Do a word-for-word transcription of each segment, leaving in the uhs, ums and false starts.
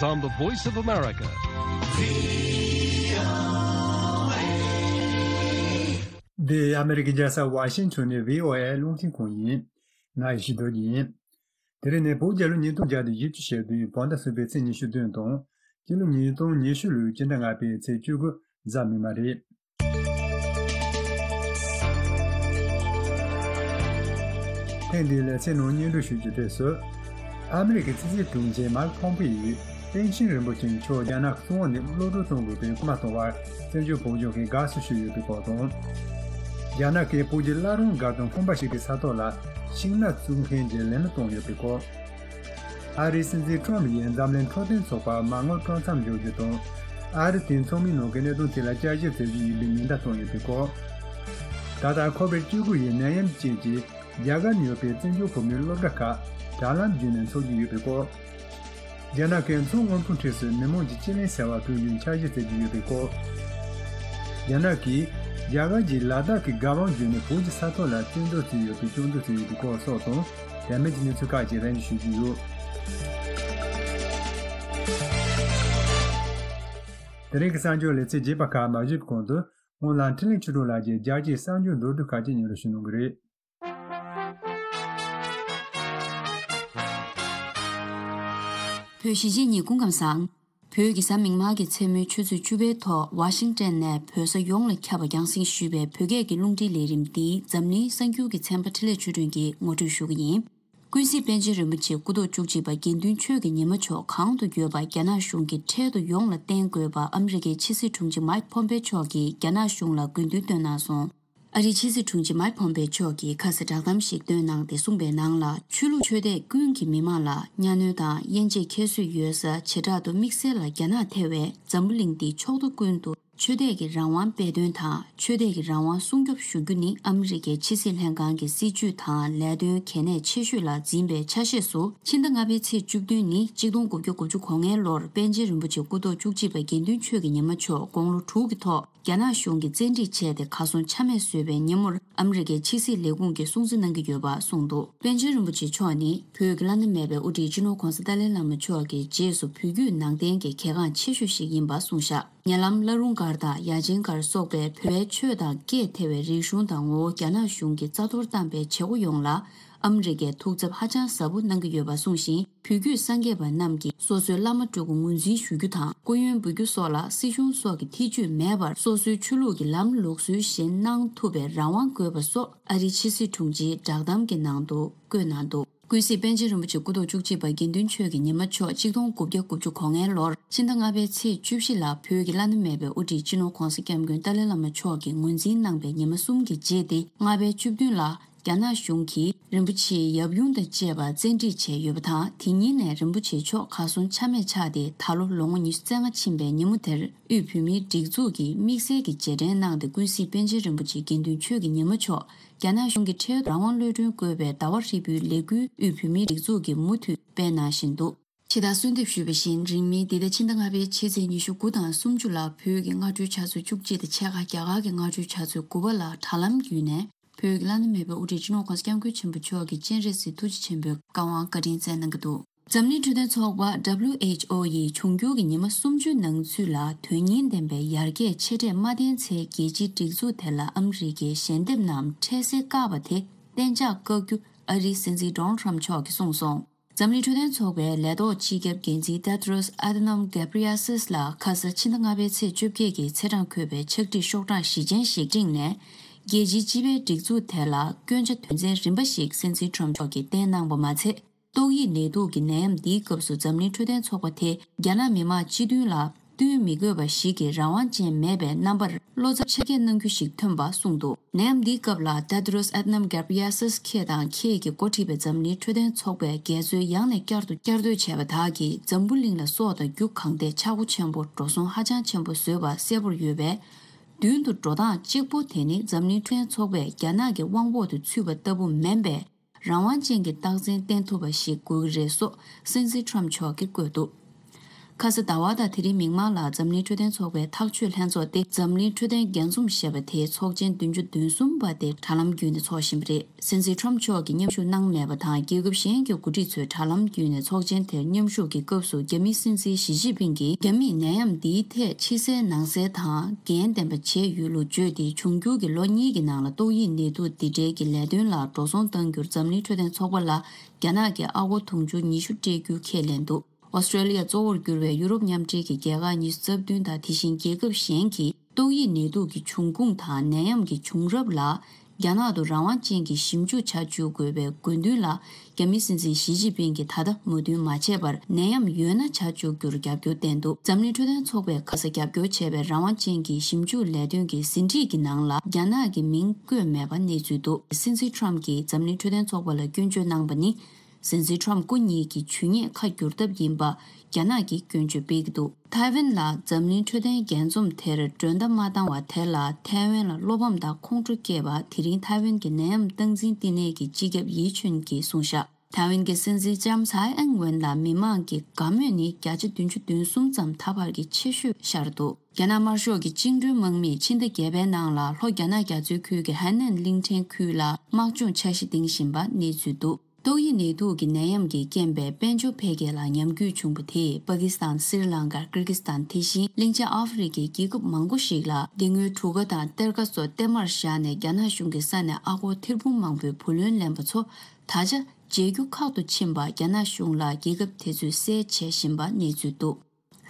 on the Voice of America. འདི་ཨ་མེ་རི་ཀའི་རྒྱལ་ས་ཝ་ཤིང་ཊོན་ནས་བྷི་ཨོ་ཨེ་རླུང་འཕྲིན་ཁང་ཡིན། ང་ཡེ་ཤེས་རྡོ་རྗེ་ཡིན། དེ་རིང་ནི་བོད་རྒྱལ་ལོ་ཉིས་སྟོང་བརྒྱ་དང་བཞི་བཅུ་ཞེ་བདུན་བོད་ཟླ་གསུམ་པའི་ཚེས་ཉི་ཤུ་བདུན་དང་། སྤྱི་ལོ་ཉིས་སྟོང་ཉི་ཤུ་ལོའི་སྤྱི་ཟླ་ལྔ་པའི་ཚེས་བཅུ་དགུ་གཟའ་མིག་དམར་རེད། ཐེངས་འདིའི་ལེ་ཚན་ནང་སྙན་སྒྲོན་ཞུ་རྒྱུ་དེ་སུ། ཨ་མི་རི་ཀའི་ཕྱི་སྲིད་དྲུང་ཆེ་མཱིག་ཕོམ་པེ་ཡིས་པཎ་ཆེན་རིན་པོ་ཆེ་མཆོག་རྒྱ་ནག་གི་སྲིད་དབང་ནས་གློད་གྲོལ་གཏོང་དགོས་པའི་སྐུལ་མ་གཏོང་བར་བཙན་བྱོལ་བོད་ལྗོངས་ཀྱིས་དགའ་བསུ་ཞུས་ཡོད་པའི་སྐོར་དང་། རྒྱ་ནག་གིས་བོད་ཀྱི་བླ་རུང་སྒར་དང་ཁང་པ་ཞིག་གི་ས་ཐོག་ལ་ཤིང་ནགས་བཙུགས་མཁན་གྱི་ལས་སྣ་བཏོན་ཡོད་པའི་སྐོར། ཨ་རིའི་སྲིད་འཛིན་ཊམ་ཡིས་འཛམ་གླིང་འཕྲོད་བསྟེན་ཚོགས་པ་མ་དངུལ་སྤྲོད་མཚམས་འཇོག་རྒྱུ་དང་། ཨ་རི་དེའི་ཚོགས་མིའི་ནང་གི་གནད་དོན་དེ་ལ་བསྐྱར་ཞིབ་མཛད་རྒྱུ་ཡིན་པའི་མིང་བརྡ་བཏོན་ཡོད་པའི་སྐོར། ད་ལྟ་ཁོ་བིཌ་བཅུ་དགུ་ཡི་ནད་ཡམས་རྐྱེན་གྱིས་རྒྱ་གར་ནས་ཡོད་པའི་བཙན་བྱོལ་བོད་མིའི་སློབ་གྲྭ་ཁག་དྲ་ལམ་བརྒྱུད་ནས་འཚོགས་རྒྱུ་ཡོད་པའི་སྐོར། རྒྱ་ནག་གིས་མཚོ་སྔོན་པོའི་འཁྲིས་སུ་མི་མང་གི་སྤྱི་གླིང་ཟེར་བ་བཙུགས་རྒྱུའི་འཆར་གཞི་བཙུགས་ཀྱི་ཡོད་པའི་སྐོར། རྒྱ་ནག་གིས་རྒྱ་གར་གྱི་ལ་དྭགས་ཀྱི་རྒྱལ་དབང་བརྒྱུད་ནས་བོད་ཀྱི་ས་ཐོག་ལ་བཙན་འཛུལ་བྱས་ཡོད་པའི་སྐྱོན་འཛུགས་བྱས་ཡོད་པའི་སྐོར་སོགས་དང་། དེ་མིན་གྱི་གནས་ཚུལ་ཁག་ཅིག་རིམ་བཞིན་ཞུ་རྒྱུ་ཡོད། དེ་རིང་གི་གསར་འགྱུར་ལེ་ཚན་རྒྱས་པ་ཁག་མ་ཞུས་པའི་གོང་དུ། སྔོན་ལ་འཕྲིན་ལས་ཆོས་སྒྲོན་ལགས་ཀྱིས་རྒྱལ་སྤྱིའི་གསར་འགྱུར་མདོར་བསྡུས་ཁག་ཅིག་སྙན་སྒྲོན་ཞུ་གནང་གི་རེད། བོད་གཞིས་བྱེས་གཉིས་སྐུ་ཁམས་བཟང་། བོད་ཀྱི་གཟའ་མིག་དམར་གྱི་མཚན་མོའི་ཆུ་ཚོད་བཅུ་པའི་ཐོག་ཝ་ཤིང་ཊོན་ནས་བོད་ས་ཡོངས་ལ་ཁྱབ་པ་རྒྱང་སྲིང་ཞུས་པའི་བོད་སྐད་ཀྱི་རླུང་འཕྲིན་ལས་རིམ་འདི་འཛམ་གླིང་གསར་འགྱུར་གྱི་ཚན་པ་འཕྲིན་ལས་ཆོས་སྒྲོན་གྱིས་ངོ་སྤྲོད་ཞུ་གི་ཡིན། ཀུན་གཟིགས་པཎ་ཆེན་རིན་པོ་ཆེ་སྐུ་ཐོག་བཅུ་གཅིག་པ་དགེ་འདུན་ཆོས་ཀྱི་ཉི་མ་མཆོག་གང་དུ་ཡོད་པ་རྒྱ་ནག་གཞུང་གིས་འཕྲལ་དུ་ཡོངས་ལ་བསྟན་དགོས་པ་ཨ་མི་རི་ཀའི་ཕྱི་སྲིད་དྲུང་ཆེ་མཱིག་ཕོམ་པེ་མཆོག་གིས་རྒྱ་ནག་གཞུང་ལ་དགོས་འདུན་བཏོན་གནང་སོང་། ཨ་རིའི་ཕྱི་སྲིད་དྲུང་ཆེ་མཱིག་ཕོམ་པེ་མཆོག་གིས་ཁ་སང་བསྒྲགས་གཏམ་ཞིག་བཏོན་གནང་སྟེ་གསུངས་པའི་ནང་ལ། ཆོས་ལུགས་ཆོས་དད་ཀུན་གྱི་མི་མང་ལ་གཉའ་གནོན་དང་དབྱེ་འབྱེད་ཁྱད་གསོད་ཡོད་ས་བྱེ་བྲག་ཏུ་དམིགས་བསལ་ལ་རྒྱ་ནག་ཐེ་བས་འཛམ་བུ་གླིང་འདིའི་ཕྱོགས་མཐའ་ཀུན་ཏུ་ཆོས་དད་ཀྱི་རང་དབང་སྤེལ་དོན་དང་ཆོས་དད་ཀྱི་རང་དབང་སྲུང་སྐྱོབ་ཞུ་རྒྱུ་ནི་ཨ་མི་རི་ཀའི་ཕྱི་སྲིད་ལྷན་ཁང་གི་སྲིད་ཇུས་དང་ལས་དོན་གལ་གནད་ཆེ་ཤོས་ལ་འཛིན་པའི་ཆ་ཤས་སུ། ཕྱི་ཟླ་ལྔ་པའི་ཚེས་བཅུ་བདུན་ནི་ཆིག་སྟོང་དགུ་བརྒྱ་དགུ་བཅུ་གོ་ལྔའི་ལོར་པཎ་ཆེན་རིན་པོ་ཆེ་སྐུ་ཐོག་བཅུ་གཅིག་པ་དགེ་འདུན་ཆོས་ཀྱི་ཉི་མ་མཆོག་དགུང་ལོ་དྲུག་གི་ཐོག་རྒྱ་ནག་གཞུང་གིས་བཙན་ཁྲིད་བྱས་ཏེ་གར་སོང་ཆ་མེད་བཟོས་པའི་ཉིན་མོར་ཨ་མི་རི་ཀའི་ཕྱི་སྲིད་ལས་ཁུངས་ཀྱིས་སྲུང་བརྩི་གནང་གི་ཡོད་པ་གསུངས་འདུག་པཎ་ཆེན་རིན་པོ་ཆེ་མཆོག་ནི་བོད་ཀྱི་བླ་ན་མེད་པའི་དབུ་ཁྲིད་སྤྱི་ནོར་༧གོང་ས་ཏཱ་ལའི་བླ་མ་མཆོག་གི་རྗེས་སུ་བོད་བརྒྱུད་ནང་བསྟན་གྱི་གལ་འགངས་ཆེ་ཤོས་ཤིག་ཡིན་པ་གསུངས་བཞག་ཉེ་ལམ་བླ་རུང་སྒར་དང་ཡ་ཆེན་སྒར་སོགས་པའི་བོད་པའི་ཆོས་དང་སྐད་ཐེ་བའི་རིག་གཞུང་དང་ངོ་བོ་རྒྱ་ནག་གཞུང་གིས་རྩ་གཏོར་བཏང་པའི་བྱེད་སྒོ་ཡོངས་ལ་ཨ་མི་རི་ཀས་ཐུགས་འཚབ་ཧ་ཅང་ཟབ་པོ་གནང་གི་ཡོད་པ་གསུངས་ཤིང་། བོད་བརྒྱུད་སངས་རྒྱས་པ་རྣམས་ཀྱིས་སོ་སོའི་བླ་མ་སྤྲུལ་སྐུ་ངོས་འཛིན་ཞུ་རྒྱུ་དང་། སྐུ་ཡོན་འབུལ་རྒྱུ་སོགས་ལ་སྲིད་གཞུང་སོགས་ཀྱི་ཐེ་ཇུས་མེད་པར། སོ་སོའི་ཆོས་ལུགས་ཀྱི་ལམ་ལུགས་སྲོལ་བཞིན་གནང་ཐུབ་པའི་རང་དབང་དགོས་པ་སོགས་ཨ་རིའི་ཕྱི་སྲིད་དྲུང་ཆེའི་བསྒྲགས་གཏམ་གྱི་ནང་དུ་བཀོད་གནང་འདུག་ཀུན་གཟིགས་པཎ་ཆེན་རིན་པོ་ཆེ་སྐུ་ཐོག་བཅུ་གཅིག་པ་དགེ་འདུན་ཆོས་ཀྱི་ཉི་མ་མཆོག་ཆིག་སྟོང་དགུ་བརྒྱ་དགུ་བཅུ་གོ་ལྔའི་ལོར་ཕྱི་ཟླ་ལྔ་པའི་ཚེས་བཅུ་བཞི་ལ་བོད་ཀྱི་བླ་ན་མེད་པའི་དབུ་ཁྲིད་སྤྱི་ནོར་༧གོང་ས་༧སྐྱབས་མགོན་ཏཱ་ལའི་བླ་མ་མཆོག་གིས་ངོས་འཛིན་གནང་པའི་ཉི་མ་གསུམ་གྱི་རྗེས་ཏེ། ལྔ་པའི་བཅུ་བདུན་ལ་རྒྱ་ནག་གཞུང་གིས་རིན་པོ་ཆེའི་ཡབ་ཡུམ་དང་བཅས་པ་བཙན་ཁྲིད་བྱས་ཡོད་པ་དང་། དེ་ཉིན་ནས་རིན་པོ་ཆེ་མཆོག་གར་སོང་ཆ་མེད་ཆགས་ཏེ། ད་ལོ་ལོ་ངོ་ཉི་ཤུ་རྩ་ལྔ་ཕྱིན་པའི་ཉིན་མོ་དེར་དབུས་བོད་མིའི་སྒྲིག་འཛུགས་ཀྱིས་དམིགས་བསལ་གྱི་རྗེས་དྲན་གནང་སྟེ། ཀུན་གཟིགས་པཎ་ཆེན་རིན་པོ་ཆེ་དགེ་འདུན་ཆོས་ཀྱི་ཉི་མ་མཆོག་རྒྱ་ནག་གཞུང་གིས་འཕྲལ་དུ་རང་དབང་གློད་གྲོལ་དགོས་པའི་ཟླ་བ་ཧྲིལ་པོའི་ལས་འགུལ་དབུས་བོད་མིའི་སྒྲིག་འཛུགས་ཀྱིས་མུ་མཐུད་སྤེལ་གནང་བཞིན་འདུག་ཕྱི་ཟླ་གསོལ་འདེབས་ཞུས་པ་བཞིན། རིང་མིན་འདི་ཟླ་ཕྱི་ཟླ་ལྔ་པའི་ཕྱི་ཚེས་ཉི་ཤུ་དགུ་དང་སུམ་ཅུ་ལ་བོད་ཀྱི་སྔ་དྲོའི་ཆུ་ཚོད་བཅུ་གཅིག་དང་ཕྱེད་ཀ་རྒྱ་གར་གྱི་སྔ་དྲོའི་ཆུ་ཚོད་དགུ་པ་ལ་དྲ་ལམ་བརྒྱུད་ནས་བོད་ཀྱི་བླ་ན་མེད་པའི་དབུ་ཁྲིད་སྤྱི་ནོར་༧གོང་ས་༧སྐྱབས་མགོན་ཆེན་པོ་མཆོག་གི་སྤྱན་རས་གཟིགས་ཐུགས་རྗེ་ཆེན་པོའི་བཀའ་དབང་བཀའ་དྲིན་སྩལ་གནང་གི་འདུག་འཛམ་གླིང་འཕྲོད་བསྟེན་ཚོགས་པ་W H O ཡིས་འབྱུང་འགྱུར་གྱི་ཉི་མ་སུམ་ཅུ་ནང་ཚུད་ལ་དོན་སྙིང་ལྡན་པའི་ཡར་རྒྱས་ཆེ་གྲས་མ་བསྟན་ཚེ། རྒྱལ་སྤྱིའི་སྒྲིག་འཛུགས་དེ་ལ་ཨ་མི་རི་ཀའི་ཞལ་འདེབས་རྣམས་འཕྲལ་སེལ་བཀག་པ་དེ་གཏན་འཇགས་བཀག་རྒྱུ་ཨ་རིའི་སྲིད་འཛིན་Donald Trump མཆོག་གིས་གསུངས་སོང་། འཛམ་གླིང་འཕྲོད་བསྟེན་ཚོགས་པའི་ལས་ཐོག་སྤྱི་ཁྱབ་འགན་འཛིན་Tedros Adhanom Ghebreyesus ལ་ཁ་ས་ཕྱི་ཟླ་ལྔ་པའི་ཚེས་བཅོ་བརྒྱད་ཀྱི་ཚེས་གྲངས་འཁོད་པའི་ཕྱག་བྲིས་ཤོག་གྲངས་བཞི་ཅན་ཞིག་སྤྲིངས་ནས། རྒྱལ་སྤྱིའི་སྤྱི་པའི་སྒྲིག་འཛུགས་དེ་ལ་སྐྱོན་ཆ་དོན་ཚན་རིམ་པ་ཞིག་སྲིད་འཛིན་Trump མཆོག་གིས་བསྟན་གནང་པ་མ་ཚད། ཏོག་དབྱིབས་ནད་དུག་གི་ནད་ཡམས་འདིའི་སྐབས་སུ་འཛམ་གླིང་འཕྲོད་བསྟེན་ཚོགས་པ་དེ་རྒྱ་ནག་མི་དམངས་སྤྱི་མཐུན་ལ་བསྟུན་མི་དགོས་པ་ཞིག་གི་རང་དབང་ཅན་མེད་པའི་རྣམ་པར་བློ་འཚབ་ཆེ་བསྐྱེད་གནང་རྒྱུ་ཞིག་ཐོན་པ་གསུངས་འདུག་ནད་ཡམས་འདིའི་སྐབས་ལ་Tedros Adhanom Ghebreyesus ཁྱེད་དང་ཁྱེད་ཀྱིས་འགོ་ཁྲིད་པའི་འཛམ་གླིང་འཕྲོད་བསྟེན་ཚོགས་པས་འགལ་འཛོལ་ཡང་ནས་བསྐྱར་དུ་བསྐྱར་ཟློས་བྱས་པ་དག་གིས་འཛམ་བུ་གླིང་ལ་སྲོག་དང་རྒྱུ་གང་ཐད་ཆག་སྒོ་ཆེན་པོ་འགྲོ་སོང་ཧ་ཅང་ཆེན་པོ་བཟོས་པ་གསལ་པོར་ཡོད་པས། མདུན་དུ་འགྲོ་སྟངས་གཅིག་པོ་དེ་ནི་འཛམ་གླིང་འཕྲོད་བསྟེན་ཚོགས་པས་རྒྱ་ནག་གི་དབང་འོག་ཏུ་ཚུད་པ་ལྟ་བུ་མིན་པས། རང་དབང་ཅན་གྱི་རྟགས་མཚན་བསྟན་ཐུབ་པ་ཞིག་དགོས་ཀྱི་རེད་སོགས་སྲིད་འཛིན་Trump མཆོག་གིས་བཀོད་འདུག་ཁ་ས་ཟླ་བ་དང་དེ་རིང་མིག་དམར་ལ་འཛམ་གླིང་འཕྲོད་བསྟེན་ཚོགས་པའི་ཐག་གཅོད་ལྷན་ཚོགས་ཏེ་འཛམ་གླིང་འཕྲོད་བསྟེན་རྒྱས་འཛོམས་ཞེས་པ་དེའི་ཚོགས་ཆེན་བདུན་ཅུ་དོན་གསུམ་པ་དེ་དྲ་ལམ་བརྒྱུད་ནས་འཚོགས་བཞིན་པ་རེད། སྲིད་འཛིན་ཁྲོམ་མཆོག་གིས་མཉམ་ཞུགས་གནང་མེད་པ་དང་རྒྱལ་ཁབ་གཞན་གྱི་འགོ་ཁྲིད་ཚོས་དྲ་ལམ་བརྒྱུད་ནས་ཚོགས་ཆེན་དེར་མཉམ་ཞུགས་ཀྱི་སྐབས་སུ་རྒྱ་མིའི་སྲིད་འཛིན་ཞི་ཅིན་ཕིང་གིས་རྒྱ་མིས་ནད་ཡམས་འདིའི་ཐད་ཕྱི་གསལ་ནང་གསལ་དང་འགན་ལྡན་པ་བྱས་ཡོད་ལུགས་བརྗོད་དེ་འབྱུང་འགྱུར་གྱི་ལོ་གཉིས་ཀྱི་ནང་ལ་ཏོག་དབྱིབས་ནད་དུག་འདི་འདྲའི་གི་ལས་དོན་ལ་འགྲོ་སོང་གཏང་རྒྱུར་འཛམ་གླིང་འཕྲོད་བསྟེན་ཚོགས་པ་ལ་རྒྱ་ནག་གིས་ཨ་སྒོར་དུང་ཕྱུར་ཉི་ཤུ་སྤྲད་རྒྱུ་ཁས་ལེན་འདུག་ཨོ་སི་ཀྲེ་ལི་ཡ་གཙོ་བོར་གྱུར་བའི་ཡུ་རོབ་མཉམ་འབྲེལ་གྱི་རྒྱལ་ཁག་ཉི་ཤུ་རྩ་བདུན་དང་དེ་བཞིན་རྒྱལ་ཁབ་གཞན་གྱིས་ཏོག་དབྱིབས་ནད་དུག་གི་འབྱུང་ཁུངས་དང་ནད་ཡམས་ཀྱི་བྱུང་རབས་ལ་རྒྱ་ནག་ཏུ་རང་དབང་ཅན་གྱི་ཞིབ་འཇུག་བྱ་བཅུག་དགོས་པའི་དགོས་འདུན་ལ་རྒྱ་མིའི་སྲིད་འཛིན་ཞི་ཅིན་ཕིང་གིས་ད་ལྟ་མོས་མཐུན་མ་བྱས་པར་ནད་ཡམས་ཡོད་ན་བྱ་བཅུག་རྒྱུར་རྒྱབ་སྐྱོར་བསྟན་འདུག་འཛམ་གླིང་འཕྲོད་བསྟེན་ཚོགས་པས་ཁ་ས་རྒྱབ་སྐྱོར་བྱས་པའི་རང་དབང་ཅན་གྱི་ཞིབ་འཇུག་ལས་དོན་གྱི་ཟིན་བྲིས་ཀྱི་ནང་ལ་རྒྱ་ནག་གི་མིང་བཀོད་མེད་པ་གནས་ཚུལ་འདུག་སྲིད་འཛིན་ཁྲོམ་གྱིས་འཛམ་གླིང་འཕྲོད་བསྟེན་ཚོགས་པ་ལ་སྐྱོན་བརྗོད་གནང་པ་ནི། སྲིད་འཛིན་ཁྲོམ་སྐུ་ཉིད་ཀྱི་ཇུས་ཉེས་ཁ་བསྒྱུར་ཐབས་ཡིན་པ་རྒྱ་ནག་གིས་སྐྱོན་བརྗོད་སྤེལ་གྱི་འདུག་ཐའེ་ཝན་ལ་འཛམ་གླིང་འཕྲོད་བསྟེན་རྒྱས་འཛོམས་དེར་མགྲོན་བརྡ་མ་བཏང་བ་དེ་ལ་ཐའེ་ཝན་ལ་བློ་ཕམ་དང་ཁོང་ཁྲོ་སྐྱེས་པ་དེ་རིང་ཐའེ་ཝན་གྱི་ནད་ཡམས་སྟངས་འཛིན་བསྟི་གནས་ཀྱི་སྤྱི་ཁྱབ་ཡི་ཆུན་གྱིས་གསུངས་བཞག་ཐའེ་ཝན་གྱི་སྲིད་འཛིན་ལྕམ་ཚའེ་ཨེང་ཝེན་ལ་མི་མང་གི་དགའ་མོས་ནི་བརྒྱ་ཆ་བདུན་ཅུ་དོན་གསུམ་ཙམ་ད་བར་གྱི་ཆེ་ཤོས་ཤར་འདུག་རྒྱ་ནག་དམར་ཤོག་གི་བཅིངས་འགྲོལ་དམག་མིས་ཕྱི་ཟླ་བརྒྱད་པའི་ནང་ལ་ལྷོ་རྒྱ་ནག་རྒྱ་མཚོའི་ཁུལ་གྱི་ཧའེ་ནན་གླིང་ཕྲན་ཁུལ་ལ་དམག་སྦྱོང་འཆར་གཞི་འདིང་བཞིན་པ་གནས་ཚུལ་འདུག་ཏོག་དབྱིབས་ནད་དུག་གི་ནད་ཡམས་ཀྱི་རྐྱེན་པས་དཔལ་འབྱོར་འཕེལ་རྒྱས་ལ་ཉམས་རྒུད་བྱུང་བ་དེས་པ་ཀི་སི་ཐན། སི་རི་ལང་ཀ། ཀིར་གི་སི་ཐན། དེ་བཞིན་གླིང་ཆེན་ཨ་ཧྥེ་རི་ཁའི་རྒྱལ་ཁབ་མང་པོ་ཞིག་ལ་འདི་སྔོན་གྲུ་ཁ་དང་གཏེར་ཁ་སོགས་གཏེར་མར་བཞག་ནས་རྒྱ་ནག་གཞུང་གི་ས་ནས་ཨ་སྒོར་ཐེར་འབུམ་མང་པོའི་བུ་ལོན་ལེན་པ་ཚོ་ད་ཆ་བརྗེ་རྒྱུ་ཁག་ཏུ་ཕྱིན་པ་རྒྱ་ནག་གཞུང་ལ་རྒྱལ་ཁབ་དེ་ཚོས་གསལ་བྱེད་བཞིན་པ་གནས་ཚུལ་འདུག་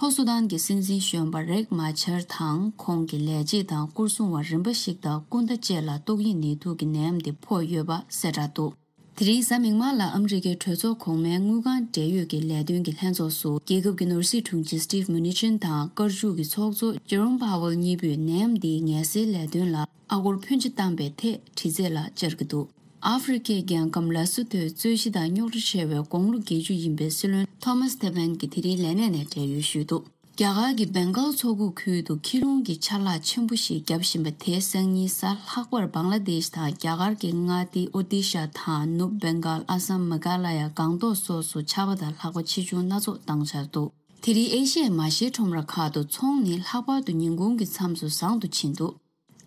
ལྷོ་སུ་དཱན་གྱི་སྲིད་འཛིན་གཞོན་པ་རེག་མ་ཆར་དང་ཁོང་གི་ལས་བྱེད་དང་སྐོར་སྲུང་བ་རིམ་པ་ཞིག་དང་སྐུ་ཟླ་བཅས་ལ་ཏོག་དབྱིབས་ནད་དུག་གི་ནད་ཡམས་དེ་ཕོག་ཡོད་པ་གསལ་བསྒྲགས་འདུག་དེ་རིང་གཟའ་མིག་དམར་ལ་ཨ་མི་རི་ཀའི་གྲོས་ཚོགས་གོང་མའི་དངུལ་ཁང་འབྲེལ་ཡོད་ཀྱི་ལས་དོན་གྱི་ལྷན་ཚོགས་སུ་རྒྱལ་ཁབ་ཀྱི་ནོར་སྲིད་དྲུང་ཆེ་སི་ཊིབ་མུ་ནི་ཆིན་དང་དཀར་ཤོག་གི་ཚོགས་གཙོ་ཇེ་རོམ་ཕ་ཝེལ་གཉིས་པོས་ནད་ཡམས་འདིའི་ངལ་སེལ་ལས་དོན་ལ་ཨ་སྒོར་ཕོན་ཆེ་བཏང་པའི་ཐད་དྲི་རྩད་ལ་བཅར་གྱི་འདུག་ཨ་ཧྥེ་རི་ཁའི་རྒྱལ་ཁམས་ལ་སོ་མཐོའི་རྩོད་གཞི་དང་རྙོག་དྲ་ཆེ་བའི་དགུང་ལོ་བརྒྱད་ཅུ་ཡིན་པའི་སྲིད་བློན་ཐོ་མཱས་ཐེ་ཕན་གྱིས་དེ་རིང་ལས་གནས་ནས་བགྲེས་ཡོལ་ཞུས་འདུག་རྒྱ་གར་གྱི་བེང་གཱལ་མཚོ་ཁུག་ཁུལ་དུ་ཁྱི་རླུང་གི་ཆར་ལག་ཆེན་པོ་ཞིག་བརྒྱབ་བཞིན་པ་དེས་སང་ཉིན་གཟའ་ལྷག་པར་བང་ལ་དེཤ་དང་རྒྱ་གར་གྱི་མངའ་སྡེ་ཨོ་ཏི་ཤ་དང་ནུབ་བེང་གཱལ། ཨ་སམ། མེ་གྷ་ལ་ཡ། སྒང་ཏོག་སོགས་སུ་ཆར་པ་དང་ལྷགས་པ་ཆེ་ཆུང་སྣ་ཚོགས་བཏང་འཆར་འདུག་དེ་རིང་ཨེ་ཤི་ཡའི་མ་ཤེས་ཁྲོམ་ར་ཁག་ཏུ་ཚོང་ནི་ལྷག་པར་དུ་ཉིན་གུང་གི་མཚམས་སུ་བཟང་དུ་ཕྱིན་འདུག་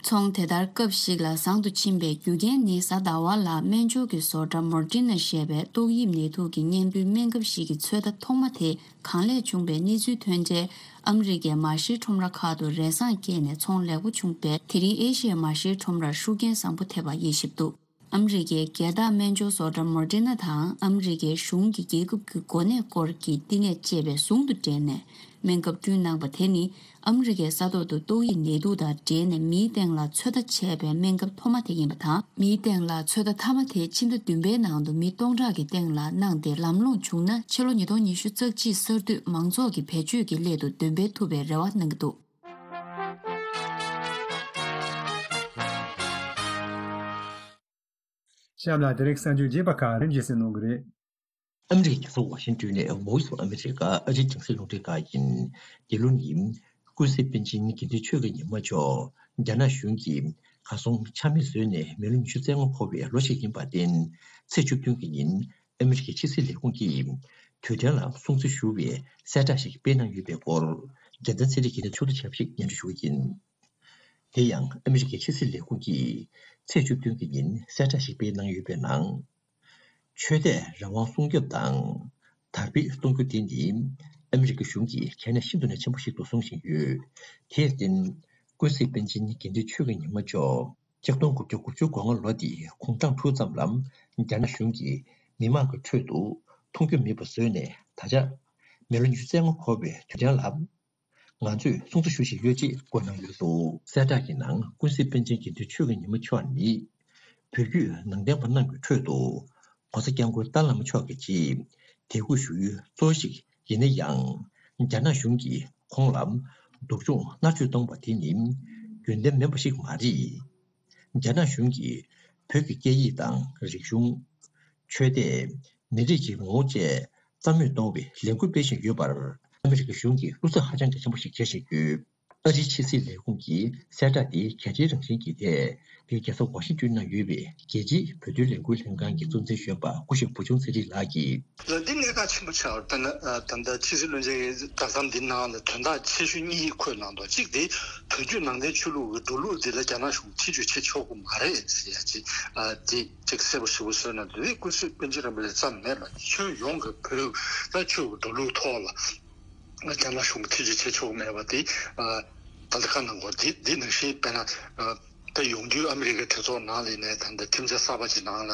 ཚོང་དེ་ལྟར་སྐབས་ཤིག་ལ་བཟང་དུ་ཕྱིན་པའི་རྒྱུ་རྐྱེན་ནི་གཟའ་ཟླ་བ་ལ་སྨན་སྦྱོར་གྱི་བཟོ་གྲྭ་མོ་ཌི་ན་ཞེས་པའི་ཏོག་དབྱིབས་ནད་དུག་གི་གཉེན་པོའི་སྨན་ཁབ་ཞིག་གི་ཚོད་ལྟ་ཐོག་མ་དེ་གང་ལེགས་བྱུང་པའི་གནས་ཚུལ་ཐོན་རྗེས། ཨ་མི་རི་ཀའི་མ་ཤེས་ཁྲོམ་ར་ཁག་ཏུ་རེ་བཟང་སྐྱེས་ནས་ཚོང་ལེགས་པོ་བྱུང་པས། དེ་རིང་ཨེ་ཤི་ཡའི་མ་ཤེས་ཁྲོམ་རར་ཤུགས་རྐྱེན་བཟང་པོ་ཐེབས་པ་དབྱེ་ཞིབ་འདུག་ཨ་མི་རི་ཀའི་རྒྱལ་བདག་སྨན་སྦྱོར་བཟོ་གྲྭ་མོ་ཌི་ན་དང་ཨ་མི་རི་ཀའི་གཞུང་གི་རྒྱལ་ཁབ་ཀྱི་གོ་གནས་སྐོར་གྱི་བསྟི་གནས་ཅེས་པའི་ཟུང་དུ་འབྲེལ་ནས་སྨན་ཁབ་བསྐྲུན་གནང་པ་དེ་ནི། ཨ་མི་རི་ཀའི་ས་ཐོག་ཏུ་ཏོག་དབྱིབས་ནད་དུག་དང་འབྲེལ་ནས་མིའི་སྟེང་ལ་ཚོད་ལྟ་བྱས་པའི་སྨན་ཁབ་ཐོག་མ་དེ་ཡིན་པ་དང་། མིའི་སྟེང་ལ་ཚོད་ལྟ་མཐའ་མ་དེ་ཕྱི་ཟླ་བདུན་པའི་ནང་དུ་མི་སྟོང་ཕྲག་གི་སྟེང་ལ་གནང་སྟེ། ལམ་ལྷོང་བྱུང་ན་ཕྱི་ལོ་ཉིས་སྟོང་ཉི་ཤུ་རྩ་གཅིག་གསར་དུས་མང་ཚོགས་ཀྱི་བེད་སྤྱོད་ཀྱི་སླད་དུ་འདོན་སྤེལ་ཐུབ་པའི་རེ་བ་གནང་གི་འདུག་གཤམ་ལ་དེ་རིང་གསར་འགྱུར་རྒྱས་པ་ཁག་རིམ་བཞིན་གསན་གནང་གི་རེད། ཨ་མི་རི་ཀའི་རྒྱལ་ས་ཝ་ཤིང་ཏོན་ནས་Voice of America ཨ་རིའི་རྒྱང་སྲིང་རླུང་འཕྲིན་ཁང་ཡིན། འདི་ལོ་ནི་ཀུན་གཟིགས་པཎ་ཆེན་དགེ་འདུན་ཆོས་ཀྱི་ཉི་མ་མཆོག་རྒྱ་ནག་གཞུང་གིས་གར་སོང་ཆ་མེད་བཟོས་ནས་མི་ལོ་ཉི་ཤུ་རྩ་ལྔ་འཁོར་བའི་ལོ་ཞིག་ཡིན་པར་བརྟེན། ཚེས་བཅུ་བདུན་གྱི་ཉིན་ཨ་མི་རི་ཀའི་ཕྱི་སྲིད་ལས་ཁུངས་ཀྱིས་དུས་དྲན་ལ་སྲུང་བརྩི་ཞུ་བའི་གསལ་བསྒྲགས་ཤིག་སྤེལ་གནང་ཡོད་པའི་སྐོར། རྒྱལ་མཚན་ཚེ་རིང་གིས་ཕྱོགས་བསྡུས་ཞིབ་ཞིག་སྙན་སྒྲོན་ཞུ་གི་ཡིན། དེ་ཡང་ཨ་མི་རི་ཀའི་ཕྱི་སྲིད་ལས་ཁུངས་ཀྱིས་ཚེས་བཅུ་བདུན་གྱི་ཉིན་གསལ་བསྒྲགས་ཤིག་སྤེལ་གནང་ཡོད་པའི་ནང་། ཆོས་དད་རང་དབང་སྲུང་སྐྱོབ་དང་། དར་སྤེལ་གཏོང་རྒྱུ་དེ་ནི་ཨ་མི་རི་ཀ་གཞུང་གིས་གལ་གནད་ཤིན་ཏུ་ནས་ཆེན་པོ་ཞིག་ཏུ་བཟུང་བཞིན་ཡོད། དེར་བརྟེན། ཀུན་གཟིགས་པཎ་ཆེན་དགེ་འདུན་ཆོས་ཀྱི་ཉི་མ་མཆོག་ཆིག་སྟོང་དགུ་བརྒྱ་དགུ་བཅུ་གོ་ལྔ་ལོ་འདིའི་དགུང་གྲངས་དྲུག་ཙམ་ལ་རྒྱ་ནག་གཞུང་གིས་མི་མང་གི་ཁྲོད་དུ་མཐོང་རྒྱུ་མེད་པ་བཟོས་ནས། ད་ཆ་མི་ལོ་ཉི་ཤུ་རྩ་ལྔ་འཁོར་བའི་དུས་དྲན་ལ། ང་ཚོས་སྲུང་བརྩི་ཞུ་བཞིན་ཡོད་ཅེས་བཀོད་གནང་ཡོད་འདུག་གསལ་བསྒྲགས་ཀྱི་ནང་ཀུན་གཟིགས་པཎ་ཆེན་དགེ་འདུན་ཆོས་ཀྱི་ཉི་མ་མཆོག་ནི། བོད་བརྒྱུད་ནང་བསྟན་པ་རྣམས་ཀྱི་ཁྲོད་དུ། ༸གོང་ས་༸སྐྱབས་མགོན་ཏཱ་ལའི་བླ་མ་མཆོག་གི་ཆེད་དད་གུས་ཞུ་ཡུལ་གཙོ་བོ་ཞིག་ཡིན་ན་ཡང་། རྒྱ་ནག་གཞུང་གིས་ཁོང་ལ་སྡུག་སྦྱོང་མནར་གཅོད་གཏོང་བ་དེ་ནི་རྒྱུན་ལྡན་མིན་པ་ཞིག་མ་རེད། རྒྱ་ནག་གཞུང་གིས་བོད་ཀྱི་སྐད་ཡིག་དང་རིག་གཞུང་། ཆོས་དད། མི་རིགས་ཀྱི་ངོ་བོ་བཅས་རྩ་མེད་གཏོང་བའི་ལས་འགུལ་སྤེལ་བཞིན་ཡོད་པར། ཨ་མི་རི་ཀའི་གཞུང་གིས་བློ་འཚབ་ཧ་ཅང་གི་ཆེན་པོ་ཞིག་བྱེད་བཞིན་ཡོད། ཨ་རིའི་ཕྱི་སྲིད་ལས་ཁུངས་ཀྱི་གསལ་བསྒྲགས་དེ་གལ་ཆེའི་རང་བཞིན་གྱི་ཐད། དེ་རྒྱལ་ས་ཝ་ཤིང་ཏོན་ན་ཡོད་པའི་རྒྱལ་སྤྱིའི་བོད་དོན་ལས་འགུལ་ལྷན་ཁང་གི་གཙོ་འཛིན་གཞོན་པ་སྐུ་ཞབས་བུ་ཆུང་ཚེ་རིང་ལགས་ཀྱིས། ལ་འདི་གནད་འགག་ཆེན་པོ་ཆགས་པ་དཔེར་ན་ད་ལྟ་ཕྱི་སྲིད་བློན་ཆེན་གྱི་བརྡ་གཏམ་འདི་ནང་ལ་དོན་དག་ཆེ་ཤོས་གཉིས་འཁོད་གནང་འདུག་གཅིག་དེ་བོད་བརྒྱུད་ནང་བསྟན་ཆོས་ལུགས་ཀྱི་འགྲོ་ལུགས་འདི་ལ་རྒྱ་ནག་གཞུང་ཐེ་བྱུས་བྱེད་ཆོག་གི་མ་རེད་ཟེར་ཡ་ཅིག་དེ་གཅིག་གསལ་པོ་ཞེ་པོ་བཟོས་གནང་འདུག་དེ་སྐུ་ཚེ་པཎ་ཆེན་རིན་པོ་ཆེ་ཙམ་མེད་པར་ཁྱོན་ཡོངས་ཀྱི་བོད་ད་ཆོས་ཀྱི་འགྲོ་ལུགས་ཐོག་ལ། རྒྱ་ནག་གཞུང་གིས་ཐེ་བྱུས་བྱེད་ཆོག་མེད་པ་དེ། ད་ལྟ་ཁ་ནང་གོ་འདི་འདི་ནང་བཞིན་དཔེར་ན། ད་ཡོང་དུས་ཨ་མི་རི་ཀའི་གྲོས་ཚོགས་ནང་ལ་ནས་ད་ལྟ་ཁྲིམས་འཆར་གསར་པ་ཅིག་ནང་ལ་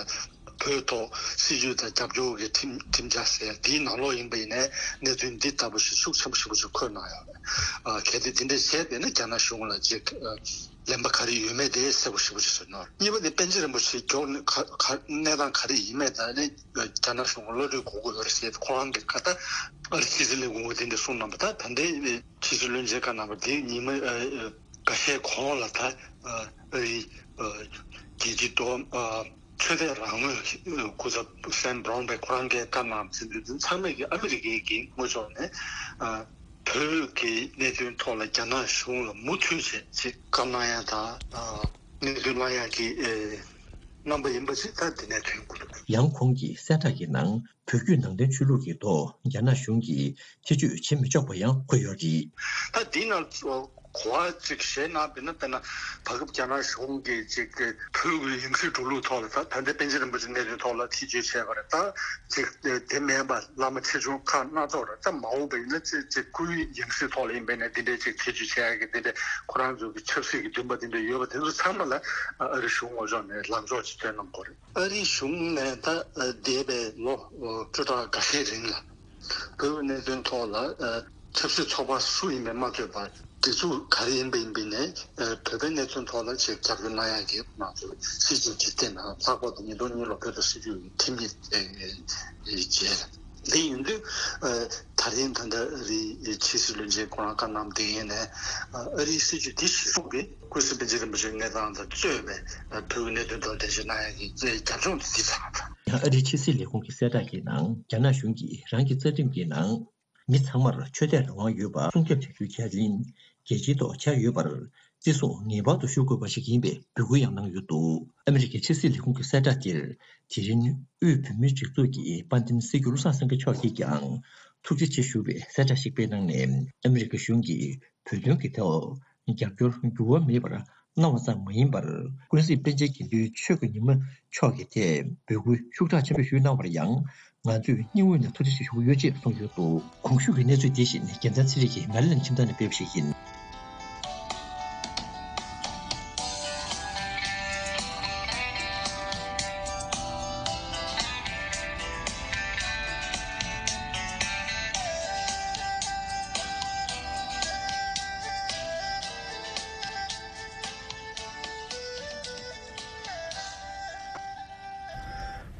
བོད་ཐོག་སྲིད་ཇུས་དང་རྒྱབ་སྐྱོར་གྱི་ཁྲིམས་ཁྲིམས་འཆར་ཟེར་དེའི་ནང་ལོགས་ཡིན་པ་ཡིན་ནའི་གནད་དོན་འདི་ལྟ་བུ་ཞིག་ཤུགས་ཆེན་པོ་ཞེ་པོ་ཅིག་འཁོད་གནང་ཡོད་རེད། གལ་ཏེ་འདི་འདྲ་བྱས་བསྡད་ན་རྒྱ་ནག་གཞུང་ལ་ཅིག་ལན་པ་ག་རེ་ཡོད་མེད་དེ་གསལ་པོ་ཞེ་པོ་ཅིག་བཟོས་གནང་རེད། གཉིས་པ་ནི་པཎ་ཆེན་རིན་པོ་ཆེ་མགྱོགས་ནས་ག་ག་གནས་སྟངས་ག་རེ་ཡིན་མེད་དང་ནི་རྒྱ་ནག་གཞུང་གི་བློ་གྲོས་དགོས་ཀྱི་ཡོད་རེད་ཟེར་ཁོ་རང་གི་ཁ་ད་ཨ་རི་ཕྱི་སྲིད་ལས་ཁུངས་ཀྱིས་དེ་འདྲ་གསུངས་གནང་བ། ད་ད་ལྟའི་ཕྱི་སྲིད་བློན་ཆེན་ཁ་ནང་པ་དེ་ཉི་མ་ཨ་ཨ་འགའ་ཤས་གོང་ལ་ད་ཨ་ཨ་རི་ཨ་རྒྱལ་སྤྱི་ཏོག་ཨ་ཆོས་དད་རང་མོས་སྐུ་ཚབ་སེམ་བྷ་རོན་པས་ཁོ་རང་གིས་བཀའ་གནང་ཟིན་དུས་དེ་ཚང་མས་ཀྱི་ཨ་མི་རི་ཀའི་གི་ངོས་ཕྱོགས་ནས་ཨ་བོད་ཀྱི་གནད་དོན་ཐོག་ལ་རྒྱ་ནག་གཞུང་ལ་མུ་མཐུད་བྱས་ཅིག་བཀའ་གནང་ཡ་དང་ཨ་གནད་དོན་གནང་ཡ་གི་ཨེ་རྣམ་པ་ཡིན་པ་ཞིག་ད་འདི་ནས་ཐོན་དགོས་འདུག་ཡང་ཁོང་གིས་གསལ་བསྒྲགས་ཀྱི་ནང་བོད་བརྒྱུད་ནང་བསྟན་ཆོས་ལུགས་ཀྱི་ཐོག་རྒྱ་ནག་གཞུང་གིས་ཐེ་བྱུས་བྱེད་མི་ཆོག་པ་ཡང་འཁོད་ཡོད་རེད། ད་འདི་ནང་གོ་བ་ཅིག་བཞེས་ན་དཔེར་ན་དཔེར་ན་བར་སྐབས་རྒྱ་ནག་གཞུང་གིས་ཅིག་བོད་ཀྱི་ཡང་སྲིད་འགྲོ་ལུགས་ཐོག་ལ་ད་ད་ལྟའི་པཎ་ཆེན་རིན་པོ་ཆེ་གནས་དོན་ཐོག་ལ་ཐེ་བྱུས་བྱས་པ་རེད། ད་ཅིག་དེ་མིན་པ་བླ་མ་ཆེ་ཆུང་ཁག་སྣ་ཚོགས་རེད། ད་མ་འོངས་པ་ཡིན་ན་ཅིག་ཅིག་སྐུའི་ཡང་སྲིད་ཐོག་ལ་ཡིན་པས་ན་འདི་འདྲའི་ཅིག་ཐེ་བྱུས་བྱས་ཡ་གི་འདི་འདྲའི་ཁོ་རང་ཚོ་གི་ཆབ་སྲིད་ཀྱི་འདུན་པ་འདི་འདྲ་ཡོད་པ་དེ་ཚོ་ཚང་མ་ལ་ཨ་རི་གཞུང་ངོས་ཕྱོགས་ནས་ལམ་ཕྱོགས་ཅིག་སྟོན་གནང་དགོས་རེད། ཨ་རིའི་གཞུང་ནས་ད་འདས་པའི་ལོ་བཅུ་ཕྲག་འགའ་ཤས་རིང་ལ་བོད་ཀྱི་གནད་དོན་ཐོག་ལ་ཆབ་སྲིད་ཚོགས་པ་སུ་ཡིན་པས་མ་ཚོད་པར་སྒྲིག་འཛུགས་ག་རེ་ཡིན་པ་ཡིན་པས་ནས་བོད་པའི་གནད་དོན་ཐོག་ལ་ཆེས་རྒྱབ་སྐྱོར་གནང་ཡག་གི་ང་ཚོ་སྲིད་སྐྱོང་གི་སྟེང་ན་ལྷག་པར་དུ་ཉིས་སྟོང་གཉིས་ལོ་བོད་དང་སྲིད་བྱུས་ཀྱི་ཁྲིམས་ཡིག་བརྗེས། འདི་ཡིན་དུས་ད་རིང་ད་ལྟ་རིའི་ཕྱི་སྲིད་བློན་ཆེན་ཁོ་རང་བཀའ་གནང་དེ་ཡིན་ནས་ཨ་རིའི་སྲིད་བྱུས་འདི་གཞི་བཟུང་གིས་ཀུན་གཟིགས་པཎ་ཆེན་རིན་པོ་ཆེའི་གནས་སྟངས་དང་གཙོས་པའི་བོད་ཀྱི་གནད་དོན་ཐོག་གདན་འདྲེན་གནང་ཡག་གི་རྒྱབ་ལྗོངས་དེ་འདི་ཚང་མ་དང་། ཡང་ཨ་རིའི་ཕྱི་སྲིད་ལས་ཁུངས་ཀྱི་གསལ་བསྒྲགས་ཀྱི་ནང་རྒྱ་ནག་གཞུང་གིས་རང་གི་རྩ་ཁྲིམས་ཀྱི་ནང་མི་ཚང་མར་ཆོས་དད་རང་དབང་ཡོད་པ་སྲུང་སྐྱོབ་བྱ་རྒྱུའི་ཁས་ལེན། རྒྱལ་སྤྱིའི་ཐོག་ཁྱབ་ཡོད་པར་བརྩི་སྲུང་ངེས་པར་དུ་ཞུ་དགོས་པ་ཞིག་ཡིན་པའི་འབོད་སྐུལ་ཡང་གནང་ཡོད་འདུག་ཨ་མི་རི་ཀའི་ཕྱི་སྲིད་ལས་ཁུངས་ཀྱི་གསལ་བསྒྲགས་དེར་དེ་རིང་དབུས་བོད་མིའི་སྒྲིག་འཛུགས་ཀྱི་དཔལ་ལྡན་སྲིད་སྐྱོང་བློ་བཟང་སེང་གེ་མཆོག་གིས་ཀྱང་ཐུགས་རྗེ་ཆེ་ཞུ་བའི་གསལ་བསྒྲགས་ཤིག་སྤེལ་གནང་ནས། ཨ་མི་རི་ཀ་གཞུང་གིས་བོད་དོན་གྱི་ཐོག་རྒྱབ་སྐྱོར་འགྱུར་བ་མེད་པར་གནང་བ་ཙམ་མ་ཡིན་པར། ཀུན་གཟིགས་པཎ་ཆེན་དགེ་འདུན་ཆོས་ཀྱི་ཉི་མ་མཆོག་གི་ཐད་འབོད་སྐུལ་ཤུགས་དྲག་ཆེན་པོ་ཞུས་གནང་བར་ཡང་། ང་ཚོས་སྙིང་དབུས་ནས་ཐུགས་རྗེ་ཆེ་ཞུ་གི་ཡོད་ཅེས་གསུངས་ཡོད་འདུག་གོང་ཞུས་ཀྱི་གནས་ཚུལ་འདི་བཞིན་རྒྱལ་མཚན་ཚེ་རིང་གིས་མེ་ལན་ཁྱིམ་ཚང་ནས་སྤེལ་བ་ཞིག་ཡིན།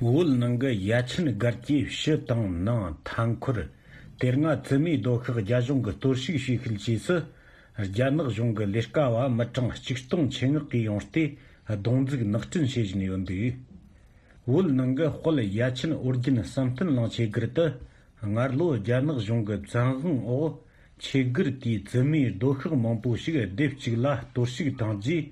བོད་ནང་གི་ཡ་ཆེན་སྒར་གྱི་ཕྱི་དང་ནང་མཐའ་འཁོར། དེ་སྔ་བཙུན་མའི་སྡོད་ཤག་རྒྱ་གཞུང་གིས་གཏོར་བཤིག་བྱས་ཤུལ་རྗེས་སུ། རྒྱ་ནག་གཞུང་གི་ལས་ཀ་བ་མི་གྲངས་ཆིག་སྟོང་ཆེད་མངགས་ཀྱིས་ཡོང་སྟེ། རྡུང་འཛུགས་ནག་འཕྲིན་བྱེད་བཞིན་ཡོད་འདུག་བོད་ནང་གི་དཔལ་ཡ་ཆེན་ཨོ་རྒྱན་བསམ་གཏན་གླིང་ཆོས་སྒར་དུ། སྔར་ལོ་རྒྱ་ནག་གཞུང་གི་བཙན་དབང་འོག་ཆོས་སྒར་དེའི་བཙུན་མའི་སྡོད་ཤག་མང་པོ་ཞིག་སྡེབ་གཅིག་ལ་གཏོར་བཤིག་བཏང་རྗེས་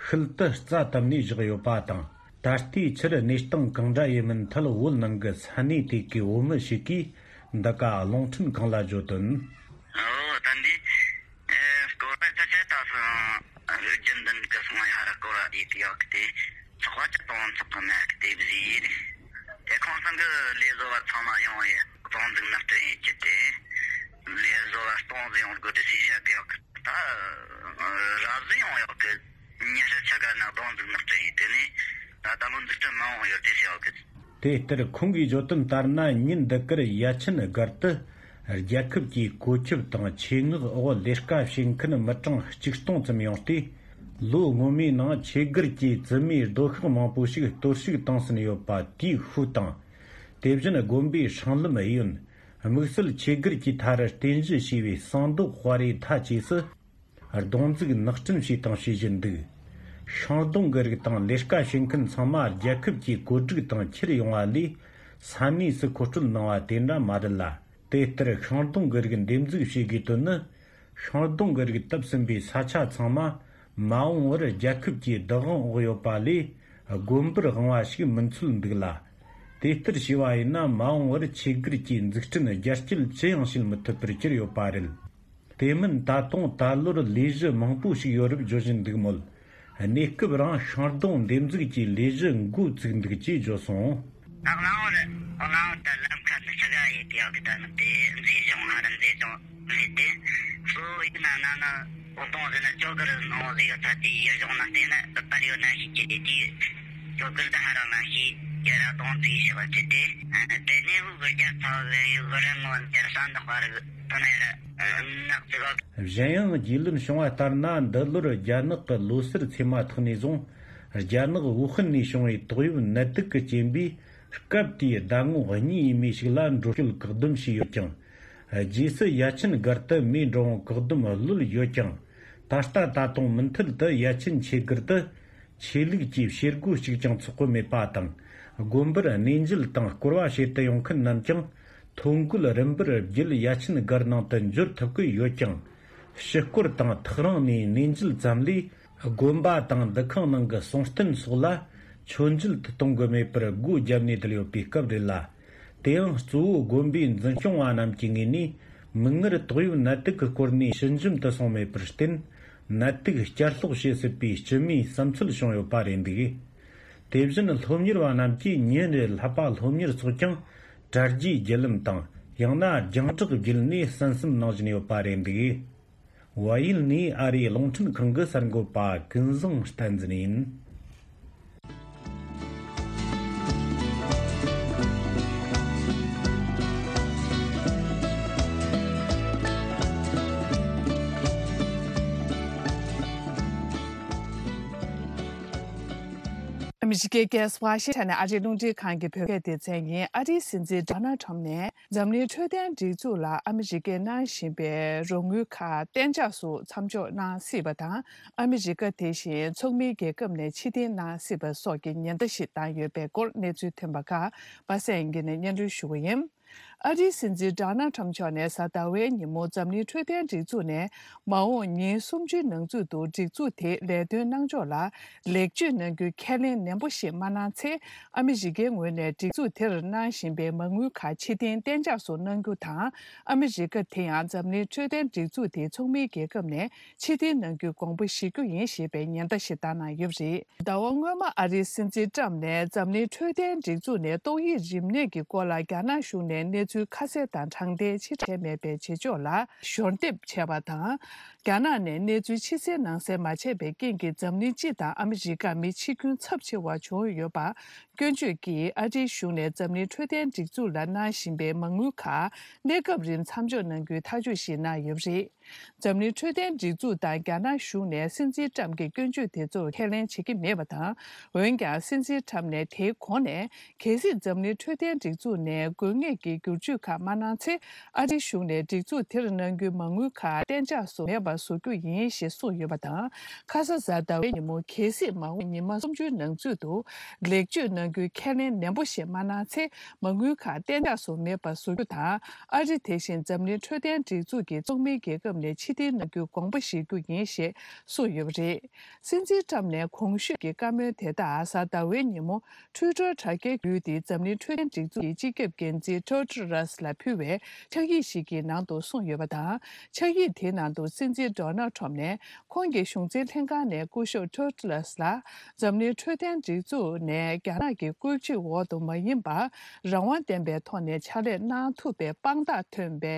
ཤུལ་དུ་རྩ་བཏབ་ནས་བཞག་ཡོད་པ་དང་། ད་ལྟའི་ཆར་གནས་སྟངས་གང་འདྲ་ཡིན་མིན་ཐད་བོད་ནང་གི་ས་གནས་དེ་གའི་བོད་མི་ཞིག་གིས་འདི་ག་རླུང་འཕྲིན་ཁང་ལ་བརྗོད་དོན། ཨོ་ད་འདི་ཨེ་སྐོར་ར་ད་ཆ་ད་སོང་རྒྱུན་ལྡན་གྱི་སོང་ཡ་ཧ་ར་སྐོར་ར་ཡིད་ཡག་གི་དེ་ཚོགས་པ་ཅི་གཏོང་ཚོགས་གི་མེད་གི་དེ་བཟི་ཡིན། དེ་ཁོང་ཚང་གི་ལས་བཟོ་བ་ཚང་མ་ཡོང་ཡི་གདོང་འཛུགས་ནག་དྲན་ཡིན་གྱི་དེ་ལས་བཟོ་བ་སྟོང་ཟིག་ཡོང་དགོས་དེ་སི་ཤ་གི་ཡག་གི་ད་ར་ཟིག་ཡོང་ཡག་གི་ཉི་ཤུ་ཆ་ག་ན་གདོང་འཛུགས་ནག་དྲན་ཡིན་དེ་ནི་ད་ད་ལོ་འཛུགས་སྐྲུན་མ་འོང་ཡོད་དེ་སི་ཡག་གི། དེ་ལྟར་ཁོང་གིས་བརྗོད་དོན་ལྟར་ན། ཉིན་འདི་གར་ཡ་ཆེན་སྒར་དུ་རྒྱལ་ཁབ་ཀྱི་བཀོད་ཁྱབ་དང་ཆེད་མངགས་འོག་ལས་ཀ་བྱེད་མཁན་མི་གྲངས་ཆིག་སྟོང་ཙམ་ཡོང་སྟེ། ལོ་སྔོན་མའི་ནང་ཆོས་སྒར་གྱི་བཙུན་མའི་སྡོད་ཤག་མང་པོ་ཞིག་གཏོར་བཤིག་བཏང་ཟིན་ཡོད་པ་དེའི་ཤུལ་དང་། དེ་བཞིན་དགོན་པའི་སྲང་ལམ་གཡས་གཡོན། དམིགས་བསལ་ཆོས་སྒར་གྱི་མཐའ་རུ་རྟེན་གཞི་བྱས་པའི་ཟངས་མདོག་དཔའ་རིས་མཐའ་བཅས་སུ། རྡུང་འཛུགས་ནག་འཕྲིན་བྱས་དང་བྱེད་བཞིན་འདུག་ཤིང་སྡོང་གི་རིགས་དང་ལས་ཀ་བྱེད་མཁན་ཚང་མ་རྒྱལ་ཁབ་ཀྱི་བཀོད་སྒྲིག་དང་ཁྱེར་ཡོང་བ་ལས་ས་གནས་སུ་མཁོ་སྤྲོད་གནང་བ་དེ་འདྲ་མ་རེད་ལ། དེ་ལྟར་ཤིང་སྡོང་གི་རིགས་འདེབས་འཛུགས་བྱེད་དགོས་དོན་ནི་ ཤིང་སྡོང་གི་རིགས་བཏབ་ཟིན་པའི་ས་ཆ་ཚང་མ་མ་འོངས་པར་རྒྱལ་ཁབ་ཀྱི་བདག་དབང་འོག་ཡོད་པ་ལས་དགོན་པར་དབང་བ་ཞིག་མིན་ཚུལ་འདུག་ལ། དེ་ལྟར་བྱས་པ་ཡིན་ན་མ་འོངས་པར་ཆོས་སྒར་གྱི་འཛུགས་སྐྲུན་རྒྱ་སྐྱེད་ཅི་ཡང་བྱེད་མི་ཐུབ་པར་གྱུར་ཡོད་པ་རེད། དེ་མིན་ད་དུང་ད་ལོར་ལས་གཞི་མང་པོ་ཞིག་ཡོད་རབས་བརྗོད་བཞིན་འདུག་མོད། གནས་སྐབས་རང་ཤིང་སྡོང་འདེབས་འཛུགས་ཀྱི་ལས་གཞི་འགོ་བཙུགས་འདུག་ཅེས་བརྗོད་སོང་། ད་གླང་བོར་གླང་བོར་ད་ལམ་ཁ་འདི་ཆ་ག་ཡིན་དེ་ཡག་གི་ད་ནི་དེ་མཛེས་ལྗོངས་ཧ་ར་མཛེས་ལྗོངས་རེད་དེ། གཙོ་བོ་ཡིན་ན་ན་ན་འོ་སྡོང་ཟེར་ན་ཅོ་གར་ནང་ཟེར་ཡོད་ད་དེ་ཡུལ་ལྗོངས་ན་བལྟས་ན་པར་ཡོད་ན་ཤེས་ཀྱི་རེད་དེ། ཅོ་གར་ད་ཧ་ར་ན་ཤེས་ཀྱི་ར་སྡོང་ཟེར་ཤེས་པ་ཆེ་དེ། དེ་ནས་འུ་གི་རྒྱལ་ཚ་བའི་ཡུལ་གི་རི་མོ་འདིར་ས་འདི་ཧ་ར་གི་དོ་ནས་ར་ནག་ཅིག་ག་གཞན་ཡང་རྒྱུས་ལོན་བྱུང་བ་ལྟར་ན་འདི་ལོར་རྒྱ་ནག་གི་ལོ་སར་ཚེས་མ་ཐོག་ནས་བཟུང་རྒྱ་ནག་ཝུ་ཧན་ནས་བྱུང་བའི་ཏོག་དབྱིབས་ནད་དུག་གི་རྐྱེན་པས་སྐབས་དེའི་ཟླ་ངོ་གཉིས་ཡས་མས་ཤིག་ལ་འགྲོ་སྐྱོད་བཀག་སྡོམ་བྱས་ཡོད་ཀྱང་། རྗེས་སུ་ཡ་ཆེན་སྒར་དུ་མིའི་འགྲོ་འོང་བཀག་སྡོམ་གློད་ཡོད་ཀྱང་། ད་ལྟ་ད་དུང་མུ་མཐུད་དུ་ཡ་ཆེན་ཆོས་སྒར་དུ་ཆོས་ལུགས་ཀྱི་བྱེད་སྒོ་གཅིག་ཀྱང་ཚོགས་གི་མེད་པ་དང་། དགོན་པར་གནས་མཇལ་དང་སྐོར་བ་བྱེད་དུ་ཡོང་མཁན་རྣམས་ཀྱང་ཐོ་འགོད་རིམ་པར་བརྒྱུད་ཡ་ཆེན་སྒར་ནང་དུ་འབྱོར་ཐུབ་ཀྱི་ཡོད་ཀྱང་། ཕྱི་སྐོར་དང་ཐག་རིང་ནས་གནས་མཇལ་ཙམ་ལས་དགོན་པ་དང་འདུ་ཁང་ནང་གི་གསུང་རྟེན་སོགས་ལ་མཆོད་མཇལ་དུ་གཏོང་གི་མེད་པར་སྒོ་བརྒྱབ་ནས་བསྡད་ཡོད་པའི་སྐབས་རེད་ལ། དེ་ཡང་གཙོ་བོ་དགོན་པའི་འཛིན་སྐྱོང་བ་རྣམས་ཀྱི་ངོས་ནས་མིག་སྔར་ཏོག་དབྱིབས་ནད་དུག་གི་སྐོར་ནས་ཞི་འཇམ་དུ་སོང་མེད་པར་བརྟེན། ནད་དུག་བསྐྱར་ལོག་བྱེད་སྲིད་པའི་སྤྱི་མིའི་བསམ་ཚུལ་བྱུང་ཡོད་པ་རེད་འདུག་དེ་བཞིན་སློབ་གཉེར་བ་རྣམས་ཀྱིས་ཉིན་རེར་བསླབ་པ་སློབ་གཉེར་སོགས་ཀྱང་གྲ་རྒྱས་བརྒྱུད་ལམ་དང་ཡང་ན་རྒྱང་བསྒྲགས་བརྒྱུད་ནས་གསན་བསམ་གནང་བཞིན་ཡོད་པ་རེད་འདུག་ཝཱ་ཡིལ་ནས་ཨ་རིའི་རླུང་འཕྲིན་ཁང་གི་གསར་འགོད་པ་ཀུན་བཟང་བསྟན་འཛིན་ཡིན། ཨ་མི་རི་ཀའི་རྒྱལ་ས་ཝ་ཤིང་ཊོན་ནས་ཨ་རིའི་རླུང་འཕྲིན་ཁང་གི་བོད་སྐད་སྡེ་ཚན་ཡིན། ཨ་རིའི་སྲིད་འཛིན་ཌོ་ནལ་ཁྲམ་ནས་འཛམ་གླིང་འཕྲོད་བསྟེན་སྒྲིག་འཛུགས་ལ་ཨ་མི་རི་ཀས་གནང་བཞིན་པའི་རོགས་དངུལ་ཁག་གཏན་འཇགས་སུ་མཚམས་འཇོག་གནང་སྲིད་པ་དང་། ཨ་མི་རི་ཀ་དེ་བཞིན་ཚོགས་མིའི་རྒྱལ་ཁབ་ནས་ཕྱིར་འཐེན་གནང་སྲིད་པ་སོགས་ཀྱི་ཉེན་བརྡ་ཞིག་བཏང་ཡོད་པའི་སྐོར་གནས་ཚུལ་ཐོན་པ་ཁག་པ་སངས་སྐྱིད་ནས་སྙན་སྒྲོན་ཞུ་གི་ཡིན། ཨ་རིའི་སྲིད་འཛིན་ཌོ་ནལ་ཁྲམ་མཆོག་ནས་གཟའ་ཟླ་བའི་ཉིན་མོ་འཛམ་གླིང་འཕྲོད་བསྟེན་སྒྲིག་འཛུགས་ནས་མ་འོངས་ཉིན་སུམ་ཅུའི་ནང་ཚུད་དུ་སྒྲིག་འཛུགས་དེའི་ལས་དོན་གནང་ཕྱོགས་ལ་ལེགས་བཅོས་གནང་རྒྱུའི་ཁས་ལེན་ནན་པོ་ཞིག་མ་གནང་ཚེ། ཨ་མི་རི་ཀའི་ངོས་ནས་སྒྲིག་འཛུགས་དེར་གནང་བཞིན་པའི་མ་དངུལ་ཁག་ཕྱིར་འཐེན་གཏན་འཇགས་སུ་གནང་རྒྱུ་དང་། ཨ་མི་རི་ཀ་དེ་ཡང་འཛམ་གླིང་འཕྲོད་བསྟེན་སྒྲིག་འཛུགས་དེའི་ཚོགས་མིའི་རྒྱལ་ཁབ་ནས་ཕྱིར་འཐེན་གནང་རྒྱུའི་དགོངས་པ་བཞེས་རྒྱུ་ཡིན་ཞེས་པའི་ཉེན་བརྡ་ཞིག་བཏང་གནང་ཡོད་པ་རེད། ཟླ་བ་སྔོན་མ་ཨ་རིའི་སྲིད་འཛིན་ཀྲམ་ནས་འཛམ་གླིང་འཕྲོད་བསྟེན་སྒྲིག་འཛུགས་ནས་ཏོག་དབྱིབས་རིམས་ནད་ཀྱི་སྐོར་ལ་རྒྱ་ནག་གཞུང་ནས་གནས་ཚུལ་ཁ་གསལ་དང་དྲང་བདེན་ཕྱིར་བསྒྲགས་བྱས་མེད་པའི་བྱེད་ཕྱོགས་ལ་ཞོར་འདེབས་བྱས་པ་དང་། རྒྱ་ནག་ནས་གནས་ཚུལ་ཕྱི་གསལ་ནང་གསལ་མ་བྱས་པའི་རྐྱེན་གྱིས་འཛམ་གླིང་སྤྱི་དང་ཨ་མི་རི་ཀར་མི་འཆི་སྐྱོན་ཚབས་ཆེ་བ་བྱུང་ཡོད་པ་སྐྱོན་བརྗོད་ཀྱིས་ཨ་རིའི་གཞུང་ནས་འཛམ་གླིང་འཕྲོད་བསྟེན་སྒྲིག་འཛུགས་ལ་གནང་བཞིན་པའི་མ་དངུལ་ཁག་གནས་སྐབས་རིང་མཚམས་འཇོག་གནང་རྒྱུའི་ཐག་གཅོད་ཞིག་གནང་ཡོད་པ་རེད། འཛམ་གླིང་འཕྲོད་བསྟེན་སྒྲིག་འཛུགས་དང་རྒྱ་ནག་གཞུང་ནས་སྲིད་འཛིན་ཀྲམ་གྱི་སྐྱོན་བརྗོད་དེ་ཚོར་ཁས་ལེན་བྱེད་ཀྱི་མེད་པ་དང་། འོན་ཀྱང་སྲིད་འཛིན་ཀྲམ་ནས་དེའི་གོང་ནས་གལ་སྲིད་འཛམ་གླིང་འཕྲོད་བསྟེན་སྒྲིག་འཛུགས་ནས་དགོས་ངེས་ཀྱི་བསྒྱུར་བཅོས་ཁག་མ་གནང་ཚེ། ཨ་རིའི་གཞུང་ནས་སྒྲིག་འཛུགས་དེར་གནང་རྒྱུའི་མ་དངུལ་ཁག་གཏན་འཇགས་སུ་མེད་པར་བཟོ་རྒྱུ་ཡིན་ཞེས་གསུངས་ཡོད་པ་དང་། ཁ་ས་གཟའ་ཟླ་བའི་ཉིན་མོ་གལ་སྲིད་མ་འོངས་ཉི་མ་སུམ་ཅུའི་ནང་ཚུད་དུ་ལེགས་བཅོས་གནང་རྒྱུའི་ཁས་ལེན་ནན་པོ་ཞིག་མ་གནང་ཚེ། མ་དངུལ་ཁག་གཏན་འཇགས་སུ་མེད་པར་བཟོ་རྒྱུ་དང་། ཨ་རི་དེ་བཞིན་འཛམ་གླིང་འཕྲོད་བསྟེན་སྒྲིག་འཛུགས་ཀྱི་ཚོགས་མིའི་རྒྱལ་ཁབ་ནས་ཕྱིར་འཐེན་གནང་རྒྱུའི་དགོངས་པ་བཞེས་རྒྱུ་ཡིན་ཞེས་གསུངས་ཡོད་པ་རེད། སྲིད་འཛིན་ཀྲམ་ནས་གོང་ཞུས་ཀྱི་བཀའ་མོལ་དེ་དག་གཟའ་ཟླ་བའི་ཉིན་མོ། ཊུའི་ཊར་དྲ་རྒྱའི་བརྒྱུད་དེ་འཛམ་གླིང་འཕྲོད་བསྟེན་སྒྲིག་འཛུགས་ཀྱི་སྤྱི་ཁྱབ་འགན་འཛིན་ཊེ་ཌྲོ་སི་ལ་ཕུལ་བའི་ཕྱག་ཡིག་ཞིག་གི་ནང་དུ་གསུངས་ཡོད་པ་དང་། ཕྱག་ཡིག་དེའི་ནང་དུ་སྲིད་འཛིན་ཌོ་ནལ་ཁྲོམ་ནས་ཁོང་གི་གཞུང་འཛིན་ལྷན་ཁང་ནས་སྐུ་ཞབས་ཊེ་ཌྲོ་སི་ལ་འཛམ་གླིང་འཕྲོད་བསྟེན་སྒྲིག་འཛུགས་ནས་རྒྱ་ནག་གི་བཀོད་ཇུས་འོག་ཏུ་མ་ཡིན་པར་རང་དབང་ལྡན་པའི་ཐོག་ནས་ཕྱག་ལས་གནང་ཐུབ་པའི་དཔང་རྟགས་ཐོན་པའི་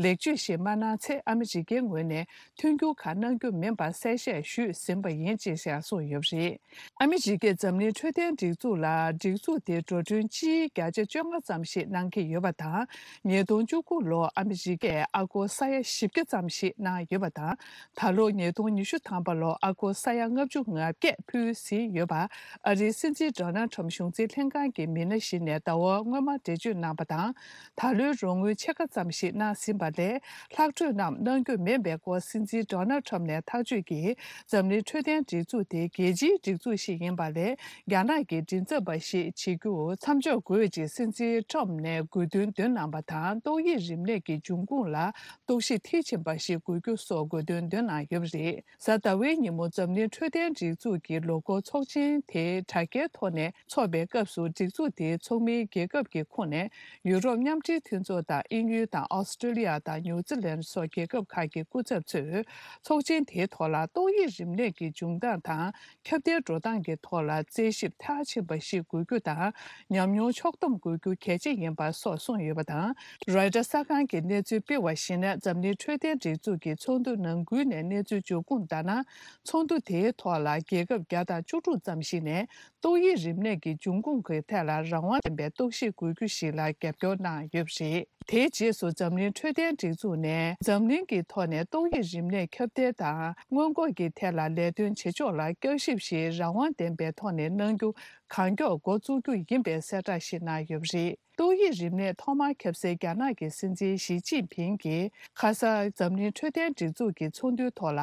ལེགས་བཅོས་ཤིག་མ་གནང་ཚེ། ཨ་མི་རི་ཀའི་ངོས་ནས་མཐུན་འགྱུར་ཁག་གནང་རྒྱུ་མིན་པ་གསལ་བཤད་ཞུས་ཟིན་པ་ཡིན། ཅེས་ཡང་གསུངས་ཡོད་པ་རེད། ཨ་མི་རི་ཀས་འཛམ་གླིང་འཕྲོད་བསྟེན་སྒྲིག་འཛུགས་ལ་སྒྲིག་འཛུགས་དེའི་འགྲོ་གྲོན་སྤྱིའི་བརྒྱ་ཆ་བཅོ་ལྔ་ཙམ་ཞིག་གནང་གི་ཡོད་པ་དང་། ཉིས་སྟོང་བཅུ་དགུ་ལོར་ཨ་མི་རི་ཀས་ཨ་སྒོར་ས་ཡ་བཞི་བརྒྱ་ཙམ་ཞིག་གནང་ཡོད་པ་དང་། ད་ལོ་ཉིས་སྟོང་ཉི་ཤུ་ཐམ་པ་ལོར་ཨ་སྒོར་ས་ཡ་ལྔ་བཅུ་ང་བརྒྱད་ཕུལ་ཟིན་ཡོད་པ་ཨ་རིའི་སྲིད་འཛིན་ཌོ་ནལ་ཁྲམ་གཞུང་འཛིན་ལྷན་ཁང་གི་མི་སྣ་ཞིག་ནས་ཟླ་བ་སྔོན་མ་འགྲེལ་བརྗོད་གནང་པ་དང་། ད་ལོའི་རོགས་དངུལ་ཕྱེད་ཀ་ཙམ་ཞིག་གནང་ཟིན་པ་ལས། ལྷག་འཕྲོས་རྣམས་གནང་རྒྱུ་མིན་པའི་སྐོར་སྲིད་འཛིན་ཌོ་ནལ་ཁྲམ་ནས་ཐག་གཅོད་ཀྱིས། འཛམ་གླིང་འཕྲོད་བསྟེན་སྒྲིག་འཛུགས་དེ་རྒྱལ་སྤྱིའི་སྒྲིག་འཛུགས་ཤིག་ཡིན་པ་ལས། རྒྱ་ནག་གི་མགྲིན་ཚབ་པ་ཞིག་བྱེད་རྒྱུ་མཚམས་འཇོག་དགོས་ཅེས་སྲིད་འཛིན་ཁྲམ་ནས་དགོས་འདུན་འདོན། གནང་བ་དང་། ཏོག་དབྱིབས་རིམས་ནད་ཀྱི་འབྱུང་ཁུངས་ལ་རྟོག་ཞིབ་མཐིལ་ཕྱིན་པ་ཞིག་དགོས་རྒྱུ་སོགས་དགོས་འདུན་བཏོན་གནང་ཡོད་པ་རེད། གཟའ་ཟླ་བའི་ཉིན་མོ་འཛམ་གླིང་འཕྲོད་བསྟེན་སྒྲིག་འཛུགས་ཀྱི་ལོ་འཁོར་ཚོགས་ཆེན་དེ་དྲ་རྒྱའི་ཐོག་ནས་འཚོགས་པའི་སྐབས་སུ། སྒྲིག་འཛུགས་དེའི་ཚོགས་མིའི་རྒྱལ་ཁབ་ཀྱི་ཁོངས་ནས་ཡུ་རོབ་མཉམ་འབྲེལ་མཐུན་ཚོགས་དང་དབྱིན་ཡུལ་དང་ཨོ་སི་ཀྲི་ལི་ཡ་དང་ནིའུ་ཛི་ལན་སོགས་རྒྱལ་ཁབ་ཁག་གི་སྐུ་ཚབ་ཚོས་ཚོགས་ཆེན་དེའི་ཐོག་ལ་ཏོག་དབྱིབས་རིམས་ནད་ཀྱི་འབྱུང་སྟངས་དང་། ཁྱབ་གདལ་འགྲོ་སྟངས་ཀྱི་ཐོག་ལ་རྩད་ཞིབ་མཐིལ་ཕྱིན་པ་ཞིག་དགོས་རྒྱུ་དང་། ཉམས་མྱོང་ཕྱོགས་བསྡོམས་དགོས་རྒྱུ་གལ་ཆེ་ཡིན་པ་སོགས་གསུངས་ཡོད་པ་དང་། རོའི་ཊར་གསར་ཁང་གིས་གནས་ཚུལ་སྤེལ་བར་གཞིགས་ན། འཛམ་གླིང་འཕྲོད་བསྟེན་སྒྲིག་འཛུགས་ཀྱི་ཚོགས་འདུ་ནང་ཁུལ་ནས་གནས་ཚུལ་འབྱོར་ཁུངས་ལྟར་ན། ཚོགས་འདུ་དེའི་ཐོག་ལ་རྒྱལ་ཁབ་བརྒྱ་དང་བཅུ་དྲུག་ཙམ་ཞིག་ནས་ཏོག་དབྱིབས་རིམས་ནད་ཀྱི་འབྱུང་ཁུངས་ཀྱི་ཐད་ལ་རང་དབང་ལྡན་པའི་རྟོག་ཞིབ་དགོས་རྒྱུ་ཞིག་ལ་རྒྱབ་སྐྱོར་གནང་ཡོད་པ་རེད། དེའི་རྗེས་སུ་འཛམ་གླིང་འཕྲོད་བསྟེན་སྒྲིག་འཛུགས་ནས་འཛམ་གླིང་གི་ཐོག་ནས་ཏོག་དབྱིབས་རིམས་ནད་ཁྱབ་གདལ་དང་སྔོན་འགོག་གི་ཐད་ལ་ལས་དོན་བྱེད་ཕྱོགས་ལ་བསྐྱར་ཞིབ་ཞིག་རང་དབང་ལྡན་པའི་ཐོག་ནས་གནང་རྒྱུ་གང་མགྱོགས་འགོ་བཙུགས་རྒྱུ་ཡིན་པའི་གསལ་བསྒྲགས་ཤིག་གནང་ཡོད་པ་རེད། ཏོག་དབྱིབས་རིམས་ནད་ཐོག་མར་ཁྱབ་སའི་རྒྱ་ནག་གི་སྲིད་འཛིན་ཞི་ཅིན་ཕིང་གིས་ཁ་སང་འཛམ་གླིང་འཕྲོད་བསྟེན་སྒྲིག་འཛུགས་ཀྱི་ཚོགས་འདུའི་ཐོག་ལ།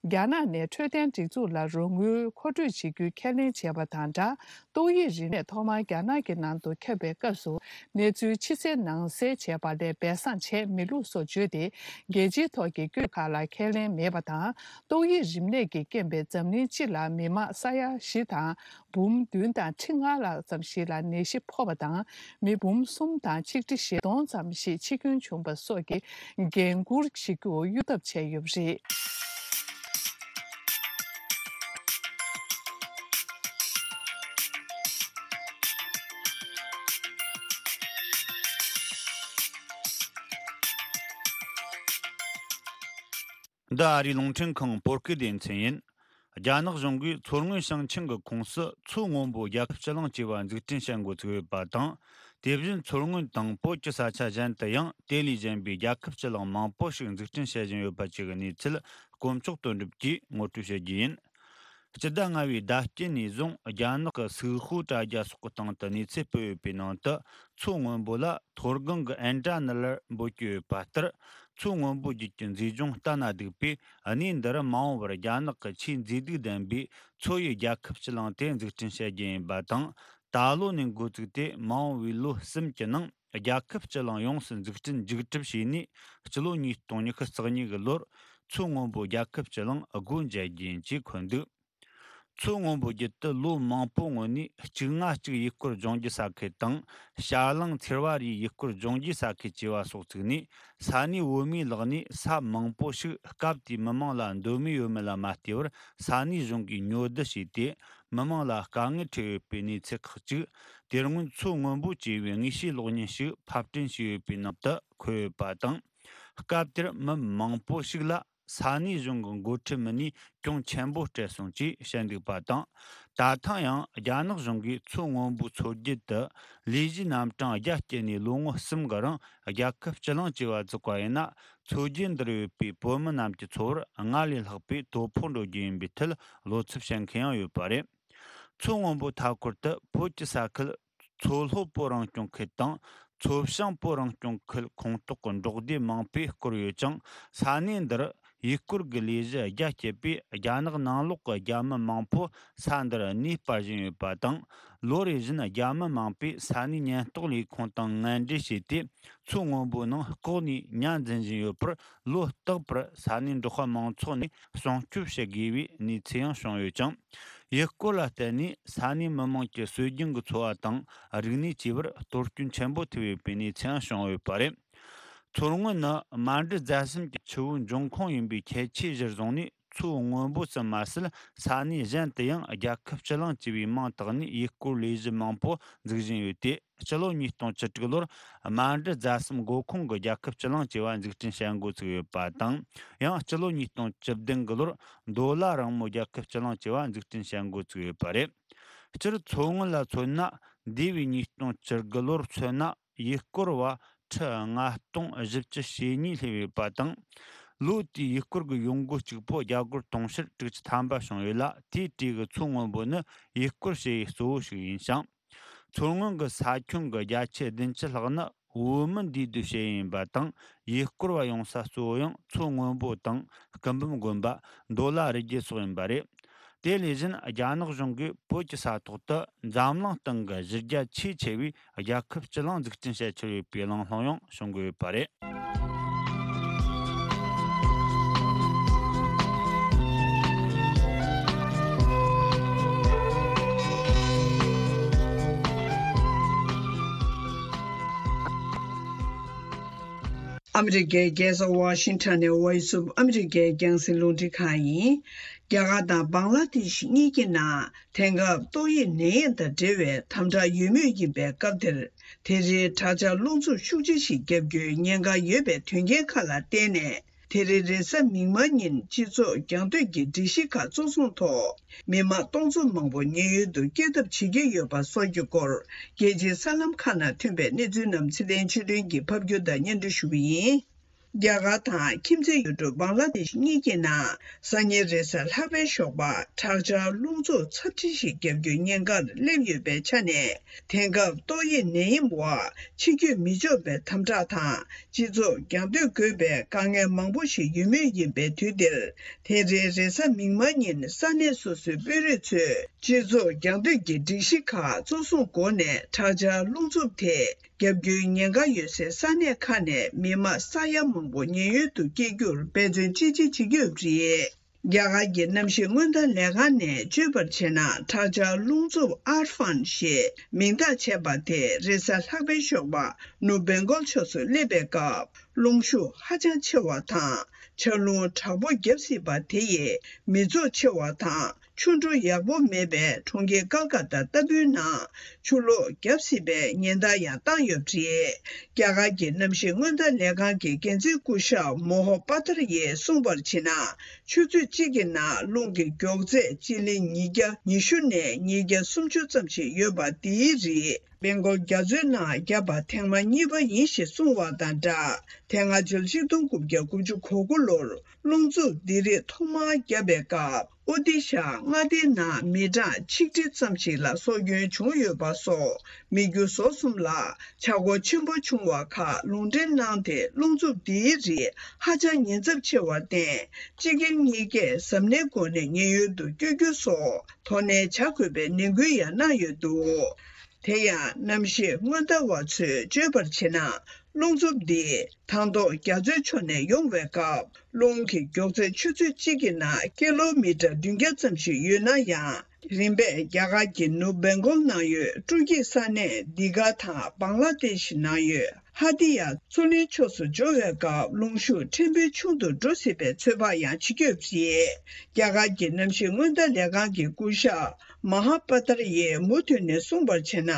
རྒྱ་ནག་ནས་འཕྲོད་བསྟེན་སྒྲིག་འཛུགས་ལ་རོགས་དངུལ་མཁོ་སྤྲོད་བྱེད་རྒྱུའི་ཁས་ལེན་བྱས་པ་དང་སྦྲགས། ཏོག་དབྱིབས་རིམས་ནད་ཐོག་མར་རྒྱ་ནག་གི་ནང་དུ་ཁྱབ་པའི་སྐབས་སུ། གནས་ཚུལ་ཕྱི་གསལ་ནང་གསལ་བྱས་པ་ལས་སྦས་གསང་བྱས་མེད་ལུགས་སོགས་བརྗོད་དེ། རྒྱལ་སྤྱིའི་ཐོག་གི་བཀོད་ཁག་ལ་ཁས་ལེན་མེད་པ་དང་། ཏོག་དབྱིབས་རིམས་ནད་ཀྱི་རྐྱེན་པས་འཛམ་གླིང་སྤྱི་ལ་མི་དམངས་ས་ཡ་བཞི་དང་འབུམ་བདུན་དང་ཁྲི་ལྔ་ལྷག་ཙམ་ཞིག་ལ་ནད་གཞི་ཕོག་པ་དང་། མི་འབུམ་གསུམ་དང་ཆིག་ཁྲི་བཞི་སྟོང་ཙམ་ཞིག་འཆི་སྐྱོན་བྱུང་བ་སོགས་ཀྱི་འགན་འཁུར་བྱེད་རྒྱུ་གཡོལ་ཐབས་བྱས་ཡོད་པ་རེད། འདི་ཨ་རིའི་རླུང་འཕྲིན་ཁང་བོད་སྐད་སྡེ་ཚན་ཡིན། རྒྱ་ནག་གཞུང་གིས་མཚོ་སྔོན་ཞིང་ཆེན་གྱི་ཁོངས་སུ་མཚོ་སྔོན་པོ་རྒྱལ་ཁབ་སྤྱི་གླིང་ཅེས་པ་འཛུགས་སྐྲུན་བྱེད་འགོ་ཚུགས་ཡོད་པ་དང་། དེ་བཞིན་མཚོ་སྔོན་དང་བོད་ཀྱི་ས་ཆ་གཞན་དུ་ཡང་དེ་ལས་གཞན་པའི་རྒྱལ་ཁབ་སྤྱི་གླིང་མང་པོ་ཞིག་འཛུགས་སྐྲུན་བྱེད་བཞིན་ཡོད་པ་བཅས་ཀྱི་གནས་ཚུལ་དཀོན་མཆོག་དོན་གྲུབ་ཀྱིས་ངོ་སྤྲོད་བྱེད་རྒྱུ་ཡིན། སྤྱི་ཟླ་ལྔ་བའི་ཟླ་དཀྱིལ་ནས་བཟུང་རྒྱ་ནག་གི་སུའུ་ཧུའུ་དྲ་རྒྱ་སོགས་ཀྱི་སྟེང་དུ་གནས་ཚུལ་སྤེལ་ཡོད་པའི་ནང་དུ། མཚོ་སྔོན་པོ་ལ་མཐོ་སྒང་གི་ཨེན་ཌྲ་ནི་ལར་འབོད་ཀྱི་ཡོད་པ་ལྟར། མཚོ་སྔོན་པོ་རྒྱུད་ཀྱི་མཛེས་ལྗོངས་ལྟ་ན་སྡུག་པས། གནས་འདིར་མ་འོངས་པར་རྒྱ་ནག་གི་ཆེས་མཛེས་སྡུག་ལྡན་པའི་མཚོ་ཡི་རྒྱལ་ཁབ་སྤྱི་གླིང་དེ་འཛུགས་སྐྲུན་བྱ་རྒྱུ་ཡིན་པ་དང་། ད་ལོ་ནས་འགོ་བཙུགས་ཏེ་མ་འོངས་པའི་ལོ་གསུམ་གྱི་ནང་རྒྱལ་ཁབ་སྤྱི་གླིང་ཡོངས་སུ་འཛུགས་སྐྲུན་མཇུག་གྲུབ་བྱས་ནས། སྤྱི་ལོ་ཉིས་སྟོང་ཉི་ཤུ་རྩ་གཉིས་ཀྱི་ལོར་མཚོ་སྔོན་པོ་རྒྱལ་ཁབ་སྤྱི་གླིང་སྒོ་འབྱེད་རྒྱུ་ཡིན་ཅེས་འཁོད་འདུག་མཚོ་སྔོན་པོ་བརྒྱུད་དུ་ལོ་མང་པོའི་སྔོན་ནས་གཅིག་ལྔ་གཅིག་ཡུལ་སྐོར་ལྗོངས་རྒྱུ་ས་ཁུལ་དང་། བྱ་གླང་ཚེར་བ་རིའི་ཡུལ་སྐོར་ལྗོངས་རྒྱུ་ས་ཁུལ་བཅས་པ་སོགས་བཙུགས་ནས། ས་གནས་བོད་མིའི་ལག་ནས་ས་མང་པོ་ཞིག་སྐབས་དེའི་མི་མང་ལ་འདོད་མོས་ཡོད་མེད་ལ་མ་ལྟོས་པར་ས་གནས་གཞུང་གིས་ཉོ་བསྡུ་བྱས་ཏེ། མི་མང་ལ་དཀའ་ངལ་འཕྲད་ཡོད་པའི་གནས་ཚུལ་ཁག་ཅིག་དེ་སྔོན་མཚོ་སྔོན་པོ་ཅེས་པའི་དངོས་བཤེས་གློག་བརྙན་ཞིག་ཕབ་སྐྲུན་བྱས་ཡོད་པའི་ནང་དུ་འཁོད་ཡོད་པ་དང་། སྐབས་དེར་མི་མང་པོ་ཞིག་ལ། ས་གནས་གཞུང་གི་འགོ་ཁྲིད་མི་སྣས་གྱོང་ཆེན་པོ་སྤྲད་སོང་ཅེས་བཤད་འདུག་པ་དང་། ད་ཐེངས་ཡང་རྒྱ་ནག་གཞུང་གིས་མཚོ་སྔོན་པོའི་མཚོ་རྒྱུད་དུ་ལས་གཞིའི་རྣམ་གྲངས་རྒྱ་བསྐྱེད་ནས་ལོ་ངོ་གསུམ་གྱི་རིང་རྒྱལ་ཁབ་སྤྱི་གླིང་ཅེས་པ་བཙུགས་པ་ཡིན་ན། མཚོ་རྒྱུད་འདིར་ཡོད་པའི་བོད་མི་རྣམས་ཀྱི་འཚོ་བར་སྔར་ལས་ལྷག་པའི་དོ་ཕོག་འགྲོ་རྒྱུ་ཡིན་པའི་ཐད་བློ་འཚབ་བྱེད་མཁན་ཡང་ཡོད་པ་རེད། མཚོ་སྔོན་པོའི་མཐའ་འཁོར་དུ་བོད་ཀྱི་ས་ཁུལ་མཚོ་ལྷོ་བོད་རང་སྐྱོང་ཁུལ་དང་། མཚོ་བྱང་བོད་རང་སྐྱོང་ཁུལ་ཁོངས་གཏོགས་ཀྱི་འབྲོག་སྡེ་མང་པོས་བསྐོར་ཡོད་ཅིང་། ས་གནས་འདིར་ཡུལ་སྐོར་གྱི་ལས་གཞི་རྒྱ་བསྐྱེད་པས། རྒྱ་ནག་ནང་ལོགས་ཀྱི་རྒྱ་མི་མང་པོ་ས་འདིར་གནས་སྤར་བཞིན་ཡོད་པ་དང་། ལོ་རེ་བཞིན་རྒྱ་མི་མང་པོས་ས་གནས་ཉེན་རྟོག་ལས་ཁུངས་དང་ངན་འབྲེལ་བྱས་ཏེ། མཚོ་སྔོན་པོའི་ནང་ལྐོག་ནས་ཉ་འཛིན་བཞིན་ཡོད་པར། ལོ་རྟག་པར་ས་གནས་འབྲོག་པ་མང་ཚོགས་ནས་སྲུང་སྐྱོབ་བྱེད་དགོས་པའི་གནས་ཚུལ་ཡང་བྱུང་ཡོད་ཅིང་། ཡུལ་སྐོར་ལ་བརྟེན་ནས་ས་གནས་མི་མང་གི་སྲོལ་རྒྱུན་གྱི་འཚོ་བ་དང་རིག་གནས་བཅས་པར་གཏོར་སྐྱོན་ཆེན་པོ་ཐེབས་ཡོད་པའི་གནས་ཚུལ་ཡང་བྱུང་ཡོད་པ་རེད། མཚོ་སྔོན་ནི་མནའ་འབྲེལ་རྫ་གསུམ་གྱི་ཆུ་བོའི་འབྱུང་ཁུངས་ཡིན་པའི་ཁྱད་ཆོས་གཞིར་བཟུང་ནས། མཚོ་སྔོན་པོ་ཙམ་མ་ཟད། ས་གནས་གཞན་དུ་ཡང་རྒྱལ་ཁབ་སྤྱི་གླིང་ཅེས་པའི་མིང་བཏགས་ནས་ཡུལ་སྐོར་ལས་གཞི་མང་པོ་འཛུགས་བཞིན་ཡོད་དེ། སྤྱི་ལོ་ཉིས་སྟོང་བཅུ་དྲུག་ལོར་མནའ་འབྲེལ་རྫ་གསུམ་མགོ་ཁུངས་ཀྱི་རྒྱལ་ཁབ་སྤྱི་གླིང་ཅེས་པ་འཛུགས་སྐྲུན་བྱེད་འགོ་ཚུགས་ཡོད་པ་དང་། ཡང་སྤྱི་ལོ་ཉིས་སྟོང་བཅུ་བདུན་གྱི་ལོར་མདོ་ལ་རིང་མོ་རྒྱལ་ཁབ་སྤྱི་གླིང་ཅེས་པ་འཛུགས་སྐྲུན་བྱེད་འགོ་ཚུགས་ཡོད་པ་རེད། སྤྱིར་མཚོ་སྔོན་ལ་མཚོན་ན། འདས་པའི་ཉིས་སྟོང་བཅུ་དགུ་ལོར་མཚོན་ན། ཡུལ་སྐོར་བ་ཁྲི་ལྔ་སྟོང་བཞི་བཅུ་ཞེ་གཉིས་སླེབས་ཡོད་པ་དང་། ལོ་དེའི་ཡུལ་སྐོར་གྱི་ཡོང་སྒོ་གཅིག་པོ་རྒྱ་སྒོར་དུང་ཕྱུར་དྲུག་ཅུ་ཐམ་པ་བྱུང་ཡོད་ལ། དེའི་གྲས་ཀྱི་མཚོ་སྔོན་པོ་ནི་ཡུལ་སྐོར་བྱེད་ཡུལ་གཙོ་བོ་ཞིག་ཡིན་ཞིང་། མཚོ་སྔོན་གྱི་ས་ཁྱོན་གྱི་བརྒྱ་ཆ་བདུན་ཅུ་ལྷག་ནི་བོད་མི་འདུས་སྡོད་བྱེད་ཡུལ་ཡིན་པ་དང་། ཡུལ་སྐོར་བ་ཡོང་ས་གཙོ་བོ་ཡང་མཚོ་སྔོན་པོ་དང་སྐུ་འབུམ་དགོན་པ། མདོ་ལ་རི་རྒྱལ་སོགས་ཡིན་པ་རེད། དེ་ལས་གཞན་རྒྱ་ནག་གཞུང་གིས་བོད་ཀྱི་ས་ཐོག་ཏུ་འཛམ་གླིང་སྟེང་གི་གཞི་རྒྱ་ཆེས་ཆེ་བའི་རྒྱལ་ཁབ་སྤྱི་གླིང་འཛུགས་སྐྲུན་བྱེད་འཆར་ཡོད་པའི་གླེང་སློང་ཡང་བྱུང་གི་ཡོད་པ་རེད། ཨ་མི་རི་ཀའི་རྒྱལ་ས་ཝ་ཤིང་ཊོན་ནས་Voice of America རྒྱང་སྲིང་རླུང་འཕྲིན་ཁང་ཡིན། རྒྱ་གར་དང་བང་ལ་དེ་ཤི་གཉིས་ཀྱི་ནང་དེང་སྐབས་ཏོག་དབྱིབས་ནད་ཡམས་དང་འབྲེལ་བའི་དམ་དྲག་ཡོད་མུས་ཡིན་པའི་སྐབས་དེར། དེ་རིང་དྲག་ཆར་རླུང་འཚུབ་ཤུགས་ཆེ་ཞིག་བརྒྱབ་རྒྱུའི་ཉེན་ཁ་ཡོད་པའི་དོན་རྐྱེན་ཁག་ལ་བརྟེན་ནས། དེ་རིང་རེས་གཟའ་མིག་དམར་ཉིན་སྤྱི་ཚོགས་རྒྱང་སྡོད་ཀྱི་སྒྲིག་གཞི་ཁག་གཙོ་བཟུང་ཐོག་མི་མང་སྟོང་ཚོ་མང་པོ་ཉེན་གཡོལ་དུ་སྐྱེལ་ཐབས་བྱེད་ཀྱི་ཡོད་པ་སོགས་ཀྱི་སྐོར། རྒྱལ་སྤྱིའི་གསར་ལམ་ཁག་ནང་ཐོན་པའི་གནས་ཚུལ་རྣམས་ཚེ་བརྟན་ཆོས་སྒྲོན་གྱིས་ཕབ་སྒྱུར་དང་སྙན་སྒྲོན་ཞུ་གི་ཡིན། རྒྱ་གར་དང་ཁྱིམ་མཚེས་ཡུལ་གྲུ་བང་ལ་དེ་ཤི་གཉིས་ཀྱི་ནང་སང་ཉིན་རེས་གཟའ་ལྷག་པའི་ཞོགས་པ་དྲག་ཆར་རླུང་འཚུབ་ཚབས་ཆེ་ཞིག་བརྒྱབ་རྒྱུའི་ཉེན་ཁར་སླེབས་ཡོད་པའི་ཆ་ནས། དེང་སྐབས་ཏོག་དབྱིབས་ནད་ཡམས་འོག་ཕྱི་སྐྱོད་མི་ཆོག་པའི་དམ་དྲག་དང་། སྤྱི་ཚོགས་རྒྱང་སྡོད་དགོས་པའི་དཀའ་ངལ་མང་པོ་ཞིག་ཡོད་མུས་ཡིན་པའི་དུས་འདིར། དེ་རིང་རེས་གཟའ་མིག་དམར་ཉིན་ས་གནས་སོ་སོའི་དཔོན་རིགས་ཚོས་སྤྱི་ཚོགས་རྒྱང་སྡོད་ཀྱི་སྒྲིག་གཞི་ཁག་གཙོ་བཟུང་སྒོ་ནས་དྲག་ཆར་རླུང་འཚུབ་དེ་བརྒྱབ་རྒྱུའི་ཉེན་ཁ་ཡོད་སའི་ས་གནས་ཁག་ནས་མི་མང་ས་ཡ་མང་པོ་ཉེན་གཡོལ་དུ་སྐྱེལ་རྒྱུར་འབད་བརྩོན་ཅི་ཆེ་བྱེད་ཀྱི་ཡོད་པ་རེད། རྒྱ་གར་གྱི་གནམ་གཤིས་སྔོན་བརྡ་ལས་ཁང་ནས་བརྗོད་པར་བྱས་ན། དྲག་ཆར་རླུང་འཚུབ་ཨར་ཧྥན་ཞེས་མིང་བཏགས་བྱས་པ་དེ་རེས་གཟའ་ལྷག་པའི་ཞོགས་པ་ནུབ་བེང་གོལ་ཕྱོགས་སུ་སླེབས་པའི་སྐབས། རླུང་ཤུགས་ཧ་ཅང་ཆེ་བ་དང་། ཆར་རླུང་དྲག་པོ་བརྒྱབ་སྲིད་པ་དེ་ཡིས་མི་ཚོགས་ཆེ་བ་དང་། ཆུ་འགྲོ་ཡག་པོ་མེད་པའི་གྲོང་ཁྱེར་ཀལ་ཀ་ཏ་ལྟ་བུའི་ནང་ཆུ་ལོག་བརྒྱབ་སྲིད་པའི་ཉེན་བརྡ་ཡང་བཏང་ཡོད་པ་རེད། རྒྱ་གར་གྱི་གནམ་གཤིས་སྔོན་བརྡ་ལས་ཁང་གི་འགན་འཛིན་སྐུ་ཞབས་མོ་ཧོ་པ་ཐར་ཡིས་གསུངས་པར་བྱས་ན། ཆུ་ཚོད་གཅིག་གི་ནང་རླུང་གི་མགྱོགས་ཚད་སྤྱི་ལེ་ཉིས་བརྒྱ་ཉི་ཤུ་ནས་ཉིས་བརྒྱ་སུམ་ཅུ་ཙམ་ཞིག་ཡོད་པ། འདིའི་རིགས་བེང་གོལ་རྒྱ་མཚོའི་ནང་བརྒྱབ་པ་ཐེངས་མ་གཉིས་པ་ཡིན་ཞེས་གསུངས་པ་དང་སྦྲགས། དེ་སྔ་ཕྱི་ལོ་ཆིག་སྟོང་དགུ་བརྒྱ་དགུ་བཅུ་གོ་དགུ་ལོར་རླུང་འཚུབ་འདི་རིགས་ཐོག་མར་བརྒྱབ་པའི་སྐབས། ཨོ་ཏི་ཤ་མངའ་སྡེའི་ནང་མི་གྲངས་ཆིག་ཁྲི་ཙམ་ཞིག་ལ་སྲོག་སྐྱོན་བྱུང་ཡོད་པ་སོགས་མི་རྒྱུ་ཟོག་གསུམ་ལ་ཆག་སྒོ་ཆེན་པོ་བྱུང་བ་ཁག་ལུང་འདྲེན་གནང་སྟེ། རླུང་འཚུབ་འདིའི་རིགས་ཧ་ཅང་ཉེན་ཚབས་ཆེ་བར་བརྟེན། སྤྱི་སྒེར་གཉིས་ཀས་གཟབ་ནན་སྒོ་ནས་ཉེན་གཡོལ་དུ་བསྐྱོད་རྒྱུ་སོགས་དོ་ནན་བྱ་དགོས་པའི་ནན་སྐུལ་ཡང་གནང་ཡོད་འདུག་དེ་ཡང་གནམ་གཤིས་སྔོན་བརྡ་བ་ཚོས་བརྗོད་པར་བྱས་ན། རླུང་འཚུབ་འདི་ཐང་ཐོག་རྒྱ་མཚོའི་ཕྱོགས་ནས་ཡོང་བའི་སྐབས། རླུང་གི་མགྱོགས་ཚད་ཆུ་ཚོད་གཅིག་གི་ནང་ཀི་ལོ་མི་ཊར་བདུན་བརྒྱ་ཙམ་ཞིག་ཡོད་ན་ཡང་། རིམ་པས་རྒྱ་གར་གྱི་ནུབ་བེང་གོལ་ནང་ཡོད་སྤྲོ་སྐྱིད་ས་གནས་འདི་ག་དང་བང་ལ་དེ་ཤི་ནང་ཡོད་ཧ་ཏི་ཡ་མཚོ་གླིང་ཕྱོགས་སུ་འབྱོར་བའི་སྐབས། རླུང་ཤུགས་ཕྲན་བུ་ཆུང་དུ་འགྲོ་སྲིད་པའི་ཚོད་དཔག་ཡང་བྱེད་ཀྱི་ཡོད་པ་རེད། རྒྱ་གར་གྱི་གནམ་གཤིས་སྔོན་བརྡ་ལས་ཁང་གི་སྐུ་ཞབས་མ་ཧ་པ་ཐར་ཡིས་མུ་མཐུད་ནས་གསུངས་པར་བྱས་ན།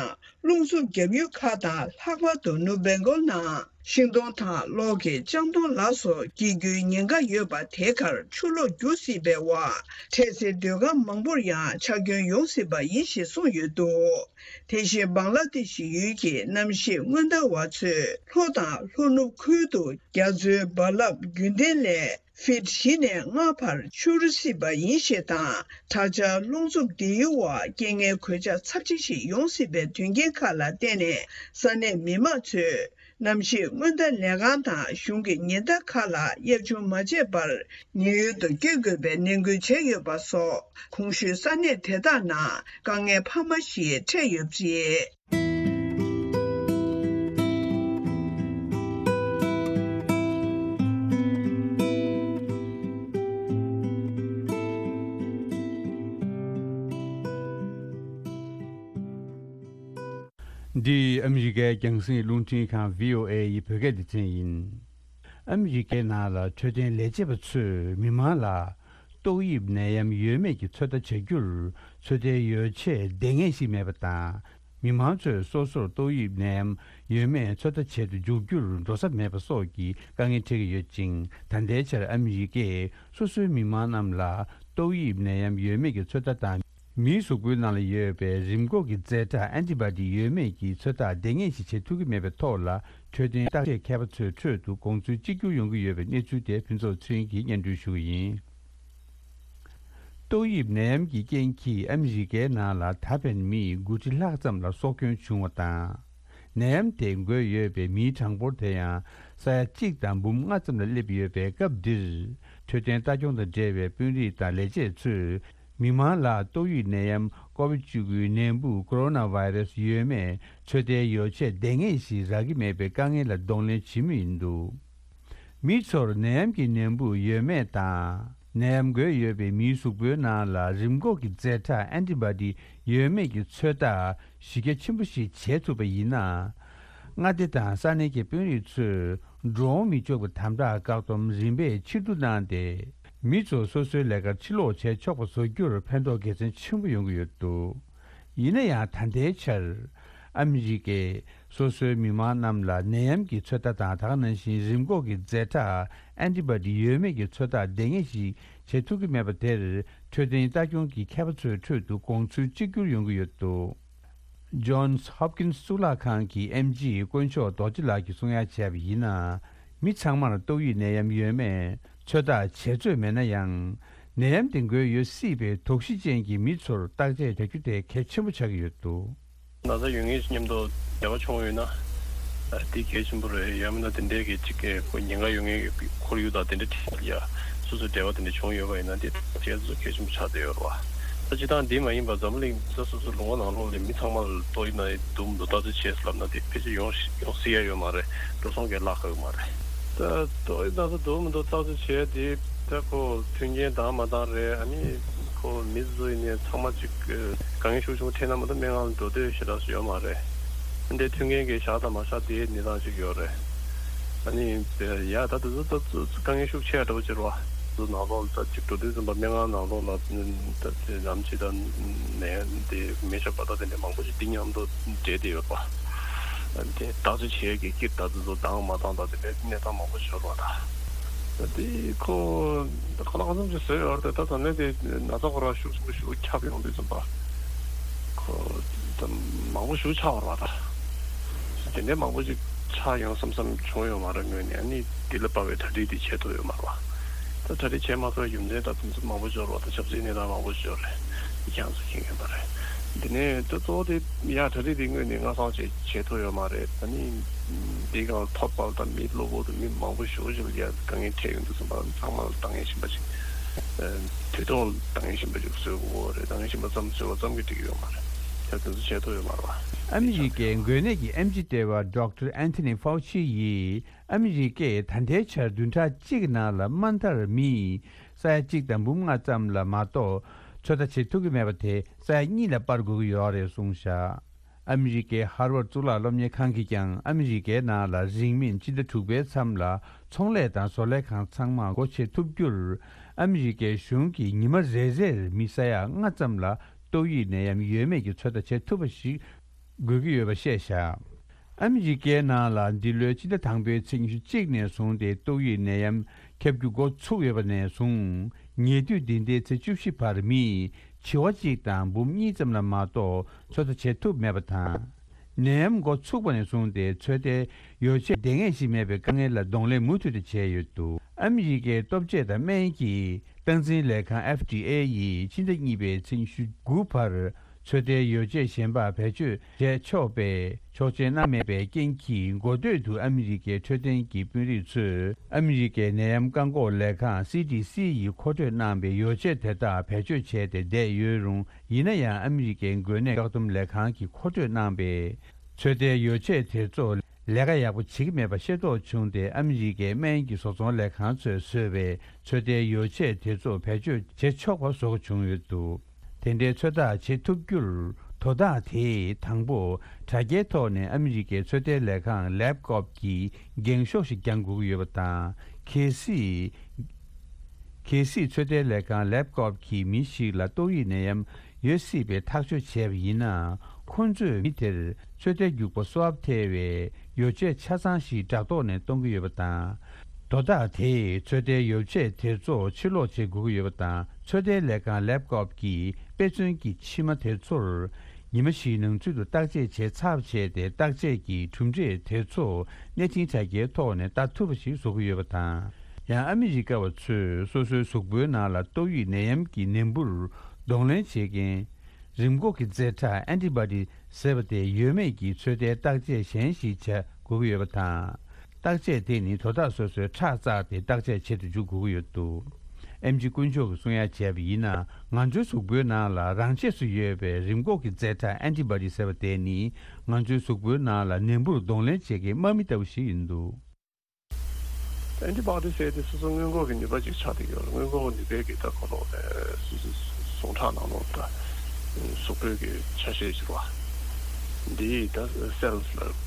རླུང་འཚུབ་བརྒྱབ་ཡུལ་ཁག་དང་། ལྷག་པར་དུ་ནུབ་བེང་གོལ་ནང་ཤིང་སྡོང་དང་གློག་གི་ལྕང་སྡོང་ལ་སོགས་སྐྱེ་རྒྱུའི་ཉེན་ཁ་ཡོད་པ། དེ་གར་ཆུ་ལོག་རྒྱུག་སྲིད་པའི་འོག་འཕྲལ་སེལ་སྡོད་ཁང་མང་པོར་ཡང་ཆག་སྐྱོན་ཡོང་སྲིད་པ་ཡིན་ཞེས་གསུངས་ཡོད་འདུག་དེ་བཞིན་བང་ལ་དེ་ཤི་ཡུལ་གྱི་གནམ་གཤིས་སྔོན་བརྡ་བ་ཚོས། ལྷོ་དང་ལྷོ་ནུབ་ཁུལ་དུ་རྒྱ་མཚོའི་རྦ་རླབས་རྒྱུན་ལྡན་ལས་ཕིཊ་བཞི་ནས་ལྔ་བར་འཕྱུར་སྲིད་པ་ཡིན་ཞེས་དང་། དྲག་ཆར་རླུང་འཚུབ་འདིའི་འོག་རྐྱེན་ངན་གོད་ཆག་ཚབས་ཆེ་ཞིག་ཡོང་སྲིད་པའི་དོན་རྐྱེན་ཁག་ལ་བརྟེན་ནས། ས་གནས་མི་མང་ཚོས་གནམ་གཤིས་སྔོན་བརྡ་ལས་ཁང་དང་གཞུང་གི་ཉེན་བརྡ་ཁག་ལ་གཡར་བྱུང་མ་བྱས་པར་ཉེན་གཡོལ་དུ་བསྐྱོད་དགོས་པའི་ནན་སྐུལ་བྱས་ཡོད་པ་སོགས། གོང་ཞུས་ས་གནས་དེ་དག་ནང་དཀའ་ངལ་འཕར་མ་ཞིག་འཕྲད་ཡོད་པ་རེད། འདི་ཨ་མི་རི་ཀའི་རྒྱང་སྲིང་རླུང་འཕྲིན་ཁང་བྷི་ཨོ་ཨེ་ཡི་བོད་སྐད་སྡེ་ཚན་ཡིན། ཨ་མི་རི་ཀའི་ནང་ལ་འཕྲོད་བསྟེན་ལས་བྱེད་པ་ཚོས་མི་མང་ལ། ཏོག་དབྱིབས་ནད་ཡམས་ཡོད་མེད་ཀྱི་ཚོད་ལྟ་བྱ་རྒྱུར་ཚོད་ལྟའི་ཡོ་བྱད་ལྡང་ངེས་ཤིག་མེད་པ་དང་། མི་མང་ཚོས་སོ་སོར་ཏོག་དབྱིབས་ནད་ཡམས་ཡོད་མེད་ཚོད་ལྟ་བྱེད་དུ་འཇུག་རྒྱུར་འགྲོ་ས་མེད་པ་སོགས་ཀྱི་དཀའ་ངལ་འཕྲད་ཀྱི་ཡོད་ཅིང་། ད་ལྟའི་ཆར་ཨ་མི་རི་ཀས་སོ་སོའི་མི་མང་རྣམས་ལ་ཏོག་དབྱིབས་ནད་ཡམས་ཡོད་མེད་ཀྱི་ཚོད་ལྟ་དང་། མིའི་གཟུགས་པོའི་ནང་ལ་ཡོད་པའི་རིམས་འགོག་གི་རྫས་ཁྲག་ཨན་ཊི་བྷ་ཌི་ཡོད་མེད་ཀྱི་ཚོད་ལྟ་ལྡང་ངེས་ཤིག་བྱེད་ཐུབ་ཀྱི་མེད་པའི་ཐོག་ལ། འཕྲོད་བསྟེན་བརྟག་དཔྱད་མཁས་པ་ཚོའི་ཁྲོད་དུ་དགོངས་ཚུལ་གཅིག་གྱུར་ཡོང་གི་ཡོད་པའི་གནས་ཚུལ་དེ་ཕུན་ཚོགས་ཚེ་རིང་གིས་སྙན་སྒྲོན་ཞུ་གི་ཡིན། ཏོག་དབྱིབས་ནད་ཡམས་ཀྱི་རྐྱེན་གྱིས་ཨ་མི་རི་ཀའི་ནང་ལ་ད་ཕན་མི་དགུ་ཁྲི་ལྷག་ཙམ་ལ་སྲོག་སྐྱོན་བྱུང་བ་དང་། ནད་ཡམས་དེ་འགོས་ཡོད་པའི་མིའི་གྲངས་འབོར་དེ་ཡང་ས་ཡ་གཅིག་དང་འབུམ་ལྔ་ཙམ་ལ་སླེབས་ཡོད་པའི་སྐབས་འདིར། འཕྲོད་བསྟེན་ལྟ་སྐྱོང་དང་འབྲེལ་བའི་དཔོན་རིགས་དང་ལས་བྱེད་ཚོས། མི་མང་ལ་ཏོག་དབྱིབས་ནད་ཡམས་ཀོ་བིད་བཅུ་དགུའི་ནད་འབུ་ཀོ་རོ་ན་བྷའི་རེ་སི་ཡོད་མེད་ཚོད་ལྟའི་ཡོ་བྱད་ལྡང་ངེས་ཤིག་རག་གི་མེད་པའི་དཀའ་ངལ་ལ་གདོང་ལེན་བྱེད་མུས་ཡིན་འདུག་མི་ཚོར་ནད་ཡམས་ཀྱི་ནད་འབུ་ཡོད་མེད་དང་། ནད་ཡམས་འགོས་ཡོད་པའི་མིའི་གཟུགས་པོའི་ནང་ལ་རིམས་འགོག་གི་རྫས་ཁྲག་ཨན་ཊི་བྷོ་ཌི་ཡོད་མེད་ཀྱི་ཚོད་ལྟ་གཞི་རྒྱ་ཆེན་པོ་ཞིག་བྱེད་ཐུབ་པ་ཡིན་ན། མངའ་སྡེ་དང་ས་གནས་ཀྱི་དཔོན་རིགས་ཚོས་འགྲོ་འོང་མི་ཆོག་པའི་དམ་དྲག་བཀག་སྡོམ་རིམ་པས་ཕྱིར་བསྡུ་གནང་སྟེ། མི་ཚོ་སོ་སོའི་ལས་ཀར་ཕྱིར་ལོག་བྱས་ཆོག་པ་བཟོ་རྒྱུར་ཕན་ཐོགས་དགེ་མཚན་ཆེན་པོ་ཡོང་གི་ཡོད་འདུག་ཡིན་ན་ཡང་། ད་ལྟའི་ཆར་ཨ་མི་རི་ཀས་སོ་སོའི་མི་མང་རྣམས་ལ་ནད་ཡམས་ཀྱི་ཚོད་ལྟ་དང་། ད་ག་ནང་བཞིན་རིམས་འགོག་གི་རྫས་ཁྲག་ཨན་ཊི་བྷོ་ཌི་ཡོད་མེད་ཀྱི་ཚོད་ལྟ་ལྡང་ངེས་ཤིག་བྱེད་ཐུབ་ཀྱི་མེད་པ་དེར། འཕྲོད་བསྟེན་ལྟ་སྐྱོང་གི་མཁས་པ་ཚོའི་ཁྲོད་དུ་དགོངས་ཚུལ་གཅིག་གྱུར་ཡོང་གི་ཡོད་འདུག Johns Hopkins གཙུག་ལག་ཁང་གི་ཨེམ་ཆི་དཀོན་མཆོག་རྡོ་རྗེ་ལགས་ཀྱིས་གསུང་ཡ་བྱས་པ་ཡིན་ན། མི་ཚང་མར་ཏོག་དབྱིབས་ནད་ཡམས་ཡོད་མེད་ཚོད་ལྟ་བྱེད་རྩོད་མེད་ན་ཡང་། ནད་ཡམས་དེ་འགོས་ཡོད་སྲིད་པའི་དོགས་གཞི་ཅན་གྱི་མི་ཚོར་བརྟག་དཔྱད་བྱ་རྒྱུ་དེ་གལ་ཆེན་པོ་ཆགས་ཀྱི་ཡོད་འདུག་ན་ཚ་ཡོད་མཁན་ཞིག་མཉམ་དུ་འབྲེལ་བ་བྱུང་ཡོད་ན། ཨ། དེ་གལ་ཆེན་པོ་རེད། ཡང་མིན་ན་དེ་འདྲའི་གི་གཅིག་གི་ཁོ་ཉེན་ཁ་ཡོད་མཁན་གྱི་ཁོར་ཡུག་དང་དེ་འདྲ་ཁྲིད་ཡ་སོ་སོའི་འབྲེལ་བ་དེ་འདྲ་བྱུང་ཡོད་པ་ཡིན་ན། དེ་བྱས་སུ་གལ་ཆེན་པོ་ཆགས་བསྡད་ཡོད་རེད་བ། ད་སྤྱིར་བཏང་འདི་མ་ཡིན་པ་འཛམ་གླིང་ས་སོ་སོའི་ལུང་པ་ནང་ལོགས་ལ་མི་ཚང་མ་ལ་ཏོག་དབྱིབས་ན་འདུག་མི་འདུག་བརྟག་དཔྱད་བྱས་ལབ་ན། དེ་ཕལ་ཆེར་ཡོང་ཡོང་སྲིད་ཡ་ཡོད་མ་རེད། འགྲོ་སོང་གང་བརླག་གི་ཡོད་མ་རེད། ད་ཏོག་དབྱིབས་ན་ཚ་འདུག་མི་འདུག་བརྟག་དཔྱད་བྱས་དེ། ད་ཁོ་མཐུན་རྐྱེན་དང་མ་འདང་རེད། ཨ་ནི་ཁོ་མི་སུ་ཡིན་ནའི་ཚང་མ་གཅིག་དཀའ་ངལ་ཤུགས་ཆེན་པོ་འཕྲད་ན་མ་གཏོགས་སྨན་ཁང་ལ་འགྲོ་འདོད་ཞེ་དྲག་ཡོད་མ་རེད། འདི་མཐུན་རྐྱེན་གྱི་བཞག་དང་མ་བཞག་དེའི་གནས་སྟངས་གཅིག་ཡོད་རེད། ཨ་ནི་ཡ་ད་དེ་ཚོ་ད་དཀའ་ངལ་ཤུགས་ཆེ་འདྲ་པོ་ཅིག་རེད་བ། དེ་ཚོ་ནང་ལོགས་ལ་ད་གཅིག་འགྲོ་དུས་ཙམ་པ་སྨན་ཁང་ནང་ལོགས་ལ་ད་དེ་ནམ་ཕྱེད་དང་ནས་དེ་མེ་ཤ་བ་ད་དེ་འདྲ་མང་པོ་ཞིག་འདི་མཉམ་དུ་འདྲེས་བསྡད་ཡོད་པ། དེ་བརྟག་དཔྱད་བྱེད་ཀྱི་དཀྱིལ་ད་དེ་ཚོ་འདང་མ་འདང་ད་དེ་འདྲའི་གནས་སྟངས་མང་པོ་ཞིག་ཡོད་རེད་བ། ད་དེ་ཁོ་ད་གང་ལ་གང་འཚམ་ཅིག་བཟོས་ཡོད་རེད། ད་ད་ནས་དེ་ན་ཚ་ཁོ་རང་ཤུགས་ཆེན་པོ་ཞིག་ཁྱབ་ཡོང་དུས་ཙམ་པ། ཁོ་ད་མང་པོ་ཞིག་ཆགས་པ་རེད་བ། ད་དེ་འདྲའི་མང་པོ་ཞིག་ཆགས་ཡོང་བསམ་བསམ་བྱུང་ཡོད་མ་རེད། ངོས་ནས་ཨ་ནི་འདི་ལ་དཔག་པའི་གྲ་སྒྲིག་དེ་བྱེད་ཐུབ་ཡོད་མ་རེད་བ། ད་གྲ་སྒྲིག་བྱེད་མ་ཐུབ་པའི་རྒྱུ་མཚན་ད་དེ་ཚོ་མང་པོ་ཞིག་ཡོད་རེད་བ། ད་ཆབ་སྲིད་གནས་སྟངས་མང་པོ་ཞིག་ཡོད་རེད། འདི་ཁྱེད་རང་ཚོ་མཁྱེན་མཁྱེན་པ་རེད། འདི་ནས་ད་གཙོ་བོ་དེ་ཡ་གྲ་སྒྲིག་དེ་ངོས་ནས་སྔ་སང་བྱས་བྱེད་ཐུབ་ཡོད་མ་རེད། ད་ནི་འདི་གང་ཐོབ་པ་ད་མི་གློ་བུར་དུ་མི་མང་པོ་ཞེ་པོ་ཞིག་ལ་ཡ་དཀའ་ངལ་འཕྲད་ཡོང་དུས་ཙམ་པ་ཚང་མ་ལ་ལྟ་མཁན་གཞན་པ་ཞིག་དུས་ཐོག་ལ་ལྟ་མཁན་གཞན་པ་ཞིག་བཟོ་དགོས་རེད། ལྟ་མཁན་གཞན་པ་ཙམ་བཟོས་པ་ཙམ་གྱིས་འགྲིག་གི་ཡོད་མ་རེད། ད་དེ་ཚོ་བྱེད་ཐུབ་ཡོད་མ་རེད་བ། ཨ་མི་རི་ཀའི་འགོས་ནད་ཀྱི་ཨེམ་ཆི་ལྟེ་བ་Doctor Anthony Fauci ཡིས། ཨ་མི་རི་ཀས་ད་ལྟའི་ཆར་བདུན་ཕྲག་གཅིག་གི་ནང་ལ་དམའ་མཐར་མི་ས་ཡ་གཅིག་དང་འབུམ་ལྔ་ཙམ་ལ་མ་གཏོགས་ཚོད་ལྟ་བྱེད་ཐུབ་ཀྱི་མེད་པ་དེ་ས་ཡ་གཉིས་ལ་སྤར་དགོས་ཀྱི་ཡོད་རེད་གསུངས་བཞག་ཨ་མི་རི་ཀའི་ཧར་ཝརཌ་གཙུག་ལག་སློབ་གཉེར་ཁང་གིས་ཀྱང་ཨ་མི་རི་ཀའི་ནང་ལ་རིང་མིན་སྤྱི་ཟླ་དྲུག་པའི་མཚམས་ལ་ཚོང་ལས་དང་བཟོ་ལས་ཁང་ཚང་མ་སྒོ་ཕྱེ་ཐུབ་རྒྱུར། ཨ་མི་རི་ཀའི་གཞུང་གིས་ཉི་མ་རེ་རེར་མི་ས་ཡ་ལྔ་ཙམ་ལ་ཏོག་དབྱིབས་ནད་ཡམས་ཡོད་མེད་ཀྱི་ཚོད་ལྟ་བྱེད་ཐུབ་པ་ཞིག་དགོས་ཀྱི་ཡོད་པ་བཤད་བཞག་ཨ་མི་རི་ཀའི་ནང་ལ་འདི་ལོའི་ཕྱི་ཟླ་དང་པོའི་ཚེས་ཉི་ཤུ་གཅིག་ནས་བཟུང་སྟེ་ཏོག་དབྱིབས་ནད་ཡམས་ཁྱབ་རྒྱུ་འགོ་ཚུགས་ཡོད་པ་ནས་བཟུང་ཉེ་དུས་འདི་ཟླའི་ཚེས་བཅུ་བཞི་བར་མིས་བྱི་བ་གཅིག་དང་འབུམ་གཉིས་ཙམ་ལ་མ་གཏོགས་ཚོད་ལྟ་བྱེད་ཐུབ་མེད་པ་དང་། ནད་ཡམས་འགོ་ཚུགས་པ་ནས་བཟུང་སྟེ་ཚོད་ལྟའི་ཡོ་བྱད་ལྡང་ངེས་ཤིག་མེད་པའི་དཀའ་ངལ་ལ་གདོང་ལེན་མུ་མཐུད་དུ་བྱས་ཡོད་འདུག་ཨ་མི་རི་ཀའི་ལྟོ་ཆས་དང་སྨན་གྱི་སྟངས་འཛིན་ལས་ཁང་ཨེཕ་ཌི་ཨེ་ཡིས་ཕྱི་ཟླ་གཉིས་པའི་ཚེས་ཉི་ཤུ་དགུ་བར། ཚོད་ལྟའི་ཡོ་བྱད་གཞན་པ་བེད་སྤྱོད་བྱས་ཆོག་པའི་ཆོག་མཆན་གནང་མེད་པའི་རྐྱེན་གྱིས། འགོ་སྟོད་དུ་ཨ་མི་རི་ཀའི་འཕྲོད་བསྟེན་གྱི་དཔོན་རིགས་ཚོས་ཨ་མི་རི་ཀའི་ནད་ཡམས་བཀག་འགོག་ལས་ཁང་སི་ཌི་སི་ཡིས་མཁོ་སྤྲོད་གནང་པའི་ཡོ་བྱད་དེ་དག་བེད་སྤྱོད་བྱས་ཏེ་བསྡད་ཡོད་རུང་། ཡིན་ན་ཡང་ཨ་མི་རི་ཀའི་འགོས་ནད་བཀག་སྡོམ་ལས་ཁང་གིས་མཁོ་སྤྲོད་གནང་པའི་ཚོད་ལྟའི་ཡོ་བྱད་དེ་ཚོ་ལས་ཀ་ཡག་པོ་བྱེད་ཀྱི་མེད་པ་ཤེས་རྟོགས་བྱུང་སྟེ། ཨ་མི་རི་ཀའི་སྨན་གྱི་བཟོ་ཚོང་ལས་ཁང་ཚོས་བཟོས་པའི་ཚོད་ལྟའི་ཡོ་བྱད་དེ་ཚོ་བེད་སྤྱོད་བྱེད་ཆོག་པ་བཟོ་དགོས་བྱུང་ཡོད་འདུག་དེ་འདྲའི་ཚོད་ལྟ་བྱེད་ཐུབ་རྒྱུར། དོ་བདག་དེས་དང་པོ་དྲ་རྒྱའི་ཐོག་ནས་ཨ་མི་རི་ཀའི་ཚོད་ལྟའི་ལས་ཁང་ལེབ་ཀོབ་ཀྱི་འགེངས་ཤོག་ཞིག་བརྒྱང་དགོས་ཀྱི་ཡོད་པ་དང་། གལ་སྲིད། གལ་སྲིད་ཚོད་ལྟའི་ལས་ཁང་ལེབ་ཀོབ་ཀྱིས་མི་ཞིག་ལ་ཏོག་དབྱིབས་ནད་ཡམས་ཡོད་སྲིད་པའི་ཐག་གཅོད་བྱས་པ་ཡིན་ན། ཁོང་ཚོས་མི་དེར་ཚོད་ལྟའི་རྒྱུག་པ་སུའབ་ཐེ་བའི་ཡོ་བྱད་ཆ་ཚང་ཞིག་དྲ་ཐོག་ནས་གཏོང་གི་ཡོད་པ་དང་། དོ་བདག་དེས་ཚོད་ལྟའི་ཡོ་བྱད་དེ་ཚོ་ཕྱིར་སློག་བྱེད་དགོས་ཀྱི་ཡོད་པ་དང་། ཚོད་ལྟའི་ལས་ཁང་ལེབ་ཀོབ་ཀྱིས་དཔེ་མཚོན་གྱི་མཆིལ་མ་དེ་ཚོར་ཉི་མ་བཞིའི་ནང་ཚུད་དུ་བརྟག་དཔྱད་བྱས་ཚར་བྱས་ཏེ། བརྟག་དཔྱད་ཀྱི་གྲུབ་འབྲས་དེ་ཚོ་གནས་འཕྲིན་དྲ་རྒྱའི་ཐོག་ནས་ལྟ་ཐུབ་པ་ཞིག་བཟོ་གི་ཡོད་པ་དང་། ཡང་ཨ་མི་རི་ཀ་བ་ཚོས་སོ་སོའི་གཟུགས་པོའི་ནང་ལ་ཏོག་དབྱིབས་ནད་ཡམས་ཀྱི་ནད་འབུར་གདོང་ལེན་བྱེད་མཁན་རིམས་འགོག་གི་རྫས་ཁྲག་ཨན་ཊི་བྷོ་ཌི་ཟེར་བ་དེ་ཡོད་མེད་ཀྱི་ཚོད་ལྟའི་བརྟག་དཔྱད་གཞན་ཞིག་བྱ་དགོས་ཀྱི་ཡོད་པ་དང་། བརྟག་དཔྱད་དེ་ནི་དོ་བདག་སོ་སོའི་ཁྲག་བཙགས་ཏེ་བརྟག་དཔྱད་བྱེད་དུ་འཇུག་དགོས་ཀྱི་ཡོད་འདུག་ཨེམ་ཆི་དཀོན་མཆོག་གིས་གསུང་ཡ་བྱས་པ་ཡིན་ན། ང་ཚོའི་གཟུགས་པོའི་ནང་ལ་རང་ཆས་སུ་ཡོད་པའི་རིམས་འགོག་གི་རྫས་ཁྲག་ཨན་ཊི་བྷོ་ཌི་ཟེར་བ་དེ་ནི། ང་ཚོའི་གཟུགས་པོའི་ནང་ལ་ནད་འབུར་གདོང་ལེན་བྱེད་མཁན་དམག་མི་ལྟ་བུ་ཞིག་ཡིན་འདུག། ཨན་ཊི་བྷོ་ཌི་ཟེར་དེ་སོ་སོ་སྔོན་འགོག་གི་ནུས་པ་ཅིག་ཆགས་བསྡད་ཡོད་རེད། སྔོན་འགོག་གི་ནུས་པའི་གི་ད་ཁོ་ལོག་ནས་སོ་སོའི་ཟུངས་ཁྲག་ནང་ལོགས་ད་གཟུགས་པོའི་གི་ཆ་ཤས་ཤིག་རེད་བ། འདིའི་ད་སེལ་ལ་བྱས་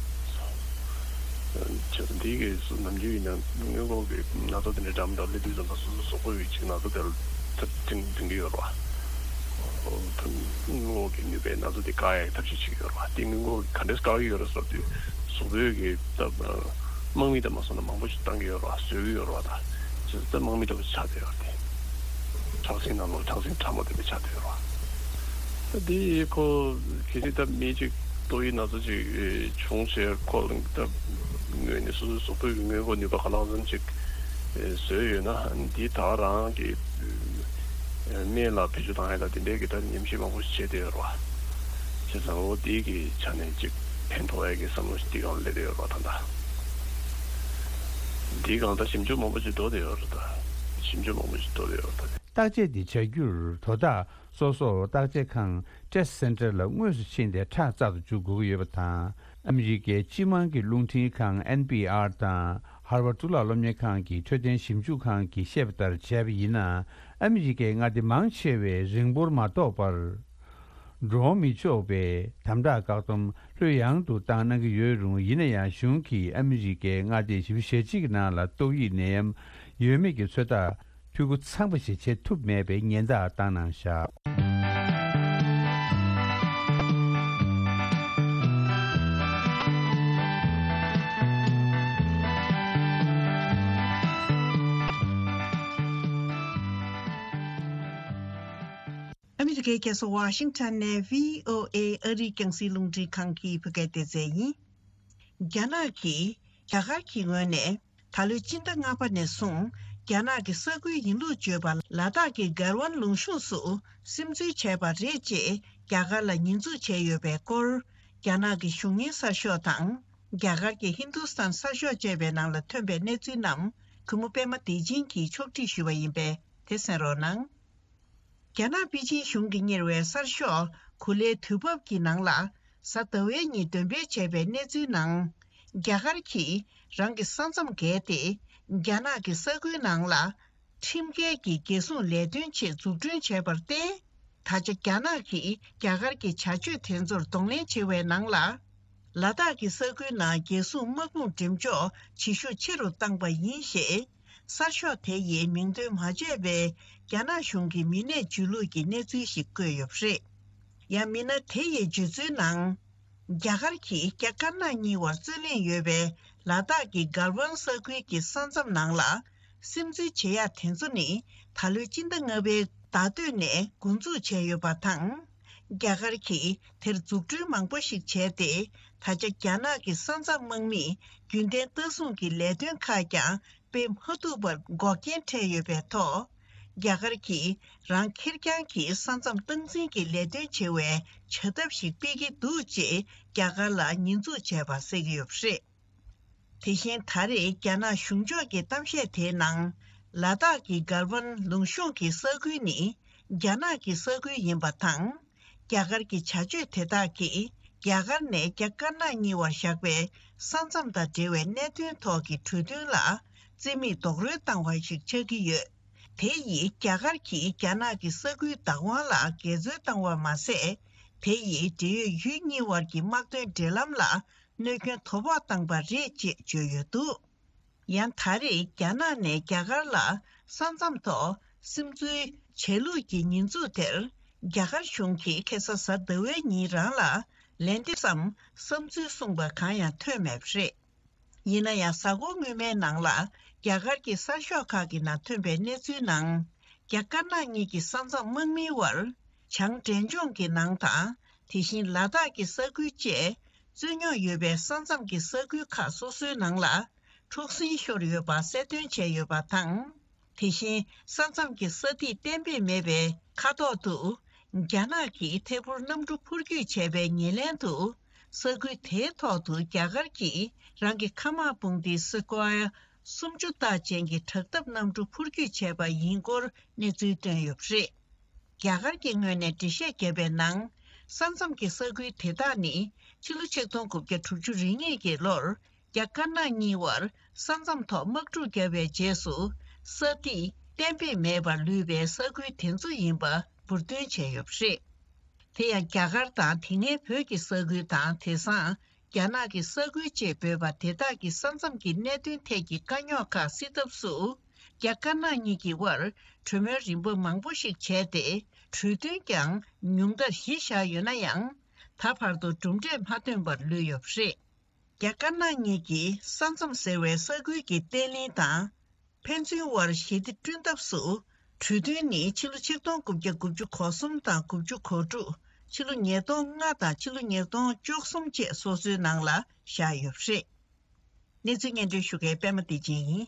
ཙང་འདིའི་གི་སུ་ནམ་རྒྱུན་ཡིན་ན་སྔོན་འགོག་གི་ན་ཚ་དེ་འདྲ་འགྲམ་དང་སླེབས་དུས་ཙམ་པ་སོ་སོའི་གཟུགས་པོ་ཡི་ཅིག་ན་ཚ་དེ་ལ་ཐབས་འཛིན་འཛིན་གི་ཡོད་རེད་བ། སྔོན་འགོག་གི་ནུས་པའི་ན་ཚ་དེ་བཀག་ཡག་གི་ཐབས་ཤེས་བྱེད་ཀྱི་ཡོད་རེད་བ། དེ་སྔོན་འགོག་གི་ག་འདྲས་བཀག་གི་ཡོད་རེད་ཟེར་དུས་གཟུགས་པོའི་གི་ད་དམག་མི་དང་མ་སོང་ན་མང་པོ་ཞིག་བཏང་གི་ཡོད་རེད་བ། བཟོས་ཀྱི་ཡོད་རེད་བ། ད་ཅི་ད་དམག་མི་ལྟ་བུ་ཆགས་བསྡད་ཡོད་རེད། དེ་ཁྲག་ཤིང་ནང་ལོགས་ཁྲག་ཤིང་ཕྲ་མོ་དེ་འདྲ་ཆགས་བསྡད་ཡོད་རེད་བ། ད་དེ་ཁོ་གལ་སྲིད་ད་མི་གཅིག་ཏོག་དབྱིབས་ན་ཚ་ཅིག་བྱུང་བྱས་ཁོ་ད་ངོས་ནས་སོ་སོའི་གཟུགས་པོའི་གི་སྔོན་འགོག་ནུས་པ་ག་ལ་ཙམ་ཅིག་བཟོས་ཡོད་ན། འདི་ད་རང་གི་སྨན་ལ་བེད་སྤྱོད་བཏང་ཡ་ད་དེ་འདྲའི་གི་ད་ཉམས་ཞིབ་མང་པོ་ཞིག་བྱས་བསྡད་ཡོད་རེད་བ། བྱས་ཙང་འོ་དེའི་གི་ཆ་ནས་ཅིག་ཕན་ཐོགས་ཡ་གི་བསམ་བློ་ཞིག་དེ་ཡང་སླེབས་བསྡད་ཡོད་རེད་བ་ད་ལྟ། འདིའི་སྒང་ད་ཞིབ་འཇུག་མང་པོ་ཞིག་འགྲོ་བསྡད་ཡོད་རེད་ད། ཞིབ་འཇུག་མང་པོ་ཞིག་འགྲོ་བསྡད་ཡོད་རེད་ད། བརྟག་དཔྱད་འདི་བྱ་རྒྱུར་དོ་བདག་སོ་སོར་བརྟག་དཔྱད་ཁང་Test Center ལ་དངོས་སུ་ཕྱིན་ཏེ་ཁྲག་བཙག་ཏུ་འཇུག་དགོས་ཀྱི་ཡོད་པ་དང་། ཨ་མི་རི་ཀའི་སྤྱི་དམངས་ཀྱི་རླུང་འཕྲིན་ཁང་ཨེན་པི་ཨར་དང་ཧར་ཝར་གཙུག་ལག་སློབ་གཉེར་ཁང་གི་འཕྲོད་བསྟེན་ཞིབ་འཇུག་ཁང་གིས་བཤད་པ་ལྟར་བྱས་པ་ཡིན་ན། ཨ་མི་རི་ཀའི་མངའ་སྡེ་མང་ཆེ་བས་རིང་པོར་མ་ཐོགས་པར། འགྲོ་འོང་མི་ཆོག་པའི་དམ་དྲག་བཀག་སྡོམ་ལྷོད་ཡངས་དུ་བཏང་གནང་གི་ཡོད་རུང་། ཡིན་ན་ཡང་གཞུང་གིས་ཨ་མི་རི་ཀའི་མངའ་སྡེ་བཞི་བཅུ་ཞེ་གཅིག་གི་ནང་ལ་ཏོག་དབྱིབས་ནད་ཡམས་ཡོད་མེད་ཀྱི་ཚོད་ལྟ་འཐུས་སྒོ་ཚང་བ་ཞིག་བྱེད་ཐུབ་མེད་པའི་ཉེན་བརྡ་བཏང་གནང་བཞག། ཨ་མི་རི་ཀའི་རྒྱལ་ས་ཝ་ཤིང་ཊོན་ནས་བྷི་ཨོ་ཨེ་ཨ་རིའི་རྒྱང་སྲིང་རླུང་འཕྲིན་ཁང་གི་བོད་སྐད་སྡེ་ཚན་ཡིན། རྒྱ་ནག་གིས་རྒྱ་གར་གྱི་ངོས་ནས་ད་ལོའི་སྤྱི་ཟླ་ལྔ་པ་ནས་བཟུང་རྒྱ་ནག་གི་ས་ཁུལ་ཡིན་ལུགས་བརྗོད་པ་ལ་དྭགས་ཀྱི་གལ་ཝན་ལུང་གཤོང་སུ་སིམ་འཛུལ་བྱས་པ་རེད་ཅེས་རྒྱ་གར་ལ་ཉེས་འཛུགས་བྱས་ཡོད་པའི་སྐོར། རྒྱ་ནག་གི་གཞུང་གཉེར་གསར་ཤོག་དང་། རྒྱ་གར་གྱི་ཧིན་དུ་སྟན་གསར་ཤོག་བཅས་པའི་ནང་ལ་ཐོན་པའི་གནས་ཚུལ་རྣམས་གུས་མོ་པད་མ་བདེ་ཆེན་གྱིས་ཕྱོགས་སྒྲིག་ཞུས་པ་ཡིན་པས་དེ་གསན་རོགས་གནང་། རྒྱ་ནག་པེ་ཅིན་གཞུང་གིས་གཉེར་བའི་གསར་ཤོག་གུ་ལའི་དུས་བབ་ཀྱི་ནང་ལ་གཟའ་ཟླ་བའི་ཉིན་འདོན་སྤེལ་བྱས་པའི་གནས་ཚུལ་ནང་། རྒྱ་གར་གྱིས་རང་གི་ས་མཚམས་བརྒལ་ཏེ་རྒྱ་ནག་གི་ས་ཁུལ་ནང་ལ་ཁྲིམས་འགལ་གྱི་རྒྱལ་སྲུང་ལས་དོན་ཆེད་འཛུགས་སྐྲུན་བྱས་པར་བརྟེན། ད་ཆ་རྒྱ་ནག་གིས་རྒྱ་གར་གྱི་བྱ་སྤྱོད་དེ་ཚོར་གདོང་ལེན་བྱེད་པའི་ནང་ལ། ལ་དྭགས་ཀྱི་ས་ཁུལ་ནང་རྒྱལ་སྲུང་དམག་དཔུང་འགྲེམས་འཇོག་བྱེད་ཤུགས་ཆེ་རུ་བཏང་པ་ཡིན་ཞེས། གསར་ཤོག་དེ་ཡིས་མིང་འདོན་མ་བྱས་པའི་རྒྱ་ནག་གཞུང་གི་མི་སྣས་བརྗོད་ལུགས་ཀྱི་གནས་ཚུལ་ཞིག་བཀོད་ཡོད་པ་རེད། ཡང་མི་སྣ་དེ་ཡི་བརྗོད་ཚུལ་ནང་། རྒྱ་གར་གྱིས་རྒྱ་དཀར་ནག་གཉིས་བར་རྩོད་གླེང་ཡོད་པའི་ལ་དྭགས་ཀྱི་གལ་ཝན་ས་ཁུལ་གྱི་ས་མཚམས་ནང་ལ་སིམ་འཛུལ་བྱེད་ཡག་དེ་ཚོ་ནི་ད་ལོའི་སྤྱི་ཟླ་ལྔ་པའི་ཟླ་སྟོད་ནས་འགོ་འཛུགས་བྱས་ཡོད་པ་དང་། རྒྱ་གར་གྱིས་དེར་འཛུགས་སྐྲུན་མང་པོ་ཞིག་བྱས་ཏེ། ད་ཆ་རྒྱ་ནག་གི་ས་མཚམས་དམག་མིས་རྒྱུན་ལྡན་ལྟ་སྲུང་གི་ལས་དོན་ཁག་ཀྱང་སྤེལ་མ་ཐུབ་པར་འགོག་རྐྱེན་འཕྲད་ཡོད་པའི་ཐོག་རྒྱ་གར་གྱིས་རང་ཁེར་རྐྱང་གིས་ས་མཚམས་སྟངས་འཛིན་གྱི་ལས་དོན་བྱེད་པའི་བྱ་ཐབས་ཤིག་སྤེལ་གྱི་འདུག་ཅེས་རྒྱ་གར་ལ་ཉེས་འཛུགས་བྱས་པ་གསལ་གྱི་ཡོད་པ་རེད། དེ་བཞིན་ད་རེས་རྒྱ་ནག་གཞུང་ཕྱོགས་ཀྱི་གཏམ་བཤད་དེའི་ནང་། ལ་དྭགས་ཀྱི་གལ་ཝན་ལུང་གཤོང་གི་ས་ཁུལ་ནི་རྒྱ་ནག་གི་ས་ཁུལ་ཡིན་པ་དང་། རྒྱ་གར་གྱི་བྱ་སྤྱོད་དེ་དག་གིས་རྒྱ་གར་ནས་རྒྱ་དཀར་ནག་གཉིས་བར་བཞག་པའི་ས་མཚམས་དང་འབྲེལ་བའི་གནད་དོན་ཐོག་གི་གྲོས་མཐུན་ལ་རྩིས་མེད་རྡོག་རོལ་བཏང་བ་ཞིག་ཆགས་ཀྱི་ཡོད། དེ་ཡིས་རྒྱ་གར་གྱིས་རྒྱ་ནག་གི་ས་ཁུལ་བདག་དབང་ལ་འགལ་འཛོལ་བཏང་བ་མ་ཟད། དེ་ཡིས་འབྲེལ་ཡོད་ཡུལ་གཉིས་བར་གྱི་དམག་དོན་འབྲེལ་ལམ་ལ་གནོད་སྐྱོན་དོ་ཕོག་བཏང་པ་རེད་ཅེས་བརྗོད་ཡོད་འདུག། ཡང་ད་རེས་རྒྱ་ནག་ནས་རྒྱ་གར་ལ་ས་མཚམས་ཐོག་སིམ་འཛུལ་བྱས་ལུགས་ཀྱི་ཉེས་འཛུགས་དེར། རྒྱ་གར་གཞུང་གིས་ཁ་སང་གཟའ་ཟླ་བའི་ཉིན་རང་ལ་ལན་འདེབས་སམ་བསམ་ཚུལ་གསུངས་པ་གང་ཡང་ཐོན་མེད་པ་རེད། ཡིན་ན་ཡང་། གཟའ་འཁོར་སྔོན་མའི་ནང་ལ་རྒྱ་གར་གྱི་གསར་ཤོག་ཁག་གི་ནང་ཐོན་པའི་གནས་ཚུལ་ནང་། རྒྱ་དཀར་ནག་གཉིས་ཀྱི་ས་མཚམས་དམག་མིའི་དབར་བྱང་འབྲས་ལྗོངས་ཀྱི་ནང་དང་། དེ་བཞིན་ལ་དྭགས་ཀྱི་ས་ཁུལ་བཅས་རྩོད་རྙོག་ཡོད་པའི་ས་མཚམས་ཀྱི་ས་ཁུལ་ཁག་སོ་སོའི་ནང་ལ་འཁྲུག་ཟིང་ཤོར་ཡོད་པ་གསལ་སྟོན་བྱས་ཡོད་པ་དང་། དེ་བཞིན་ས་མཚམས་ཀྱི་ས་ཐིག་གཏན་འབེབས་མེད་པའི་ཁ་ཐོག་ཏུ། རྒྱ་ནག་གིས་ཐད་འཕུར་གནམ་གྲུ་འཕུར་སྐྱོད་བྱས་པའི་ཉེར་ལེན་དུ། ས་ཁུལ་དེའི་ཐོག་ཏུ་རྒྱ་གར་གྱིས་རང་གི་མཁའ་དམག་དཔུང་སྡེ་སི་ཀོ་ཡ་ སུམ་ཅུ་རྟགས་ཅན་གྱི་དྲག་འཐབ་གནམ་གྲུ་འཕུར་སྐྱོད་བྱས་པ་ཡིན་སྐོར་གནས་ཚུལ་བཏོན་ཡོད་པ་རེད། རྒྱ་གར་གྱི་ངོས་ནས་འགྲེལ་བཤད་བརྒྱབ་པའི་ནང་། ས་མཚམས་ཀྱི་ས་ཁུལ་དེ་དག་ནི་ཕྱི་ལོ་ཆིག་སྟོང་དགུ་བརྒྱ་དྲུག་ཅུ་རེ་གཉིས་ཀྱི་ལོར། རྒྱ་དཀར་ནག་གཉིས་བར་ས་མཚམས་ཐོག་དམག་འཁྲུག་བརྒྱབ་པའི་རྗེས་སུ། ས་ཐིག་གཏན་འབེབས་མེད་པར་ལུས་པའི་ས་ཁུལ་དེ་ཚོ་ཡིན་པ་འབུར་འདོན་བྱས་ཡོད་པ་རེད། དེ་ཡང་རྒྱ་གར་དང་དེ་སྔའི་བོད་ཀྱི་ས་ཁུལ་དང་། དེང་སང་རྒྱ་ནག་གི་ས་ཁུལ་ཅེས་འབོད་པ་དེ་དག་གི་ས་མཚམས་ཀྱི་གནད་དོན་ཐད་ཀྱི་དཀའ་རྙོག་ཁག་སེལ་ཐབས་སུ། རྒྱ་དཀར་ནག་གཉིས་ཀྱི་དབར་གྲོས་མོལ་རིམ་པ་མང་པོ་ཞིག་བྱས་ཏེ། གྲོས་མཐུན་ཀྱང་ཉུང་མཐར་བཞི་བཞག་ཡོད་ན་ཡང་། ད་བར་དུ་གྲུབ་འབྲས་མ་ཐོན་པར་ལུས་ཡོད་པ་རེད། རྒྱ་དཀར་ནག་གཉིས་ཀྱིས་ས་མཚམས་ཟེར་བའི་ས་ཁུལ་གྱི་བརྟན་ལྷིང་དང་། ཕན་ཚུན་དབར་ཞི་བདེ་བསྐྲུན་ཐབས་སུ། གྲོས་མཐུན་ནི་ཕྱི་ལོ་ཆིག་སྟོང་དགུ་བརྒྱ་དགུ་བཅུ་གོ་གསུམ་དང་དགུ་བཅུ་གོ་དྲུག་ཕྱི་ལོ་ཉིས་སྟོང་ལྔ་དང་ཕྱི་ལོ་ཉིས་སྟོང་བཅུ་གསུམ་བཅས་སོ་སོའི་ནང་ལ་བཞག་ཡོད་པ་རེད། གནས་ཚུལ་སྙན་སྒྲོན་ཞུ་མཁན་པད་མ་བདེ་ཆེན་ཡིན།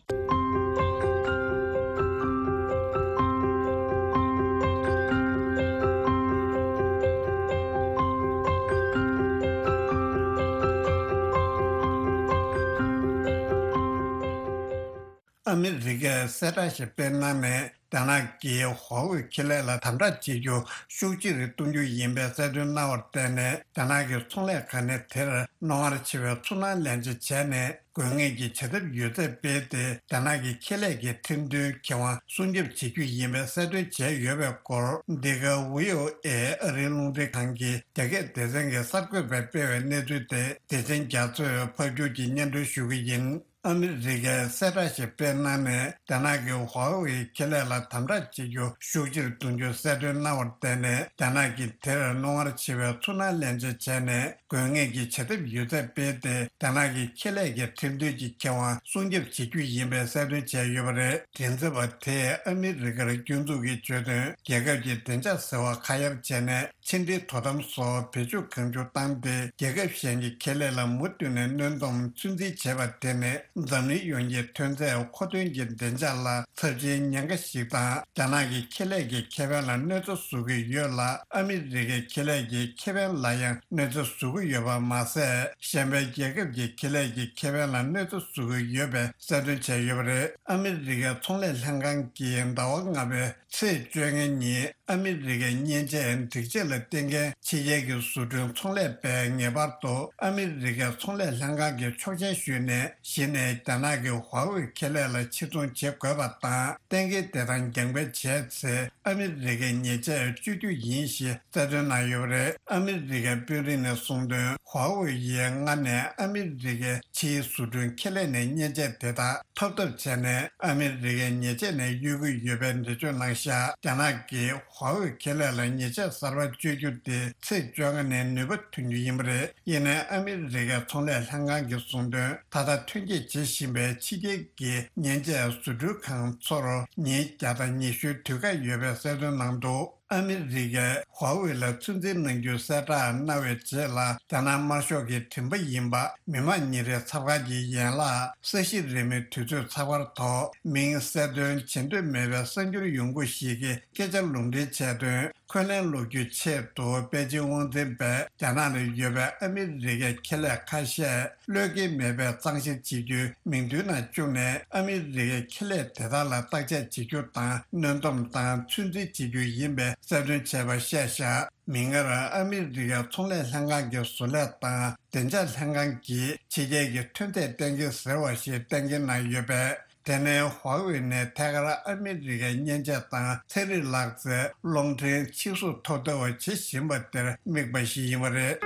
ཨ་མི་རི་ཀས་གསལ་བསྒྲགས་ཤིག་སྤེལ་གནང་ནས། རྒྱ་ནག་གིས་ཧྭ་ཝེ་ཁེ་ལས་ལ་དམ་དྲག་བྱེད་རྒྱུ་ཤུགས་ཆེ་རུ་གཏོང་རྒྱུ་ཡིན་པའི་གསལ་སྟོན་གནང་བར་བརྟེན་ནས། རྒྱ་ནག་གི་ཚོང་ལས་ཁང་ནས་དེར་རྣོ་ངར་ཆེ་བའི་ཚུར་སྣང་ལན་འཇལ་བྱས་ནས། དགོས་ངེས་ཀྱི་བྱ་ཐབས་ཡོད་ཚད་སྤེལ་ཏེ། རྒྱ་ནག་གི་ཁེ་ལས་ཀྱི་ཁྲིམས་མཐུན་ཁེ་དབང་སྲུང་སྐྱོབ་བྱེད་རྒྱུ་ཡིན་པའི་གསལ་སྟོན་བྱས་ཡོད་པའི་སྐོར། འདི་ག་ཝི་ཨོ་ཨེ་ཨ་རིའི་རླུང་འཕྲིན་ཁང་གི་རྒྱ་སྐད་སྡེ་ཚན་གྱི་གསར་འགོད་པས་སྤེལ་བའི་གནས་ཚུལ་དེ། བདེ་ཆེན་རྒྱ་མཚོས་ཕབ་སྒྱུར་གྱིས་སྙན་སྒྲོན་ཞུ་གི་ཡིན། ཨ་མི་རི་ཀས་གསལ་བསྒྲགས་ཤིག་སྤེལ་གནང་ནས། རྒྱ་ནག་གིས་ཧྭ་ཝེ་ཁེ་ལས་ལ་དམ་དྲག་བྱེད་རྒྱུ་ཤུགས་ཆེར་གཏོང་རྒྱུའི་གསལ་སྟོན་གནང་བར་བརྟེན་ནས། རྒྱ་ནག་གིས་དེར་རྣོ་ངར་ཆེ་བའི་ཚུར་སྣང་ལན་འཇལ་བྱས་ནས། དགོས་ངེས་ཀྱི་བྱ་ཐབས་ཡོད་ཚད་སྤེལ་ཏེ། རྒྱ་ནག་གི་ཁེ་ལས་ཀྱི་ཁྲིམས་མཐུན་གྱི་ཁེ་དབང་སྲུང་སྐྱོབ་བྱེད་རྒྱུ་ཡིན་པའི་གསལ་སྟོན་བྱས་ཡོད་པ་རེད། མགྲིན་ཚབ་པ་དེས་ཨ་མི་རི་ཀར་སྐྱོན་འཛུགས་ཀྱི་བརྗོད་དོན། རྒྱལ་ཁབ་ཀྱི་བདེ་འཇགས་ཟེར་བ་ཁ་གཡར་བྱས་ནས། ཕྱི་འབྲེལ་དོ་དམ་སོགས་བེད་སྤྱོད་གང་བྱུང་བཏང་སྟེ། རྒྱལ་ཁབ་གཞན་གྱི་ཁེ་ལས་ལ་མུ་མཐུད་ནས་གནོན་སྡོམ་ཚོད་འཛིན་བྱས་པ་དེ་ནི། འཛམ་གླིང་ཡོངས་ཀྱི་ཐོན་རྫས་མཁོ་འདོན་གྱི་བདེ་འཇགས་ལ་ཚབས་ཆེའི་ཉེན་ཁ་ཞིག་དང་། རྒྱ་ནག་གི་ཁེ་ལས་ཀྱི་ཁེ་ཕན་ལ་གནོད་འཚེ་བཟོ་གི་ཡོད་ལ། ཨ་མི་རི་ཀའི་ཁེ་ལས་ཀྱི་ཁེ་ཕན་ལ་ཡང་གནོད་འཚེ་བཟོ་གི་ཡོད་པ་མ་ཟད། གཞན་པའི་རྒྱལ་ཁབ་ཀྱི་ཁེ་ལས་ཀྱི་ཁེ་ཕན་ལ་གནོད་འཚེ་བཟོ་གི་ཡོད་པའི་གསལ་སྟོན་བྱས་ཡོད་པ་རེད། ཨ་མི་རི་ཀའི་ཚོང་ལས་ལྷན་ཁང་གིས་ཟླ་བ་ལྔ་པའི་ཚེས་བཅོ་ལྔ་ཉིན། ཨ་མི་རི་ཀའི་མཉེན་ཆས་སྒྲིག་ཆས་ལ་བརྟེན་མཁན་ཕྱི་རྒྱལ་གྱི་བཟོ་སྐྲུན་ཚོང་ལས་པས་ངེས་པར་དུ་ཨ་མི་རི་ཀའི་ཚོང་ལས་ལྷན་ཁང་གི་ཆོག་མཆན་ཞུས་ནས། གཞི་ནས་རྒྱ་ནག་གི་ཧྭ་ཝེ་ཁེ་ལས་ལ་ཕྱིར་ཚོང་བྱེད་དགོས་པ་དང་། གཏན་འཁེལ་དེ་དང་རྒྱང་འཕེན་བྱས་ཚེ། ཨ་མི་རི་ཀའི་ཉེས་ཆད་གཅོད་རྒྱུ་ཡིན་ཞེས་གསལ་སྟོན་གནང་ཡོད་པ་རེད། ཨ་མི་རི་ཀའི་དཔོན་རིགས་ནས་གསུངས་དོན། ཧྭ་ཝེ་ཡིས་སྔར་ནས་ཨ་མི་རི་ཀའི་ཕྱིའི་བཟོ་སྐྲུན་ཁེ་ལས་ནས་མཉེན་ཆས་དེ་དག་ཐོབ་ཐབས་བྱས་ནས། ཨ་མི་རི་ཀའི་ཉེས་ཆད་ནས་གཡོལ་གྱི་ཡོད་པའི་འགྲེལ་བརྗོད་གནང་བཞག་རྒྱ་ནག་གིས་ཧྭ་ཝེ་ཁེ་ལས་ལ་ཉེས་ཆད་གསར་པ་གཅོད་རྒྱུ་དེ་ཚེས་བཅོ་ལྔ་ནས་ནུས་པ་ཐོན་རྒྱུ་ཡིན་པ་རེད། ཡིན་ནའི། ཨ་མི་རི་ཀའི་ཚོང་ལས་ལྷན་ཁང་གིས་གསུངས་དོན། ད་ལྟ་ཐོན་སྐྱེད་བྱེད་བཞིན་པའི་ཕྱི་རྒྱལ་གྱི་མཉེན་ཆས་བཟོ་སྐྲུན་ཁང་ཚོར་ཉིན་བརྒྱ་དང་ཉི་ཤུའི་དུས་བཀག་ཡོད་པའི་གསལ་སྟོན་གནང་འདུག་ཨ་མི་རི་ཀས་ཧྭ་ཝེ་ལ་ཚོད་འཛིན་གནང་རྒྱུའི་གསལ་བསྒྲགས་གནང་བའི་རྗེས་ལ། རྒྱ་ནག་དམར་ཤོག་གི་དྲན་པ་ཡིན་པ། མི་དམངས་ཉིན་རེའི་ཚབ་ཁང་གི་ཡན་ལག་ས་གཞི་རིལ་མོའི་དུས་ཚོད་ཚགས་པར་ཐོག་མིང་གསལ་སྟོན་བྱེད་འདོད་མེད་པའི་གསར་འགྱུར་ཡོང་སྒོ་ཞིག་གིས་སྐད་ཆ་ལུང་འདྲེན་བྱས་དོན། འཁོན་ལན་སློག་རྒྱུའི་ཆེད་དུ། པེ་ཅིང་དབང་འཛིན་པས་རྒྱ་ནག་ལ་ཡོད་པའི་ཨ་མི་རི་ཀའི་ཁེ་ལས་ཁ་ཤས་བློས་འགེལ་མེད་པའི་གཙང་བཤེར་བྱེད་རྒྱུའི་མིག་མདུན་ན་བཅུག་ནས། ཨ་མི་རི་ཀའི་ཁེ་ལས་དེ་དག་ལ་བརྟག་དཔྱད་བྱེད་རྒྱུ་དང་། གནོན་སྡོམ་དང་ཚོད་འཛིན་བྱེད་རྒྱུ་ཡིན་པའི་གསལ་སྟོན་བྱས་པ་བཤད་བཞག་མིག་སྔར། ཨ་མི་རི་ཀའི་ཚོང་ལས་ལྷན་ཁང་གི་བཟོ་ལས་དང་བདེ་འཇགས་ལྷན་ཁང་གིས་ཕྱི་རྒྱལ་གྱི་ཐོན་རྫས་གཏན་འཁེལ་ཟེར་བ་ཞིག་གཏན་འཁེལ་གནང་ཡོད་པས། དེ་ནི་ཧྭ་ཝེ་ནས་ཐད་ཀར་ཨ་མི་རི་ཀའི་མཉེན་ཆས་དང་ཚན་རིག་ལག་རྩལ། རླུང་འཕྲིན། ཕྱིར་བསུབ་ཐོབ་ཐུབ་པ་བྱེད་བཞིན་པ་དེར་དམིགས་པ་ཞིག་ཡིན་པ་རེད།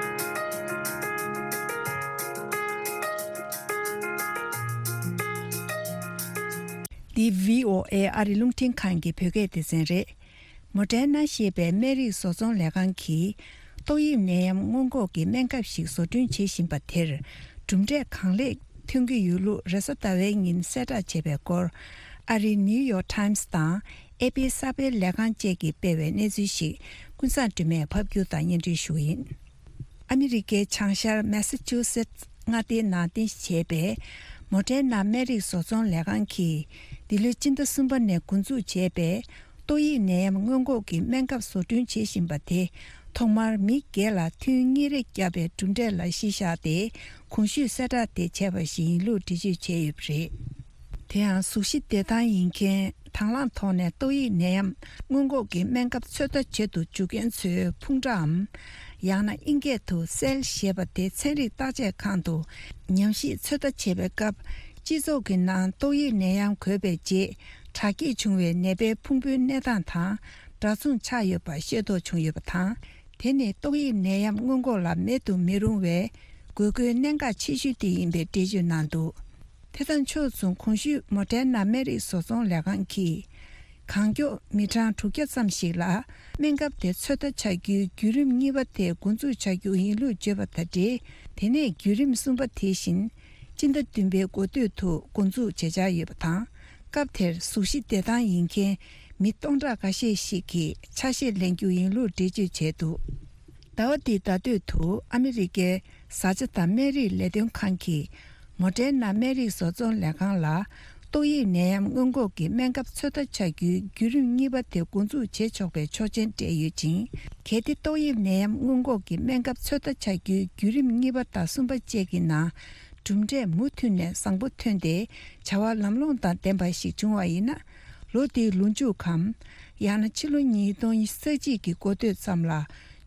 འདི་བྷི་ཨོ་ཨེ་ཨ་རི་རླུང་འཕྲིན་ཁང་གི་བོད་སྐད་སྡེ་ཚན་རེད། མོ་ཌེར་ན་ཞེས་པའི་སྨན་རིགས་བཟོ་ཚོང་ལས་ཁང་གིས། ཏོག་དབྱིབས་ནད་ཡམས་སྔོན་འགོག་གི་སྨན་ཁབ་ཞིག་བཟོ་སྐྲུན་བྱེད་བཞིན་པ་དེར། གྲུབ་འབྲས་གང་ལེགས་ཐོན་གྱི་ཡོད་ལུགས་རེས་གཟའ་ཟླ་བའི་ཉིན་གསལ་བསྒྲགས་བྱས་པའི་སྐོར། ཨ་རིའི་ནིའུ་ཡོག་ཊའིམ་སི་དང་། ཨེ་པི་གསར་སྤེལ་ལས་ཁང་བཅས་ཀྱིས་སྤེལ་བའི་གནས་ཚུལ་ཞིག་ཀུན་བཟང་སྒྲོལ་མས་ཕབ་སྒྱུར་དང་སྙན་སྒྲོན་ཞུ་གི་ཡིན། ཨ་མི་རི་ཀའི་བྱང་ཤར་མེ་ས་ཆུ་སེ་ཊི་མངའ་སྡེའི་ནང་རྟེན་གཞི་བྱས་པའི་མོ་ཌེར་ན་སྨན་རིགས་བཟོ་ཚོང་ལས་ཁང་གིས། འདི་ལོའི་སྤྱི་ཟླ་གསུམ་པ་ནས་འགོ་འཛུགས་བྱས་པའི་ཏོག་དབྱིབས་ནད་ཡམས་སྔོན་འགོག་གི་སྨན་ཁབ་བཟོ་སྐྲུན་བྱེད་བཞིན་པ་དེ། ཐོག་མར་མི་བརྒྱད་ལ་ཐུན་གཉིས་རེ་བརྒྱབ་པའི་གྲུབ་འབྲས་ལ་གཞི་བཞག་སྟེ། གོང་ཞུས་གསལ་བསྒྲགས་དེ་བྱས་པ་ཞིག་ཡིན་ལུགས་འགྲེལ་བརྗོད་བྱས་ཡོད་པ་རེད། དེ་ཡང་གཟུགས་གཞི་བདེ་ཐང་ཡིན་མཁན་དང་བླངས་ཐོག་ནས་ཏོག་དབྱིབས་ནད་ཡམས་སྔོན་འགོག་གི་སྨན་ཁབ་ཚོད་ལྟ་བྱེད་དུ་འཇུག་མཁན་ཚོའི་ཕུང་ཁྲའམ། ཡང་ན་ཨིན་སྐད་དུ་སེལ་ཞེས་པ་དེ་ཚན་རིག་བརྟག་དཔྱད་ཁང་དུ་ཉམས་ཞིབ་ཚོད་ལྟ་བྱེད་པའི་སྐབས། སྤྱི་ཚོགས་ཀྱི་ནང་ཏོག་དབྱིབས་ནད་ཡམས་འགོས་པའི་རྗེས་དྲག་སྐྱེད་བྱུང་བའི་ནད་པའི་ཕུང་པོའི་གནས་སྟངས་དང་འདྲ་མཚུངས་ཆགས་ཡོད་པ་ཤེས་རྟོགས་བྱུང་ཡོད་པ་དང་། དེ་ནི་ཏོག་དབྱིབས་ནད་ཡམས་སྔོན་འགོག་ལ་མེད་དུ་མི་རུང་བའི་དགོས་མཁོའི་གནད་འགག་ཆེ་ཤོས་དེ་ཡིན་པའི་འགྲེལ་བརྗོད་གནང་འདུག་དེ་དང་ཕྱོགས་མཚུངས། གོང་ཞུས་མོ་ཌེར་ན་སྨན་རིགས་བཟོ་ཚོང་ལས་ཁང་གིས། གང་མགྱོགས་མི་གྲངས་དྲུག་བརྒྱ་ཙམ་ཞིག་ལ་སྨན་ཁབ་དེ་ཚོད་ལྟ་བྱ་རྒྱུའི་བརྒྱུད་རིམ་གཉིས་པ་དེ་འགོ་འཛུགས་བྱ་རྒྱུ་ཡིན་ལུགས་བརྗོད་པ་དང་འབྲེལ། དེ་ནས་བརྒྱུད་རིམ་གསུམ་པ་དེ་བཞིན་སྤྱི་ཟླ་བདུན་པའི་འགོ་སྟོད་དུ་འགོ་འཛུགས་བྱེད་འཆར་ཡོད་པ་དང་། སྐབས་དེར་གཟུགས་གཞི་བདེ་ཐང་ཡིན་མཁན་མི་སྟོང་ཕྲག་འགའ་ཤས་ཤིག་གིས་ཆ་ཤས་ལེན་རྒྱུ་ཡིན་ལུགས་འགྲེལ་བརྗོད་བྱས་འདུག་ཟླ་བ་འདིའི་ཟླ་སྟོད་དུ་ཨ་མི་རི་ཀའི་བཟའ་བཅའ་དང་སྨན་རིགས་ལས་དོན་ཁང་གིས་མོ་ཌེར་ན་སྨན་རིགས་བཟོ་ཚོང་ལས་ཁང་ལ། ཏོག་དབྱིབས་ནད་ཡམས་སྔོན་འགོག་གི་སྨན་ཁབ་ཚོད་ལྟ་བྱ་རྒྱུའི་བརྒྱུད་རིམ་གཉིས་པ་དེ་འགོ་འཛུགས་བྱེད་ཆོག་པའི་ཆོག་མཆན་སྤྲད་ཡོད་ཅིང་། གལ་ཏེ་ཏོག་དབྱིབས་ནད་ཡམས་སྔོན་འགོག་གི་སྨན་ཁབ་ཚོད་ལྟ་བྱ་རྒྱུའི་བརྒྱུད་རིམ་གཉིས་པ་དང་གསུམ་པ་བཅས་ཀྱི་ནང་གྲུབ་འབྲས་མུ་མཐུད་ནས་བཟང་པོ་ཐོན་ཏེ། བྱ་བ་ལམ་ལྷོང་དང་ལྡན་པ་ཞིག་བྱུང་བ་ཡིན་ན། ལོ་འདིའི་ལོ་མཇུག་གམ། ཡང་ན་ཕྱི་ལོ་ཉིས་སྟོང་ཉི་ཤུ་རྩ་གཅིག་གི་འགོ་སྟོད་ཙམ་ལ་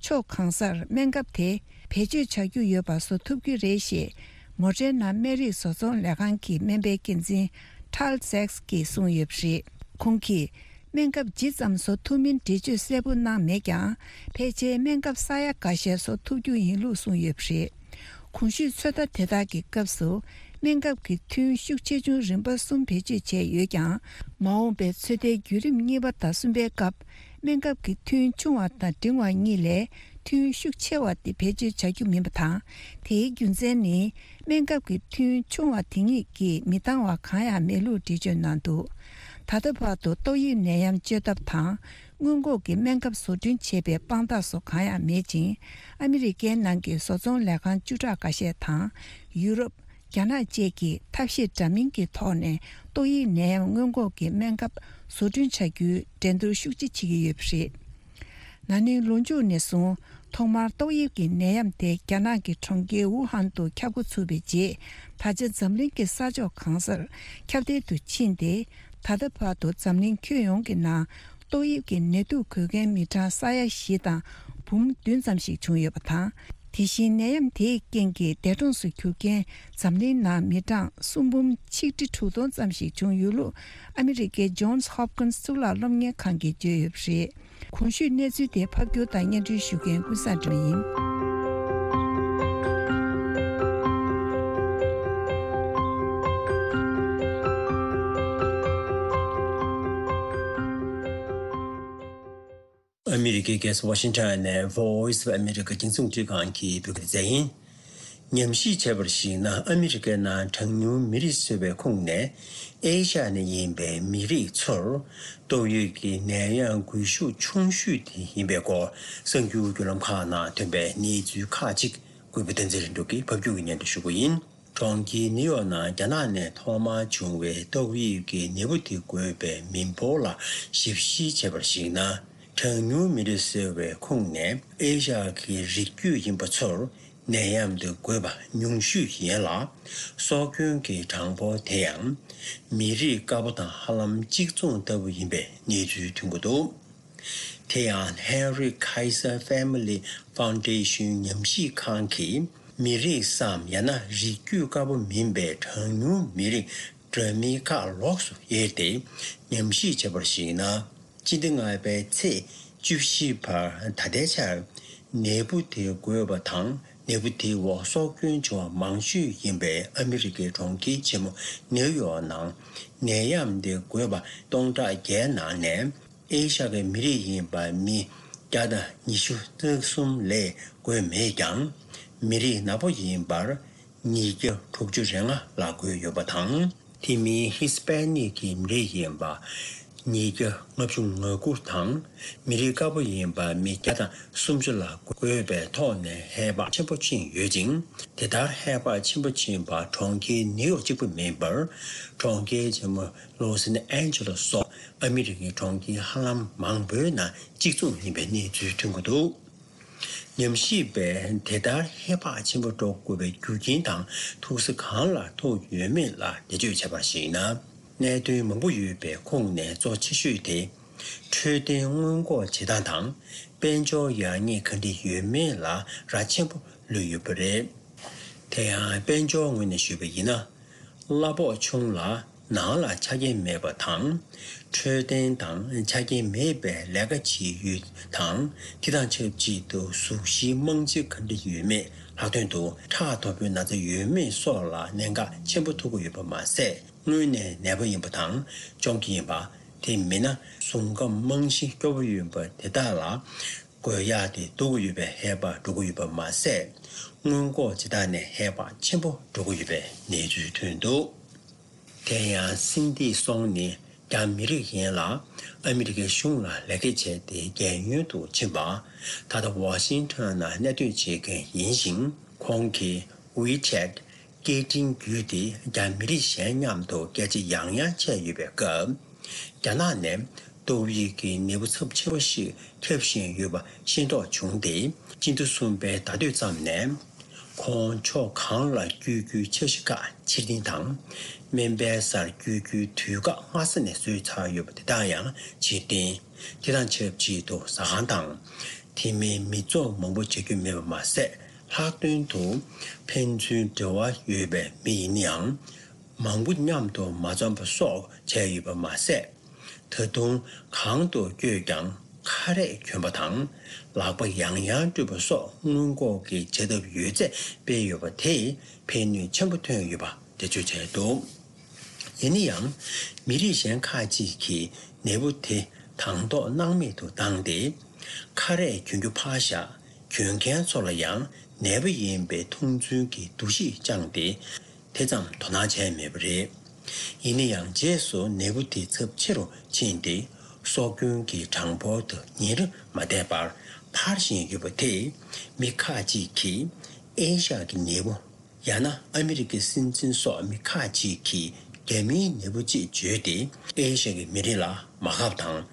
ཕྱོགས་གང་སར་སྨན་ཁབ་དེ་བེད་སྤྱོད་བྱ་རྒྱུ་ཡོད་པ་བཟོ་ཐུབ་ཀྱི་རེད་ཞེས། མོ་ཌེར་ན་སྨན་རིགས་བཟོ་ཚོང་ལས་ཁང་གི་སྨན་པའི་འགན་འཛིན་ཊཱལ་སེགས་ཀྱིས་གསུངས་ཡོད་པ་རེད། ཁོང་གིས། སྨན་ཁབ་ཇི་ཙམ་བཟོ་ཐུབ་མིན་འགྲེལ་བརྗོད་གསལ་པོ་གནང་མེད་ཀྱང་། ཕལ་ཆེར་སྨན་ཁབ་ས་ཡ་འགའ་ཤས་བཟོ་ཐུབ་རྒྱུ་ཡིན་ལུགས་གསུངས་ཡོད་པ་རེད། གོང་ཞུས་ཚོད་ལྟ་དེ་དག་གི་སྐབས་སུ། སྨན་ཁབ་ཀྱི་ཐུན་ཤུགས་ཆེ་ཆུང་རིམ་པ་གསུམ་བེད་སྤྱོད་བྱས་ཡོད་ཀྱང་། མ་འོངས་པའི་ཚོད་ལྟའི་བརྒྱུད་རིམ་གཉིས་པ་དང་གསུམ་པའི་སྐབས། སྨན་ཁབ་ཀྱི་ཐུན་ཆུང་བ་དང་འབྲིང་བ་གཉིས་ལས་ཐུན་ཤུགས་ཆེ་བ་དེ་བེད་སྤྱོད་བྱ་རྒྱུ་མིན་པ་དང་། དེའི་རྒྱུ་མཚན་ནི། སྨན་ཁབ་ཀྱི་ཐུན་ཆུང་བ་དེ་ཉིད་ཀྱིས་མི་འདང་བ་གང་ཡང་མེད་ལུགས་འགྲེལ་བརྗོད་གནང་འདུག་ད་ལྟ་བར་དུ་ཏོག་དབྱིབས་ནད་ཡམས་བཅོས་ཐབས་དང་། སྔོན་འགོག་གི་སྨན་ཁབ་བཟོ་སྐྲུན་བྱེད་པའི་དཔང་རྟགས་སོགས་གང་ཡང་མེད་ཅིང་། ཨ་མི་རི་ཀའི་ནང་གི་བཟོ་ཚོང་ལས་ཁང་བཅུ་ཕྲག་འགའ་ཤས་དང་། ཡུ་རོབ། རྒྱ་ནག་བཅས་ཀྱིས་ཐབས་ཤེས་འདྲ་མིན་གྱི་ཐོག་ནས་ཏོག་དབྱིབས་ནད་ཡམས་སྔོན་འགོག་གི་སྨན་ཁབ་བཟོ་སྐྲུན་བྱ་རྒྱུའི་འགྲན་བསྡུར་ཤུགས་ཆེ་བྱེད་ཀྱི་ཡོད་པ་རེད། ན་ནིང་ལོ་མཇུག་ནས་བཟུང་ཐོག་མར་ཏོག་དབྱིབས་ཀྱི་ནད་ཡམས་དེ་རྒྱ་ནག་གི་གྲོང་ཁྱེར་ཝུ་ཧན་དུ་ཁྱབ་འགོ་ཚུགས་པའི་རྗེས། ད་ཆ་འཛམ་གླིང་གི་ས་ཕྱོགས་གང་སར་ཁྱབ་གདལ་དུ་ཕྱིན་ཏེ། ད་ལྟ་བར་དུ་འཛམ་གླིང་ཁྱོན་ཡོངས་ཀྱི་ནང་ཏོག་དབྱིབས་ཀྱི་ནད་དུག་འགོས་མཁན་མི་གྲངས་ས་ཡ་བཞི་དང་འབུམ་བདུན་ཙམ་ཞིག་བྱུང་ཡོད་པ་དང་། དེ་བཞིན་ནད་ཡམས་དེའི་རྐྱེན་གྱིས་འདས་གྲོངས་སུ་གྱུར་མཁན་འཛམ་གླིང་ནང་མི་གྲངས་གསུམ་འབུམ་ཆིག་ཁྲི་དྲུག་སྟོང་ཙམ་ཞིག་བྱུང་ཡོད་ལུགས་ཨ་མི་རི་ཀའི་Johns Hopkins གཙུག་ལག་སློབ་གཉེར་ཁང་གིས་བརྗོད་ཡོད་པ་རེད། གོང་ཞུས་གནས་ཚུལ་དེ་ཕབ་སྒྱུར་དང་སྙན་སྒྲོན་ཞུ་མཁན་ཀུན་བཟང་སྒྲོལ་མ་ཡིན། ཨ་མི་རི་ཀའི་རྒྱལ་ས་ཝ་ཤིང་ཊོན་ནས་Voice of America རྒྱང་སྲིང་རླུང་འཕྲིན་ཁང་གི་བོད་སྐད་སྡེ་ཚན་ཡིན། ཉམས་ཞིབ་བྱས་པར་གཞིགས་ན། ཨ་མི་རི་ཀའི་ནང་གྲངས་ཉུང་མི་རིགས་ཟེར་བའི་ཁོངས་ནས་ཨེ་ཤ་ཡ་ནས་ཡིན་པའི་མི་རིགས་ཚོར་ཏོག་དབྱིབས་ཀྱི་ནད་ཡམས་འགོས་ཤུགས་ཆུང་ཤོས་དེ་ཡིན་པའི་སྐོར་གསར་འགྱུར་བརྒྱུད་ལམ་ཁག་ནང་ཐོན་པའི་གནས་ཚུལ་ཁག་ཅིག་གུས་པ་བསྟན་འཛིན་ལྷུན་གྲུབ་ཀྱིས་ཕབ་སྒྱུར་གྱིས་སྙན་སྒྲོན་ཞུ་གི་ཡིན། གྲོང་ཁྱེར་ནིའུ་ཡོག་ནང་རྒྱ་ནག་ནས་ཐོག་མར་བྱུང་བའི་ཏོག་དབྱིབས་ཀྱི་ནད་འབུ་དེ་འགོས་པའི་མི་འབོར་ལ་ཞིབ་བཤེར་བྱས་པར་གཞིགས་ན། གྲངས་ཉུང་མི་རིགས་ཟེར་བའི་ཁོངས་ནས་ཨེ་ཤ་ཡ་གི་རིགས་རྒྱུད་ཡིན་པ་ཚོར་ནད་ཡམས་དེ་འགོས་པ་ཉུང་ཤོས་ཡིན་ལ། སྲོག་སྐྱོན་གྱི་གྲངས་འབོར་དེ་ཡང་མི་རིགས་དཀར་པོ་དང་ཧ་ལམ་གཅིག་མཚུངས་ལྟ་བུ་ཡིན་པའི་གནས་ཚུལ་ཐོན་གྱི་འདུག་དེ་ཡང་Henry Kaiser Family Foundation ཉམས་ཞིབ་ཁང་གིས་མི་རིགས་སམ་ཡང་ན་རིགས་རྒྱུད་དཀར་པོ་མིན་པའི་གྲངས་ཉུང་མི་རིགས་འདྲ་མིན་ཁག་ལོགས་སུ་དབྱེ་སྟེ་ཉམས་ཞིབ་བྱས་པར་གཞིགས་ན། སྤྱི་ཟླ་ལྔ་པའི་ཚེས་བཅུ་བཞི་བར་ད་ལྟའི་ཆར་ནད་འབུ་དེ་འགོས་པ་དང་ནད་འབུ་དེའི་འོག་སྲོག་སྐྱོན་བྱུང་བ་མང་ཤོས་ཡིན་པའི་ཨ་མི་རི་ཀའི་གྲོང་ཁྱེར་ཆེན་མོ་ནིའུ་ཡོག་ནང་ནད་ཡམས་དེ་འགོས་པ་སྟོང་ཕྲག་བརྒྱད་ནང་ནས། ཨེ་ཤ་ཡའི་མི་རིགས་ཡིན་པ་མི་བརྒྱ་དང་ཉི་ཤུ་རྩ་གསུམ་ལས་འགོས་མེད་ཀྱང་། མི་རིགས་ནག་པོ་ཡིན་པར་ཉིས་བརྒྱ་དྲུག་ཅུ་རེ་ལྔ་ལ་འགོས་ཡོད་པ་དང་། དེ་མིན་ཧི་སི་པན་ནིག་གི་མི་རིགས་ཡིན་པ་ཉིས་བརྒྱ་ལྔ་བཅུ་ང་དགུ་དང་། མི་རིགས་དཀར་པོ་ཡིན་པ་མི་བརྒྱ་དང་སུམ་ཅུ་ལ་འགོས་པའི་ཐོག་ནས་ཧེ་བག་ཆེན་པོ་ཕྱིན་ཡོད་ཅིང་། དེ་ལྟར་ཧེ་བག་ཆེན་པོ་ཕྱིན་པ་གྲོང་ཁྱེར་ནིའུ་ཡོག་གཅིག་པུ་མིན་པར། གྲོང་ཁྱེར་ཆེན་མོ་ལོ་སི་ཨན་ཇེ་ལོ་སོགས་ཨ་མི་རི་ཀའི་གྲོང་ཁྱེར་ཧ་ལམ་མང་པོའི་ནང་གཅིག་མཚུངས་ཡིན་པའི་གནས་ཚུལ་ཐོན་གྱི་འདུག་ཉམས་ཞིབ་པས་དེ་ལྟར་ཧེ་བག་ཆེན་པོ་འགྲོ་དགོས་པའི་རྒྱུ་རྐྱེན་དང་ཐུག་ས་གང་ལ་ཐུག་ཡོད་མེད་ལ་འགྲེལ་བརྗོད་བྱས་པར་གཞིགས་ན། གནད་དོན་མང་པོ་ཡོད་པའི་ཁོངས་ནས་གཙོ་ཆེ་ཤོས་དེ། འཕྲོད་བསྟེན་སྔོན་འགོག་བྱེད་སྟངས་དང་། དཔལ་འབྱོར་ཡར་རྒྱས་ག་འདྲ་ཡོད་མེད་ལ་རག་ཆེན་པོ་ལུས་ཡོད་པ་རེད། དེ་ཡང་དཔལ་འབྱོར་ངོས་ནས་ཞུས་པ་ཡིན་ན། གླ་ཕོགས་ཆུང་ལ་ནང་ལ་ཆ་རྐྱེན་མེད་པ་དང་། འཕྲོད་བསྟེན་དང་ཆ་རྐྱེན་མེད་པའི་ལས་ཀ་བྱེད་ཡུལ་དང་། དེ་དང་ཆབས་ཅིག་ཏུ་གཟུགས་གཞིའི་རྨང་གཞི་ག་འདྲ་ཡོད་མེད། ལྷག་དོན་དུ་ཁྲག་དོག་པོའི་ན་ཚ་ཡོད་མེད་སོགས་ལ་གནད་འགག་ཆེན་པོ་ཐུག་གི་ཡོད་པ་མ་ཟད། སྔོན་ནས་ནད་པ་ཡིན་པ་དང་གཅོང་སྐྱེས་ཡིན་པ། དེ་མིན་ན་གཟུགས་ཁམས་རྨང་གཞི་སྐྱོ་པོ་ཡིན་པ་དེ་དག་ལ་འགོས་ཡག་དེ་འདུག་གི་ཡོད་པའི་ཧེ་བག་འགྲོ་གི་ཡོད་པ་མ་ཟད། སྔོན་འགོག་བྱེད་སྟངས་ནས་ཧེ་བག་ཆེན་པོ་འགྲོ་གི་ཡོད་པའི་གནས་ཚུལ་ཐོན་འདུག་དེ་ཡང་སིན་ཏི་སོང་ནི་རྒྱ་མི་རིགས་ཡིན་ལ། ཨ་མི་རི་ཀའི་གཞུང་ལ་ལས་ཀ་བྱས་ཏེ་རྒན་ཡོལ་དུ་ཕྱིན་པ། ད་ལྟ་ཝ་ཤིང་ཊོན་ནང་གནས་སྡོད་བྱེད་མཁན་ཡིན་ཞིང་། ཁོང་གིས་WeChat སྐད་འཕྲིན་བརྒྱུད་དེ་རྒྱ་མི་རིགས་གཞན་མཉམ་དུ་སྐད་ཆ་ཡང་ཡང་བྱས་ཡོད་པའི་སྐབས། རྒྱ་ནག་ནས་ཏོག་དབྱིབས་ཀྱི་ནད་འབུ་ཚབས་ཆེན་པོ་ཞིག་ཁྱབ་བཞིན་ཡོད་པ་ཤེས་རྟོགས་བྱུང་སྟེ། སྤྱི་ཟླ་གསུམ་པའི་ཟླ་སྟོད་ཙམ་ནས། ཁོང་ཕྱོགས་གང་ལ་བསྐྱོད་རྒྱུའི་འཆར་གཞི་ཁག་ཕྱིར་འཐེན་དང་། སྨན་པའི་སར་བསྐྱོད་རྒྱུའི་དུས་བཀག་སྔ་ས་ནས་བཟོས་ཚར་ཡོད་པ་དེ་དག་ཡང་ཕྱིར་འཐེན། དེ་དང་ཆབས་ཅིག་ཏུ་ཟ་ཁང་དང་། དེ་མིན་མི་ཚོགས་མང་པོ་བྱ་རྒྱུ་མེད་པ་མ་ཟད། ལྷག་དོན་དུ་ཕན་ཚུན་འབྲེལ་བ་ཡོད་པའི་མི་ཡིན་ན་ཡང་། མང་པོ་མཉམ་དུ་མ་འཛོམས་པ་སོགས་བྱས་ཡོད་པ་མ་ཟད། ད་དུང་གང་དུ་བསྐྱོད་ཀྱང་ཁ་རས་གྱོན་པ་དང་། ལག་པ་ཡང་ཡང་བཀྲུས་པ་སོགས་སྔོན་འགོག་གི་བྱ་ཐབས་ཡོད་ཚད་སྤེལ་ཡོད་པ་དེས་ཕན་ནུས་ཆེན་པོ་ཐོན་ཡོད་པ་འགྲེལ་བརྗོད་བྱས་འདུག་ཡིན་ན་ཡང་། མི་རིགས་གཞན་ཁག་ཅིག་གིས་ནད་འབུ་དེ་དང་ཐོག་སྣང་མེད་དུ་བཏང་སྟེ། ཁ་རས་གྱོན་རྒྱུ་ཕར་བཞག་གྱོན་མཁན་ཚོ་ལ་ཡང་ནད་པ་ཡིན་པའི་མཐོང་ཚུལ་གྱི་འདུ་ཤེས་བཅངས་ཏེ། དེ་ཙམ་དོ་སྣང་བྱས་མེད་པ་རེད། ཡིན་ན་ཡང་རྗེས་སུ་ནད་འབུ་དེ་ཚབས་ཆེ་རུ་ཕྱིན་ཏེ། སྲོག་སྐྱོན་གྱི་གྲངས་འབོར་དུ་ཉིན་རེ་མ་བསྡད་པར་འཕར་བཞིན་ཡོད་པ་དེས། མི་ཁག་ཅིག་གིས་ཨེ་ཤ་གི་ནད་འབུ། ཡང་ན་ཨ་མི་རི་ཀའི་སྲིད་འཛིན་སོགས་མི་ཁག་ཅིག་གིས་རྒྱ་མིའི་ནད་འབུ་ཅེས་བརྗོད་དེ། ཨེ་ཤ་གི་མི་རིགས་ལ་མ་དགའ་བ་དང་།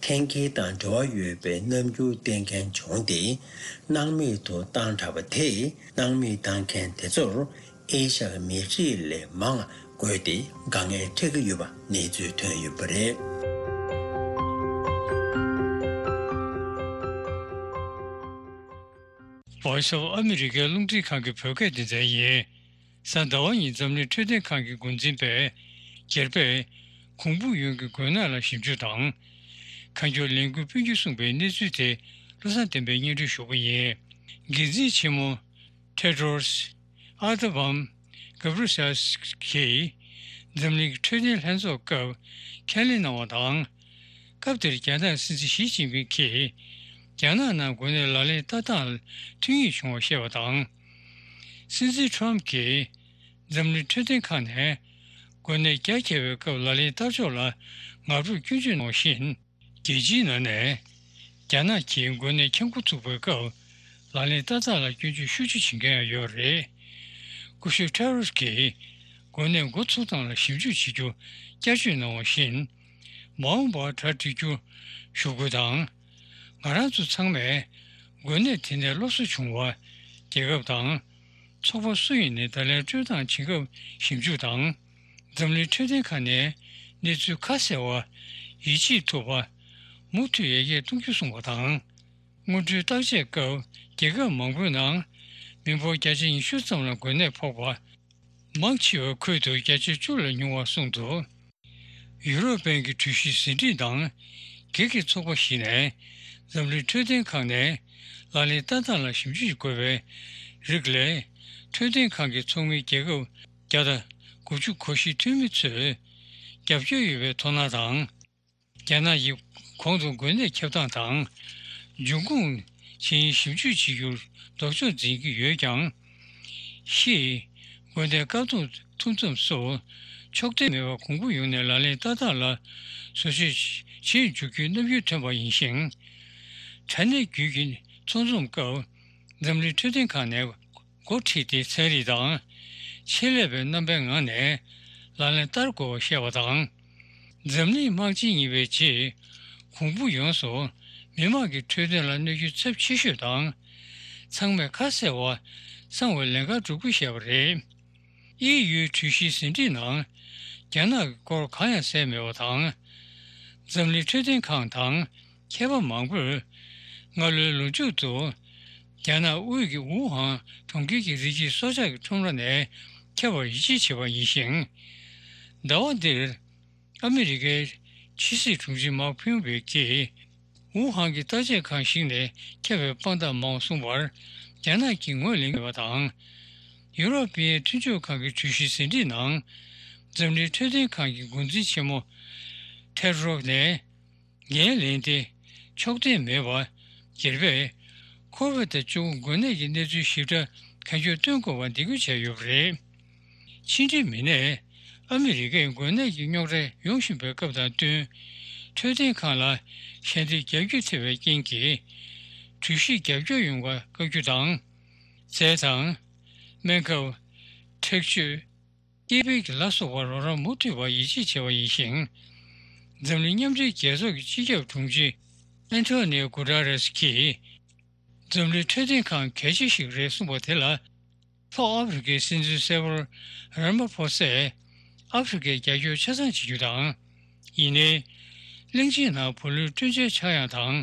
འཐེན་འཁྱེར་དང་འབྲེལ་བ་ཡོད་པའི་རྣམ་འགྱུར་བསྟན་མཁན་བྱུང་སྟེ། སྣང་མེད་དུ་བཏང་དྲགས་པ་དེས། སྣང་མེད་བཏང་མཁན་དེ་ཚོར་ཨེ་ཤ་ཡའི་མི་རིགས་ལས་མང་བ་དགོས་ཏེ། དཀའ་ངལ་འཕྲད་ཀྱི་ཡོད་པ་གནས་ཚུལ་ཐོན་ཡོད་པ་རེད། བྷོ་ཡིས་ཨོཕ་ཨ་མི་རི་ཀའི་རླུང་འཕྲིན་ཁང་གི་བོད་སྐད་སྡེ་ཚན་ཡིན། གཟའ་ཟླ་བ་ཉིན་འཛམ་གླིང་འཕྲོད་བསྟེན་ཁང་གི་འགོ་འཛིན་པས་རྒྱལ་པོས་གུང་སྤུ་ཡོན་གྱི་འགོས་ནད་ལ་ཞིབ་འཇུག་དང་། ཁ་མཆུ་ལས་འགུལ་སྤུན་འགྱུར་གསུངས་པའི་གནས་ཚུལ་དེ་བློ་བཟང་བསྟན་པས་སྙན་སྒྲོན་ཞུ་གི་ཡིན། འགན་འཛིན་ཆེན་མོ་Tedros Adhanom Ghebreyesus་གིས་འཛམ་གླིང་གི་འཕྲོད་བསྟེན་ལྷན་ཚོགས་སྐབས་ཁས་ལེན་གནང་བ་དང་། སྐབས་དེར་རྒྱ་ནག་སྲིད་འཛིན་ཞི་ཅིན་ཕིང་གིས་རྒྱ་ནག་ནང་འགོས་ནད་ལག་ལེན་བསྟར་སྟངས་ལ་མཐུན་གཡེང་བྱུང་བ་བཤད་པ་དང་། སྲིད་འཛིན་ཁྲོམ་གྱིས་འཛམ་གླིང་འཕྲོད་བསྟེན་ཁང་ནས་འགོས་ནད་རྒྱ་ཆེ་བའི་སྐབས་ལག་ལེན་བསྟར་ཕྱོགས་ལ་དམག་འཁྲུག་སྐྱོན་བརྗོད་གནང་བ་བཞིན། རྒྱལ་སྤྱིའི་ནང་ནས་རྒྱ་ནག་གིས་འགོས་ནད་འཁྱམ་སྒོ་ཚུགས་པའི་སྐབས་ལག་ལེན་བསྟར་སྟངས་ལ་སྐྱོན་བརྗོད་ཤུགས་ཆེ་བྱེད་མཁན་ཡང་ཡོད་རེད། སྐུ་ཞབས་Tedros་གིས་འགོས་ནད་འགོ་ཚུགས་སྟངས་ལ་ཞིབ་འཇུག་བྱེད་རྒྱུ་བསྐྱར་བཅོས་གནང་བ་བཞིན། མ་འོངས་པར་གྲ་སྒྲིག་རྒྱུ་ཞུ་དགོས་དང་། ང་རང་ཚོ་ཚང་མས་འགོས་ནད་དེ་ནས་སློབ་གསོ་བྱུང་བ། རྒྱལ་ཁབ་དང་། ཚོགས་པ་སུ་ཡིན་ནའི་བརྡ་ལན་སྤྲོད་སྟངས་བྱེད་སྐབས་ཞིབ་འཇུག་དང་། འཛམ་གླིང་འཕྲོད་བསྟེན་ཁང་ནས་གནས་ཚུལ་ཁ་གསལ་བ། ཡིད་ཆེས་ཐུབ་པ། མུ་མཐུད་ཡར་རྒྱས་གཏོང་རྒྱུ་གསུངས་པ་དང་། སྔོན་འགྲོའི་བརྟག་དཔྱད་སྐབས་རྒྱལ་ཁབ་མང་པོའི་ནང་མི་འབོར་བརྒྱ་ཆ་ཉི་ཤུ་ཙམ་ལ་འགོས་ནད་ཕོག་པ། མང་ཆེ་བའི་ཁུལ་དུ་བརྒྱ་ཆ་བཅུ་ལས་ཉུང་བ་གསུངས་འདུག་ཡུ་རོབ་པའི་གྲོས་གཞི་ཟིན་བྲིས་དང་། སྒེར་གྱི་ཚོགས་པ་ཞིག་ནས་འཛམ་གླིང་འཕྲོད་བསྟེན་ཁང་ནས་ལག་ལེན་བསྟར་སྟངས་ལ་ཞིབ་འཇུག་དགོས་པའི་རིགས་ལས། འཕྲོད་བསྟེན་ཁང་གི་ཚོགས་མི་རྒྱལ་ཁབ་བརྒྱ་དང་དགུ་བཅུ་གོ་བཞི་འཐུས་མི་ཚོས་རྒྱབ་སྐྱོར་ཡོད་པའི་མཐོང་སྣང་དང་། རྒྱ་ནག་གིས་གོང་དུ་འགོས་ནད་ཁྱབ་སྟངས་དང་། འབྱུང་ཁུངས་ཆེད་ཞིབ་འཇུག་བྱེད་རྒྱུར་ལྡོག་ཕྱོགས་འཛིན་གྱི་ཡོད་ཀྱང་། ཤི། འགོས་ནད་བཀག་སྡོམ་ཐུབ་མཚམས་སུ་ཕྱོགས་འཐེན་མེད་པར་གོང་བུ་ཡོང་ནས་ལག་ལེན་བསྟར་སྟངས་ལ་བཟོ་བཅོས་བྱེད་འཇུག་རྒྱུའི་རྣམ་འགྱུར་ཐོན་པ་ཡིན་ཞིང་། དྲ་གནས་བརྒྱུད་ཀྱི་ཚོགས་འཛོམས་སྐབས་འཛམ་གླིང་འཕྲོད་བསྟེན་ཁང་ནས་འགོ་ཁྲིད་དེ་ཚན་རིག་དང་ཆེད་ལས་པའི་རྣམ་པའི་ངང་ནས་ལག་ལེན་བསྟར་དགོས་པ་བཤད་པ་དང་། འཛམ་གླིང་དམག་ཆེན་གཉིས་པའི་རྗེས་གོང་བུ་ཡོངས་སུ་མི་དམངས་ཀྱི་འཕྲོད་བསྟེན་ལ་གནོད་སྐྱོན་ཚབས་ཆེ་ཤོས་དང་། ཚང་མས་ཁ་གསལ་བ་གསང་བའི་ལན་ཁག་སྒྲུབ་དགོས་བཤད་པ་རེད། ཨི་ཡུའི་གྲོས་གཞིའི་ཟིན་བྲིས་ནང་ རྒྱ་ནག་གི་སྐོར་གང་ཡང་གསལ་མེད་པ་དང་། འཛམ་གླིང་འཕྲོད་བསྟེན་ཁང་དང་མཁས་པ་མང་པོས་སྔ་ལོའི་ལོ་མཇུག་ཏུ་རྒྱ་ནག་དབུས་ཀྱི་ཝུ་ཧན་གྲོང་ཁྱེར་གྱི་རིགས་ཀྱི་སྲོག་ཆགས་ཀྱི་ཁྲོམ་ར་ནས་ཁྱབ་པར་ཡིད་ཆེས་བྱས་པ་ཡིན་ཞིང་། ཟླ་བ་འདིར་ཨ་མི་རི་ཀའི་ཕྱི་སྲིད་དྲུང་ཆེ་མཱིག་ཕིམ་པེའོ་གིས་ཝུ་ཧན་གྱི་བརྟག་དཔྱད་ཁང་ཞིག་ནས་ཁྱབ་པའི་དཔང་རྟགས་མང་པོ་གསུངས་པར་རྒྱ་ནག་གིས་ངོས་ལེན་མེད་པ་དང་། ཡུ་རོབ་པའི་མཐུན་ཕྱོགས་ཁང་གི་གྲོས་གཞིའི་ཟིན་བྲིས་ནང་འཛམ་གླིང་འཕྲོད་བསྟེན་ཁང་གི་འགོ་འཛིན་ཆེན་མོ་ཐེད་རོག་ནས་འགན་ལེན་ཏེ་ཆོག་མཐུན་མེད་པ། སྒེར་པས་ཁོ་བིད་བཅུ་དགུ་འགོས་ནད་ཀྱི་གནས་ཚུལ་ཞིབ་ཕྲ་གན་རྒྱ་བཏོན་དགོས་པ་འདེད་སྐུལ་བྱས་ཡོད་པ་རེད། ཕྱི་འབྲེལ་མི་སྣས་ཨ་མི་རི་ཀས་འགོས་ནད་ཀྱི་རྙོག་དྲ་ཡོང་བཞིན་པའི་སྐབས་དང་བསྟུན། འཕྲོད་བསྟེན་ཁང་ལ་ཞལ་འདེབས་རྒྱག་རྒྱུ་ཐེ་བའི་རྐྱེན་གྱིས་གྲོས་གཞིར་རྒྱབ་སྐྱོར་ཡོང་བར་བཀའ་བཀྱོན་དང་། རྫས་དང་། སྨན་ཁབ། འཁྲིག་སྤྱོད། སྐྱེད་འཕེལ་གྱི་ལ་སོགས་པར་རོགས་རམ་མུ་མཐུད་པར་ཡིད་ཆེས་བྱས་པ་ཡིན་ཞིང་། འཛམ་གླིང་མཉམ་འབྲེལ་རྒྱལ་ཚོགས་ཀྱི་སྤྱི་ཁྱབ་དྲུང་ཆེ་ཨན་ཐོ་ནིའོ་གུ་ཏ་རེས་ཀྱིས། འཛམ་གླིང་འཕྲོད་བསྟེན་ཁང་གལ་ཆེ་ཞིག་རེད་གསུངས་པ་དེ་ལ། ལྷོ་ཨ་ཧྥེ་རི་ཁའི་སྲིད་འཛིན་སེ་བོར་ར་མ་ཕོ་སས་ཨ་ཧྥེ་རི་ཁས་རྒྱབ་སྐྱོར་ཆ་ཚང་བྱེད་རྒྱུ་དང་། ཡིན་ནའི། གླིང་ཆེན་ནང་བུ་ལོན་སྤྲོད་འཇལ་ཆག་ཡང་དང་།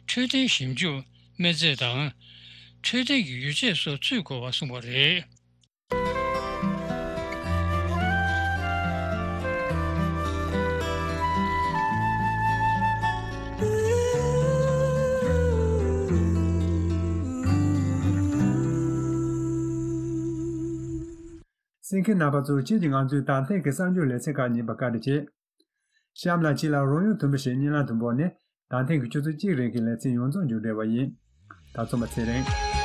འཕྲོད་བསྟེན་ཞིབ་འཇུག་སྨན་རྫས་དང་། འཕྲོད་བསྟེན་གྱི་ཡོ་བྱད་སོགས་ཚུད་དགོས་པ་གསུངས་པ་རེད། གསན་མཁན་རྣམ་པ་ཚོ། ཁྱེད་ཀྱིས་ང་ཚོའི་ད་ཐེངས་ཀྱི་གསར་འགྱུར་ལེ་ཚན་ཁག་ཉན་པར་བཀའ་དྲིན་ཆེ། གཤམ་ལ་ཁྱེད་ལ་རོལ་དབྱངས་དུམ་བུ་ཞིག་སྙན་ལམ་དུ་འབོད་ནས། ད་ཐེངས་ཀྱི་ཆུ་ཚོད་གཅིག་རིང་གི་ལེ་ཚན་ཡོངས་རྫོགས་མཇུག་སྒྲིལ་བ་ཡིན། ད་ཚོ་མ་ཚེ་རིང་།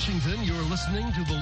Washington, you're listening to the